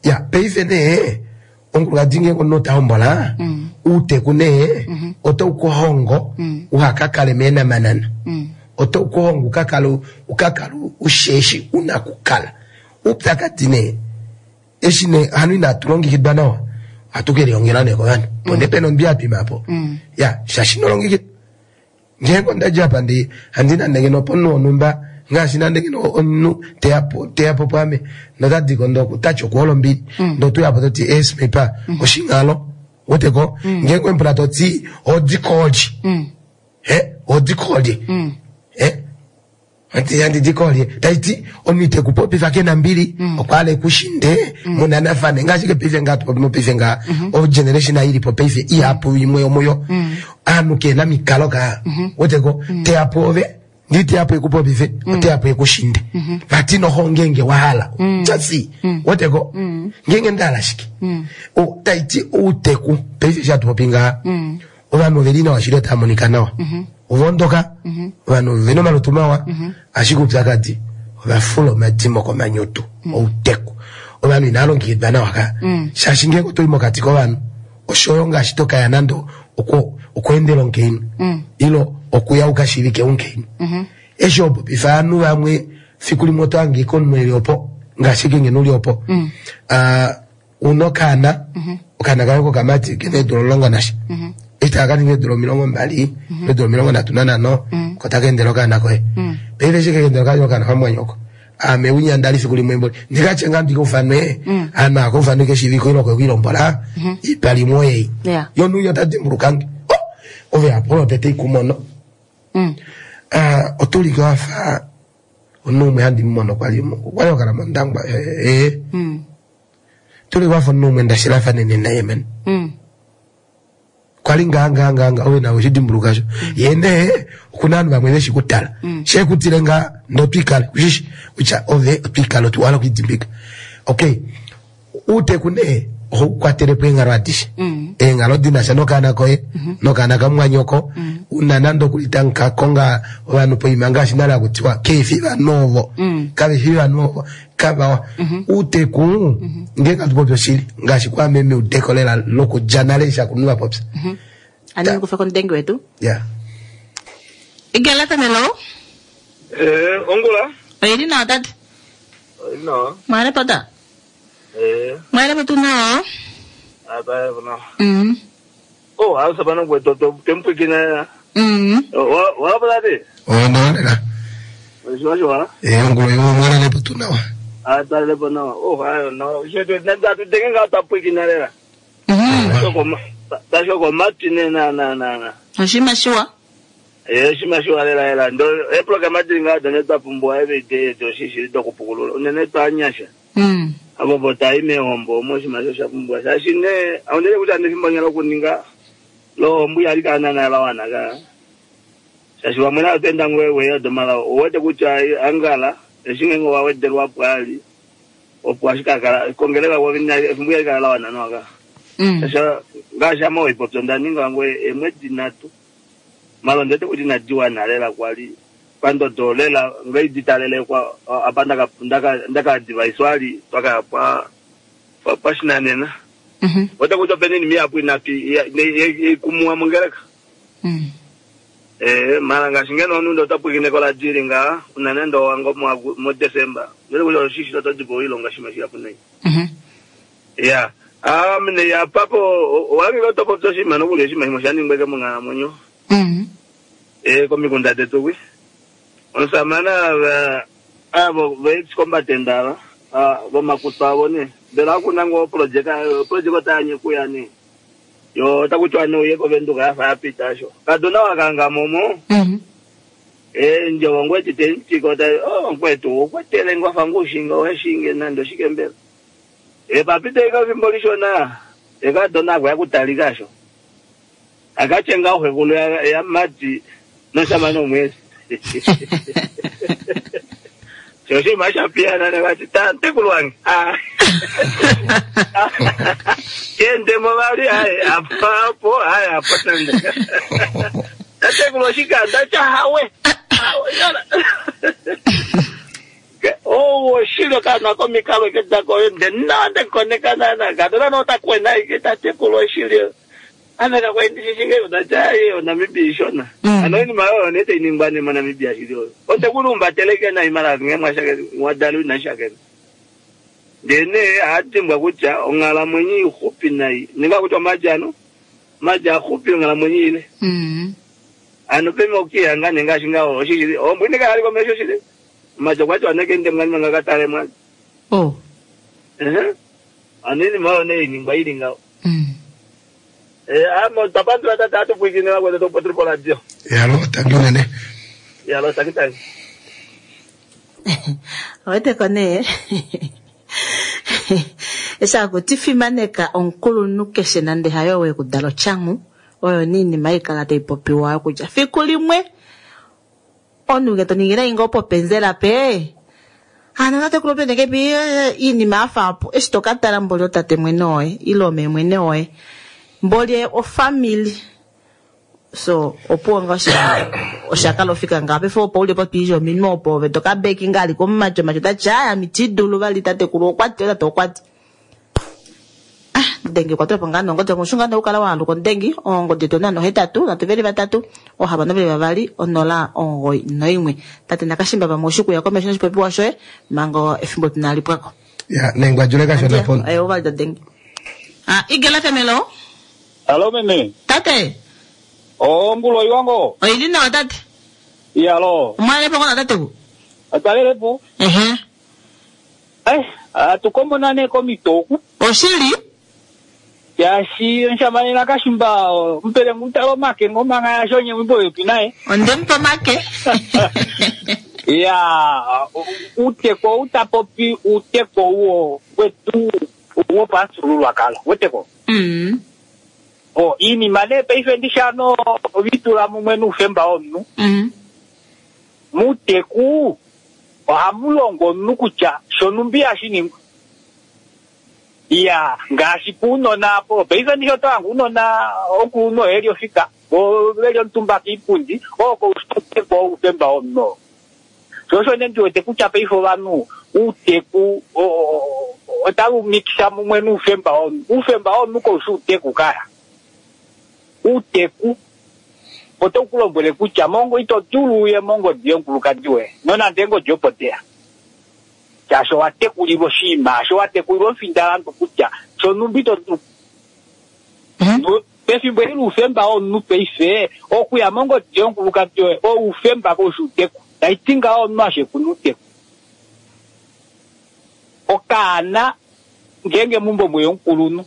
Ya, paife nee omukulukadi ngeenge omunhu ota hombola, outeku nee otau ku hongo uha ka kale meenamanana. Otau ku hongo uka kale usheshi una kukala. Oupyakadi nee eshi nee hano inatu longekidwa nawa, ohatu ke lihongela nee kovanhu. Opo nee pena ombi ya twima apo. Ya, shaashi ino longekidwa. Ngeenge onda dja apa ndi handi nande ngeno pomunhu wonhumba, ngaashi nande ngeno omunhu teya po, teya po pwaame, nota di ko ndoo tati okuhola ombili. Ndoo to uya po toti, eh, Smipa, oshinghalo. Wete ko? Ngeenge wemupula toti, odi kolye. Eh, odi kolye. Eh? Ati handi di kolye. Tai ti, omunhu ite ku popifa ke na mbili, okwa hala ekushinde, munanafane. Ngaashi ke paife ngaa tupopi mopaife ngaa, o generation ei ili po paife, ihapu imwe yomuyo, aanhu ke na mikalo kaa. Wete ko, teya pwoove, ndi teya po ekupopife, oteya po ekushinde. Vati noho ngeenge wa hala, just wete ko, ngeenge nda hala shike. O, tai ti outeku, paife eshi hatu popi ngaa, Ovanhu ove li nawa shili otava monika nawa. Ova ondoka, ovanhu ove na omalutu mawa, ashike oupyakadi ova fula omadimo komanyutu, outeku. Ovanhu inava longekidwa nawa ka. Shaashi ngeenge oto i mokati kovanhu, oshoyo ngaashi to ka ya nande okweendela omukainhu, ile okuya u ka shiivike omukainhu. Eshi ho popifa ovanhu vamwe, fiku limwe oto hange ike omunhu e li opo, ngaashi ike ngeno u li opo. Una okaana, okaana kaye kokamati kena eedula 11 nasha. Eshi taka ka ninga eedula 20, eedula 35, ko taka endele okaana koye. Paife eshi kaka endela okaana kamumwanyoko, ame winya nda li fiku limwe mboli, ndi ka tye ngaa ndi ka ufanwe, ame aka ufanwe keshiiviko ile oko ilombola, ipa limwe oyei. Ye omunhu winya ota dimbuluka nge. Oh, ove apa olo tete ikumono. Oto ulike wa fa omunhu umwe handi mu mono kwali, okwali ho kala mOndangwa, ee. Tuli wafa omunhu umwe nda shilafanene naye man. Kwali ngaa ngaa ngaa ngaa ove nawe oshidimbuluka sho. Ye nee okuna ovanhu vamwe veshi kutala. She kutile ngaa ndo twikale kushishi kutya ove otwikale otwala okwidimbika. Okay. Uuteku nee Ohau kwatele po eenghalo adishe. Eenghalo di na sha nokaana koye, nokaana kamumwanyoko, una nande okuli tamu ka konga ovanhu poima ngaashi nale haku tiwa keifi vanhu ovo, kave fi vanhu ovo, kavawa. Uuteku, ngeenge hatu popi oshili, ngaashi kwaame meudeko lela lokudja nale eshi akulunhu va popya. Andi nikufe komudengi wetu. Ya. Igala Tamelo. Eh, ongula. Oili nawa tate. Oili nawa. Mwale pota. Eh. Mwale potu nawa. Aba nawa. Oh, hausa bana gwe to to tempwikina ya. Wa wa bala de. Oh, ndawalela. Shiwa shiwa. Eh, ongula yo mwale lepo tu nawa. Ah, tale lepo nawa. Oh, ayo nawa. Shetu nda tu tengenga tapwikina lela. Tashoko mati ne na na na na. Oshima shiwa. Eh, shima shiwa lela lela. Ndo e program adinga do ne tapumbwa every day to shishi do kupukulula. Unene tanyasha. Abo bota ime hombo mo shima sho shapumbwa. Shashi ne aundele kuti andifimbo nyala kuninga lo mbuya ali kana na lawana ka. Shashi wamwe atenda ngwe we do mala wote kuti angala eshinge ngo wawedelwa pwali. Opo ashikakala kongeleka wabina mbuya ali kana lawana no aka. Sasa ngasha mo ipopyo ndaninga ngwe emwedi natu. Malo ndete kuti nadiwa nalela kwali pandodo lela ngaiditalele kwa apa ndaka ndaka ndaka device wali twaka pa pa pashinanena. Wata kuti penini miyapu inapi ikumwa mungereka. Eh mara ngashingeno nundo tapwikine kola jiri nga unanendo wango mu December. Ndete kuti shishi totodipo ilonga shima shiapu nei. Yeah. Ah mine ya papo wangi topo toshima nokulya shima shimo shaningweke mung'alamwenyo. Eh komikunda tetu kwi. Omusamane avo vechikombatenda ava vomakutu avo ne mbela akuna ngo project project otanye kuya ne yo takuchwa ne uye kovenduka yafa yapita sho kadona wakanga momo. Eh njovo ngwetite nchiko ta oh ngwetu okwetele ngwafa ngushinga weshinge nando shike mbela. E papite ikafimbo lishona ekadona akwa yakutalika sho akachenga uhekulu ya mati noshamane omwezi. Shoshi mashapiana ne vati tantekulu wange. Ah. Kende mo vali ai apapo ai apo nande. Tatekulu shikanda cha hawe. Oh, shilo kana komikalo ke dako nde nande konekana na kadona no takwena ike tatekulu shilo. Ana ka kwendishinge udajaye oNamibia ishona. Ano ini mayo nete iningwane moNamibia shilo. Otekulumba teleke na imara ngemwa shake mwadalu na shake. Ndene atimbwa kutya onghalamwenyo ixupi nai. Ninga kutya majano maja xupi onghalamwenyo ile. Ano peme okiyanga nenga shinga oshishili. Ombwine ka aliko mesho shile. Maja kwacho aneke ndemngani mangakatale mwa. Oh. Eh. Anini mayo ne iningwa ilinga. Eh, amo tapandula tata atupwikine wakwe to potripola dio. Yalo tangi unene. Yalo tangi tangi. Oweteko nee. Eshi akuti fimaneka omukulunhu keshe nande hayo wekudala otyangu oyo niinima haikala tai popiwa kutya fiku limwe omunhu nge to ningile inga opo penzela pe ano tatekulu pendeke pi iinima yafa apo eshi tokatala mboli otate mwene woye ile ome mwene woye mboli ofamily so opuwo nga oshakala ofika nga pefo opo uli po twiisha ominwe opo ove tokabeki nga ali komumatyo matyo tati aya mitidulu vali tatekulu okwati otate okwati. Ah, ndengi kwatulapo nga nongodi omushunga nokukala waaluka ondengi ongodi to nano 8 3 3 6 2 0 9 1. Tate nakashimba pamwe oshikuya komesho noshipopiwa shoye manga efimbo tunalipwako. Ya, nengwajule kashona pono. Eh, ovali tadengi. Ah, Igela Femelo. Alo meme. Tate. Oh, mbulo iwango. Oili nawa tate. Iyalo. Mwalepo kona tate ku. Atalelepo. Ehe. Eh, atukombonane komitoku. Oshili? Yashi nshamane nakashimba mpele mutalo make ngoma ngaya shonye wimbo yopi naye. Ondempo make. Ya, uteko utapopi uteko uo wetu uo pasululwakalo. Weteko. Oh, iinima nee paife ndishano vitula mumwe nuufemba womunhu. Muuteku ohamu longo omunhu kutya shonumbi hashi ningwa. Iya, ngaashi puunona apo, paife ndishi oto hange uunona omukulunhu oye eli ofika, vo veli omutumba kiipundi, oo kouteku oufemba womunhu. Sho osho nee ndi wete kutya paife ovanhu outeku otava mikisa mumwe noufemba womunhu. Oufemba womunhu kau shi outeku kaya. Outeku otau ku lombwele kutya mongo ito dulu uye mongodi yomukulukadi woye nonande eengodi opo deya. Shaashi owa tekulilwa oshinima osho, wa tekulilwa omufindalandu kutya shonhumba ito dulu. Pefimbo eli loufemba womunhu paife, okuya mongodi yomukulukadi woye oufemba kau shi outeku. Tai ti ngaho omunhu ashekuna outeku. Okaana ngeenge meumbo mweya omukulunhu,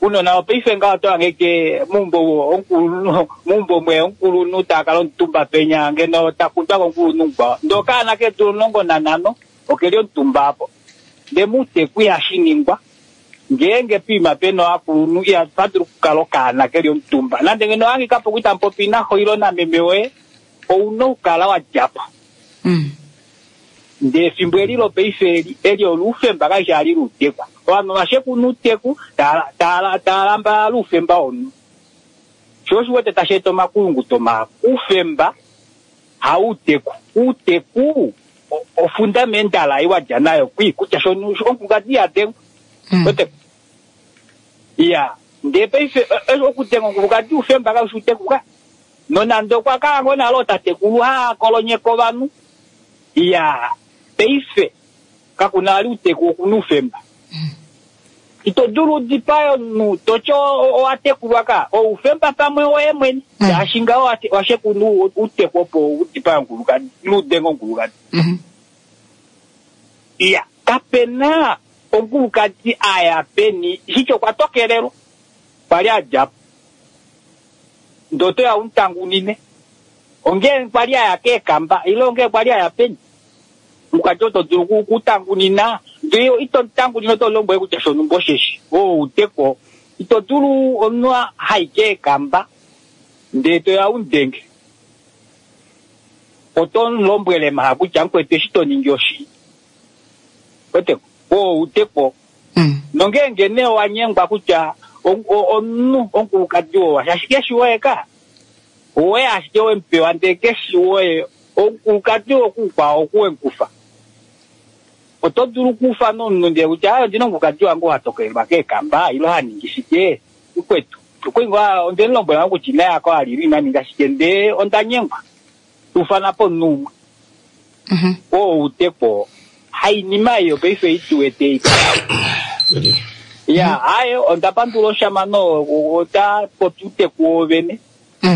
Unona wopaife ngaho oto hange ke meumbo omukulunhu meumbo mwe omukulunhu ta kala omutumba penya ngeno ta kundwa komukulunhu mukwao ndee okaana keedula 15 okeli omutumba apo ndee mouteku ihashi ningwa ngeenge poima pena ovakulunhu ihapa dulu okukala okaana keli omutumba nande ngeno owa hangika po itamu popi naxo ile nameme woye ouna okukala wa dja po. Ndee efimbo eli lopaife eli, eli olo oufemba kali shi ali louteku. Ovanhu ova shekuna outeku, tava, tava lambalala oufemba womunhu. Sho osho u wete tashi eta omakulunguto mahapu. Oufemba hauteku. Outeku ofundamendala ei wa dja nayo kwii kutya shono omukulukadi iha dengwa. Wete? Iya. Ndee paife okudenga omukulukadi oufemba kau shi outeku ka. Nonande okwa kala ngoo nale ootatekulu haa kolonyeke ovanhu, iyaa, paife kaku na vali outeku oku na oufemba. Ito dulu u dipae omunhu to ti owa tekulwa ka, oufemba pamwe woye mwene, shaashi ngaho wa shekuna outeku opo u dipae omukulukadi ile u denge omukulukadi. Iya, kape na omukulukadi a ya peni, shitya okwa tokelelwa, kwa li a dja po. Ndee oto ya u mu tangunine. Ongee kwa li a ya keekamba ile ongee kwa li a ya peni? Omukadi oto dulu oku tangunina ndee ito mu tangunine oto mu lombwele kutya shonhumba osheshi. Oo outeku. Ito dulu omunhu hai keekamba ndee to ya u mu denge. Oto mu lombwele mha kutya mukwetu eshi to ningi oshii. Wete? Oo outeku. Nongeenge nee owa nyengwa kutya omunhu omukulukadi oo shaashi keshi woye ka, owoye ashike we mu pewa ndele keshi woye, omukulukadi oo kuukwao oku we mu kufa. Oto dulu okuufana omunhu ndele kutya aaye ondina omukulukadi wange oo ha tokelelwa keekamba ile ha ningi shike, mukwetu okwali ngoo onde mu lombwela ngoo kutya ina yako a lile ina ninga shike ndele onda nyengwa. Ufana po omunhu umwe. Oo outeku Hainima ei yopaife ei tu wete ei. Ya, aye onda pandula oshamano ota popi outeku woovene.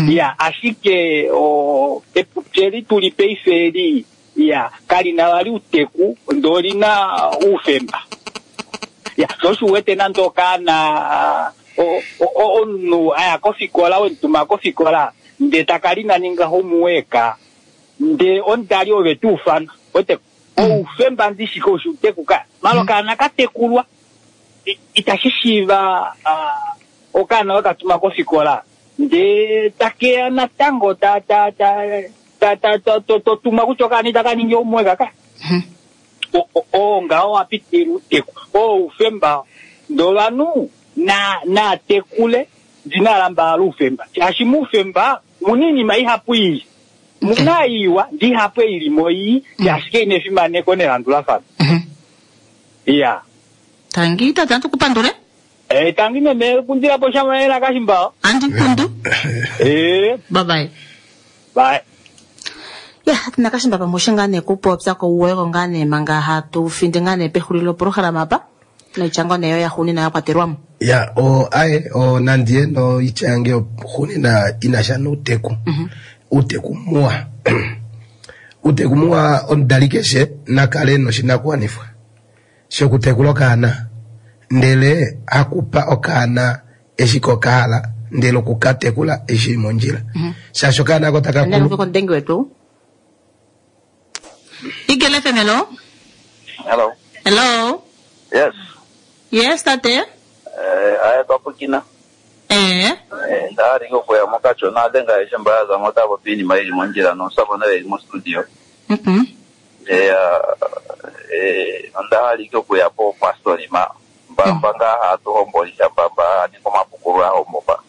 Ya, ashike o epupi eli tuli paife eli ya kali na vali outeku ndee oli na oufemba. Ya, sho osho u wete nande okaana omunhu a ya kofikola we mu tuma kofikola ndee taka ina ninga homework ndee omudali ove te ufana wete oufemba ndishi kau shi outeku ka mala okaana ka tekulwa itashi shiiva okaana we ka tuma kofikola ndee takeya natango ta ta ta ta ta to to tuma kutya okaana itaka ningi homework ka oo ngaho wa pitilila outeku oo oufemba ndee ovanhu na na tekule ndi na lambalala oufemba shaashi moufemba omuna oinima ihapu ii muna iiwa ndi ihapu ei ilimo ii shaashi kaina efimaneko nelandulafano. Iya. Tangi tate atu ku pandule. Eh, tangi meme kundila po shama ela kashimbao. Andi kundu. Eh. Bye bye. Bye. Ya, tina kashimba pamwe oshe ngaa nee kupopya kouweko ngaa nee manga hatu finde ngaa nee pexulilo lopolohalama apa noitya ngoo nee yo yaxuuninwa ya kwatelwa mo. Ya, o aye o nandiye noitya yange yoxuuninwa ina sha nouteku. Outeku muwa. Outeku muwa omudali keshe na kale noshinakuwanifwa shokutekula okaana ndele hakupa okaana eshi ko ka hala ndele okukatekula eshi shili mondjila. Shaashi okaana ako taka Andiyambe kulu komudengi wetu. Eagle FM, hello. Hello. Hello. Yes. Yes, tate. Eh, aya twapukina. Eh. Eh, ndahali okuya mokachona dhenga aishe mba ya za mo otaya popi iinima yi li mondjila nomusamane oye li mostudio. Mm Eh, eh, onda hala ike okuya po pastori ma Mbamba ngaa hatu hombolisha mbamba haningi omapukululo ahombopa.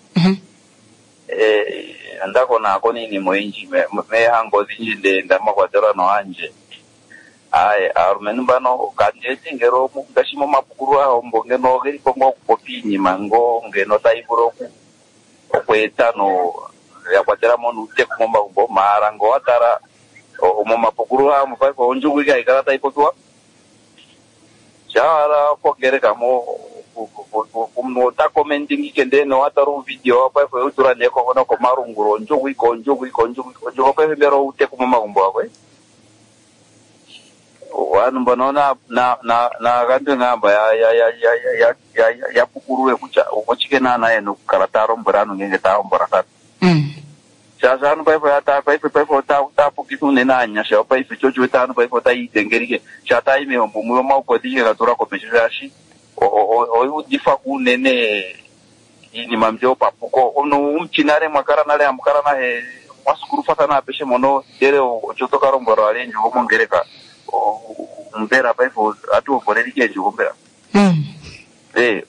Eh, onda konaakona iinima oyindji me- meehango odhindji nde mwa kwatelwa nohandje. Aye, aalumentu mbano kandeti ngele omu- ngaashi momapukululo ahombo ngeno ogeli po ngoo okupopi iinima ngoo ngeno tayi vulu oku okweeta no ya kwatela mo nuuteku momagumbo maala ngo wa tala momapukululo ahombo paife ondjugu ike hayi kala tayi popiwa. Shaa kongeleka mo omunhu ota commenting ike ndele nowa tala uuvidio paife oyu tula nee ko- nokomalungula ondjugu ike ondjugu ike ondjugu ike ondjugu paife mbela outeku momagumbo akwe ovanhu mbono na na na nagandwe ngamba ya ya ya ya ya ya ya ya pukulule kutya oshike naana yena okukala taya lombwele aantu ngenge taya hombolathana. Shaashi aantu paife oya paife paife otaya pukitha unene aanyasha paife sho osho wete aantu paife otaya idhengelike shaa taya yi mehombo muyo omaukodhi ike ga tula komesho shaashi oya udhithwa unene iinima mbyo yopapuko. Omuntu omuchi nale mwa kala nale hamu kala nahe mwa sukulufathana apeshe mono ndele osho to ka lombwelwa wala eendjugo mongeleka mbela paife ohatu hombolelike eendjugo mbela. Eh,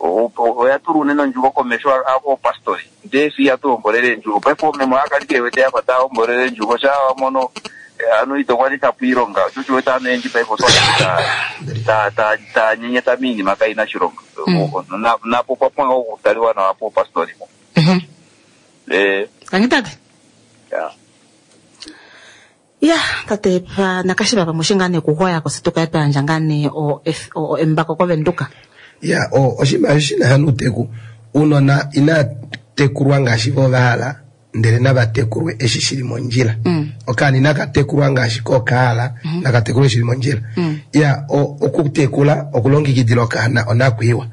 oya tula unene ondjugo komesho avo opastori ndee si ihatu hombolele eendjugo paife omeme ohaya kala ike wete yafa taya hombolele eendjugo shaa wa mono anu ito gwanitha po iilonga osho osho wete aantu oyendji paife oto ta ta taya nyenyeta miinima kayina oshilonga. Napo opwa pumbwa okutaliwa nawa poopastori mo. Eh. Tangi tate. Ya. Ya, tate pa nakashiva pamwe shi ngaa nee kuhoya ko se tukaye twa yandja ngaa nee o, F- o, o embako kovenduka. Ya, o, oshinima eshi shina sha nuuteku, uunona inaa tekulwa ngaashi vo va hala, ndele nava tekulwe eshi shili mondjila. Okaana inaka tekulwa ngaashi ko ka hala, naka tekulwe shili mondjila. Ya, o, okutekula, okulongekidila okaana onakwiiwa.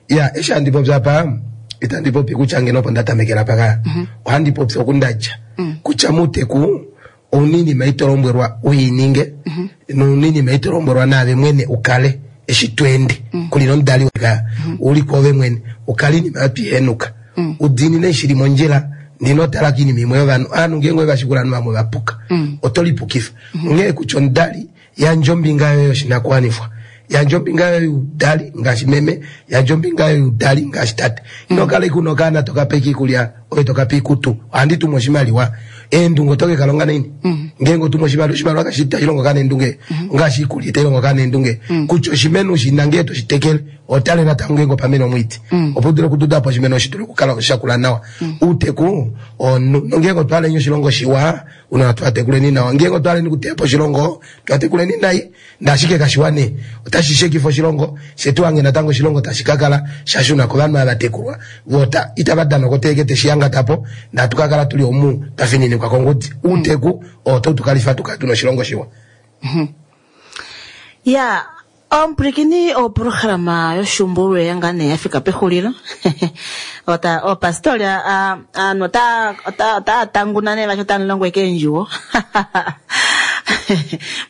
Ya, eshi handi popi apa, itandi popi kutya ngeno opo nda tamekela apa. Ohandi popi oku nda dja. Kutya muuteku, ouna iinima ito lombwelwa u i ninge nouna iinima ito lombwelwa naave mwene u kale eshi to ende kuli nomudali weka u li kwoove mwene u kale iinima oyo twi henuka u diinine eshi shili mondjila ndino tala kiinima imwe yovanhu aanhu ngeenge ove va shikula ovanhu vamwe va puka oto lipukifa onghee kutya omudali yandja ombinga yoye yoshinakuwanifwa yandja ombinga yoye youdali ngaashi meme yandja ombinga yoye youdali ngaashi tate ino kala ike una okaana toka pe iikulya ove toka pe iikutu ohandi tumu oshimaliwa eendunge oto ke ka longa naini ngeenge otumu oshimaliwa oshimaliwa kashi itashi longo okaana eendunge ongaashi iikulya itayi longo okaana eendunge kutya oshimeno shina ngee toshi tekele otale natango ngeenge opa mena omwiidi opo u dule okududa po oshimeno shi dule okukala shakula nawa outeku omunhu nongeenge otwa hala oshilongo shiwa unona twa tekuleni nawa ngeenge otwa haleni okuteya po oshilongo twa tekuleni nai ndashike kashiwa nee otashi shekifa oshilongo fye tu hange natango oshilongo tashi ka kala sha shuna kovanhu ava tekulwa vo itava dana okoteeke teshi yangata po ndatu ka kala tuli omu twa fininikwa kongudi outeku oo otau tu kalifa tu kale tuna oshilongo shiwa. Ya, omupwilikini oprograma yoshumbulwe ya ngaa nee ya fika pexulilo. Ota opastori aanhu ota ota otaya tanguna nee vati otamu longo eke eendjuwo.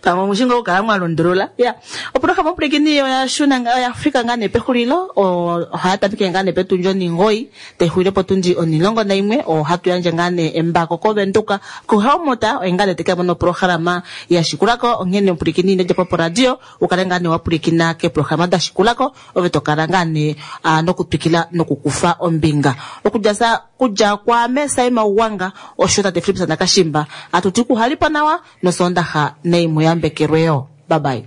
Pamwe omushi ngoo okukala mwa lundulula. Ya, oprograma omupwilikini oya shuna oya fika ngaa nee pexulilo. Ohaya tameke ngaa nee petundi oningoyi tai xulile potundi onilongo naimwe. Ohatu yandje ngaa nee embako koVenduka kuHelmut oye ngaa nee teke mona oprograma ya shikulako. Onghene omupwilikini ino dja po poradio u kale ngaa nee wa pwilikina keeprograma da shikulako ove to kala ngaa nee nokutwikila nokukufa ombinga. Okudja sa kudja kwaame Saima Ugwanga osho tate Philips Nakashimba atu ti kuhalipo nawa nosoondaxa nai mu yambekelwe yo. Bye bye.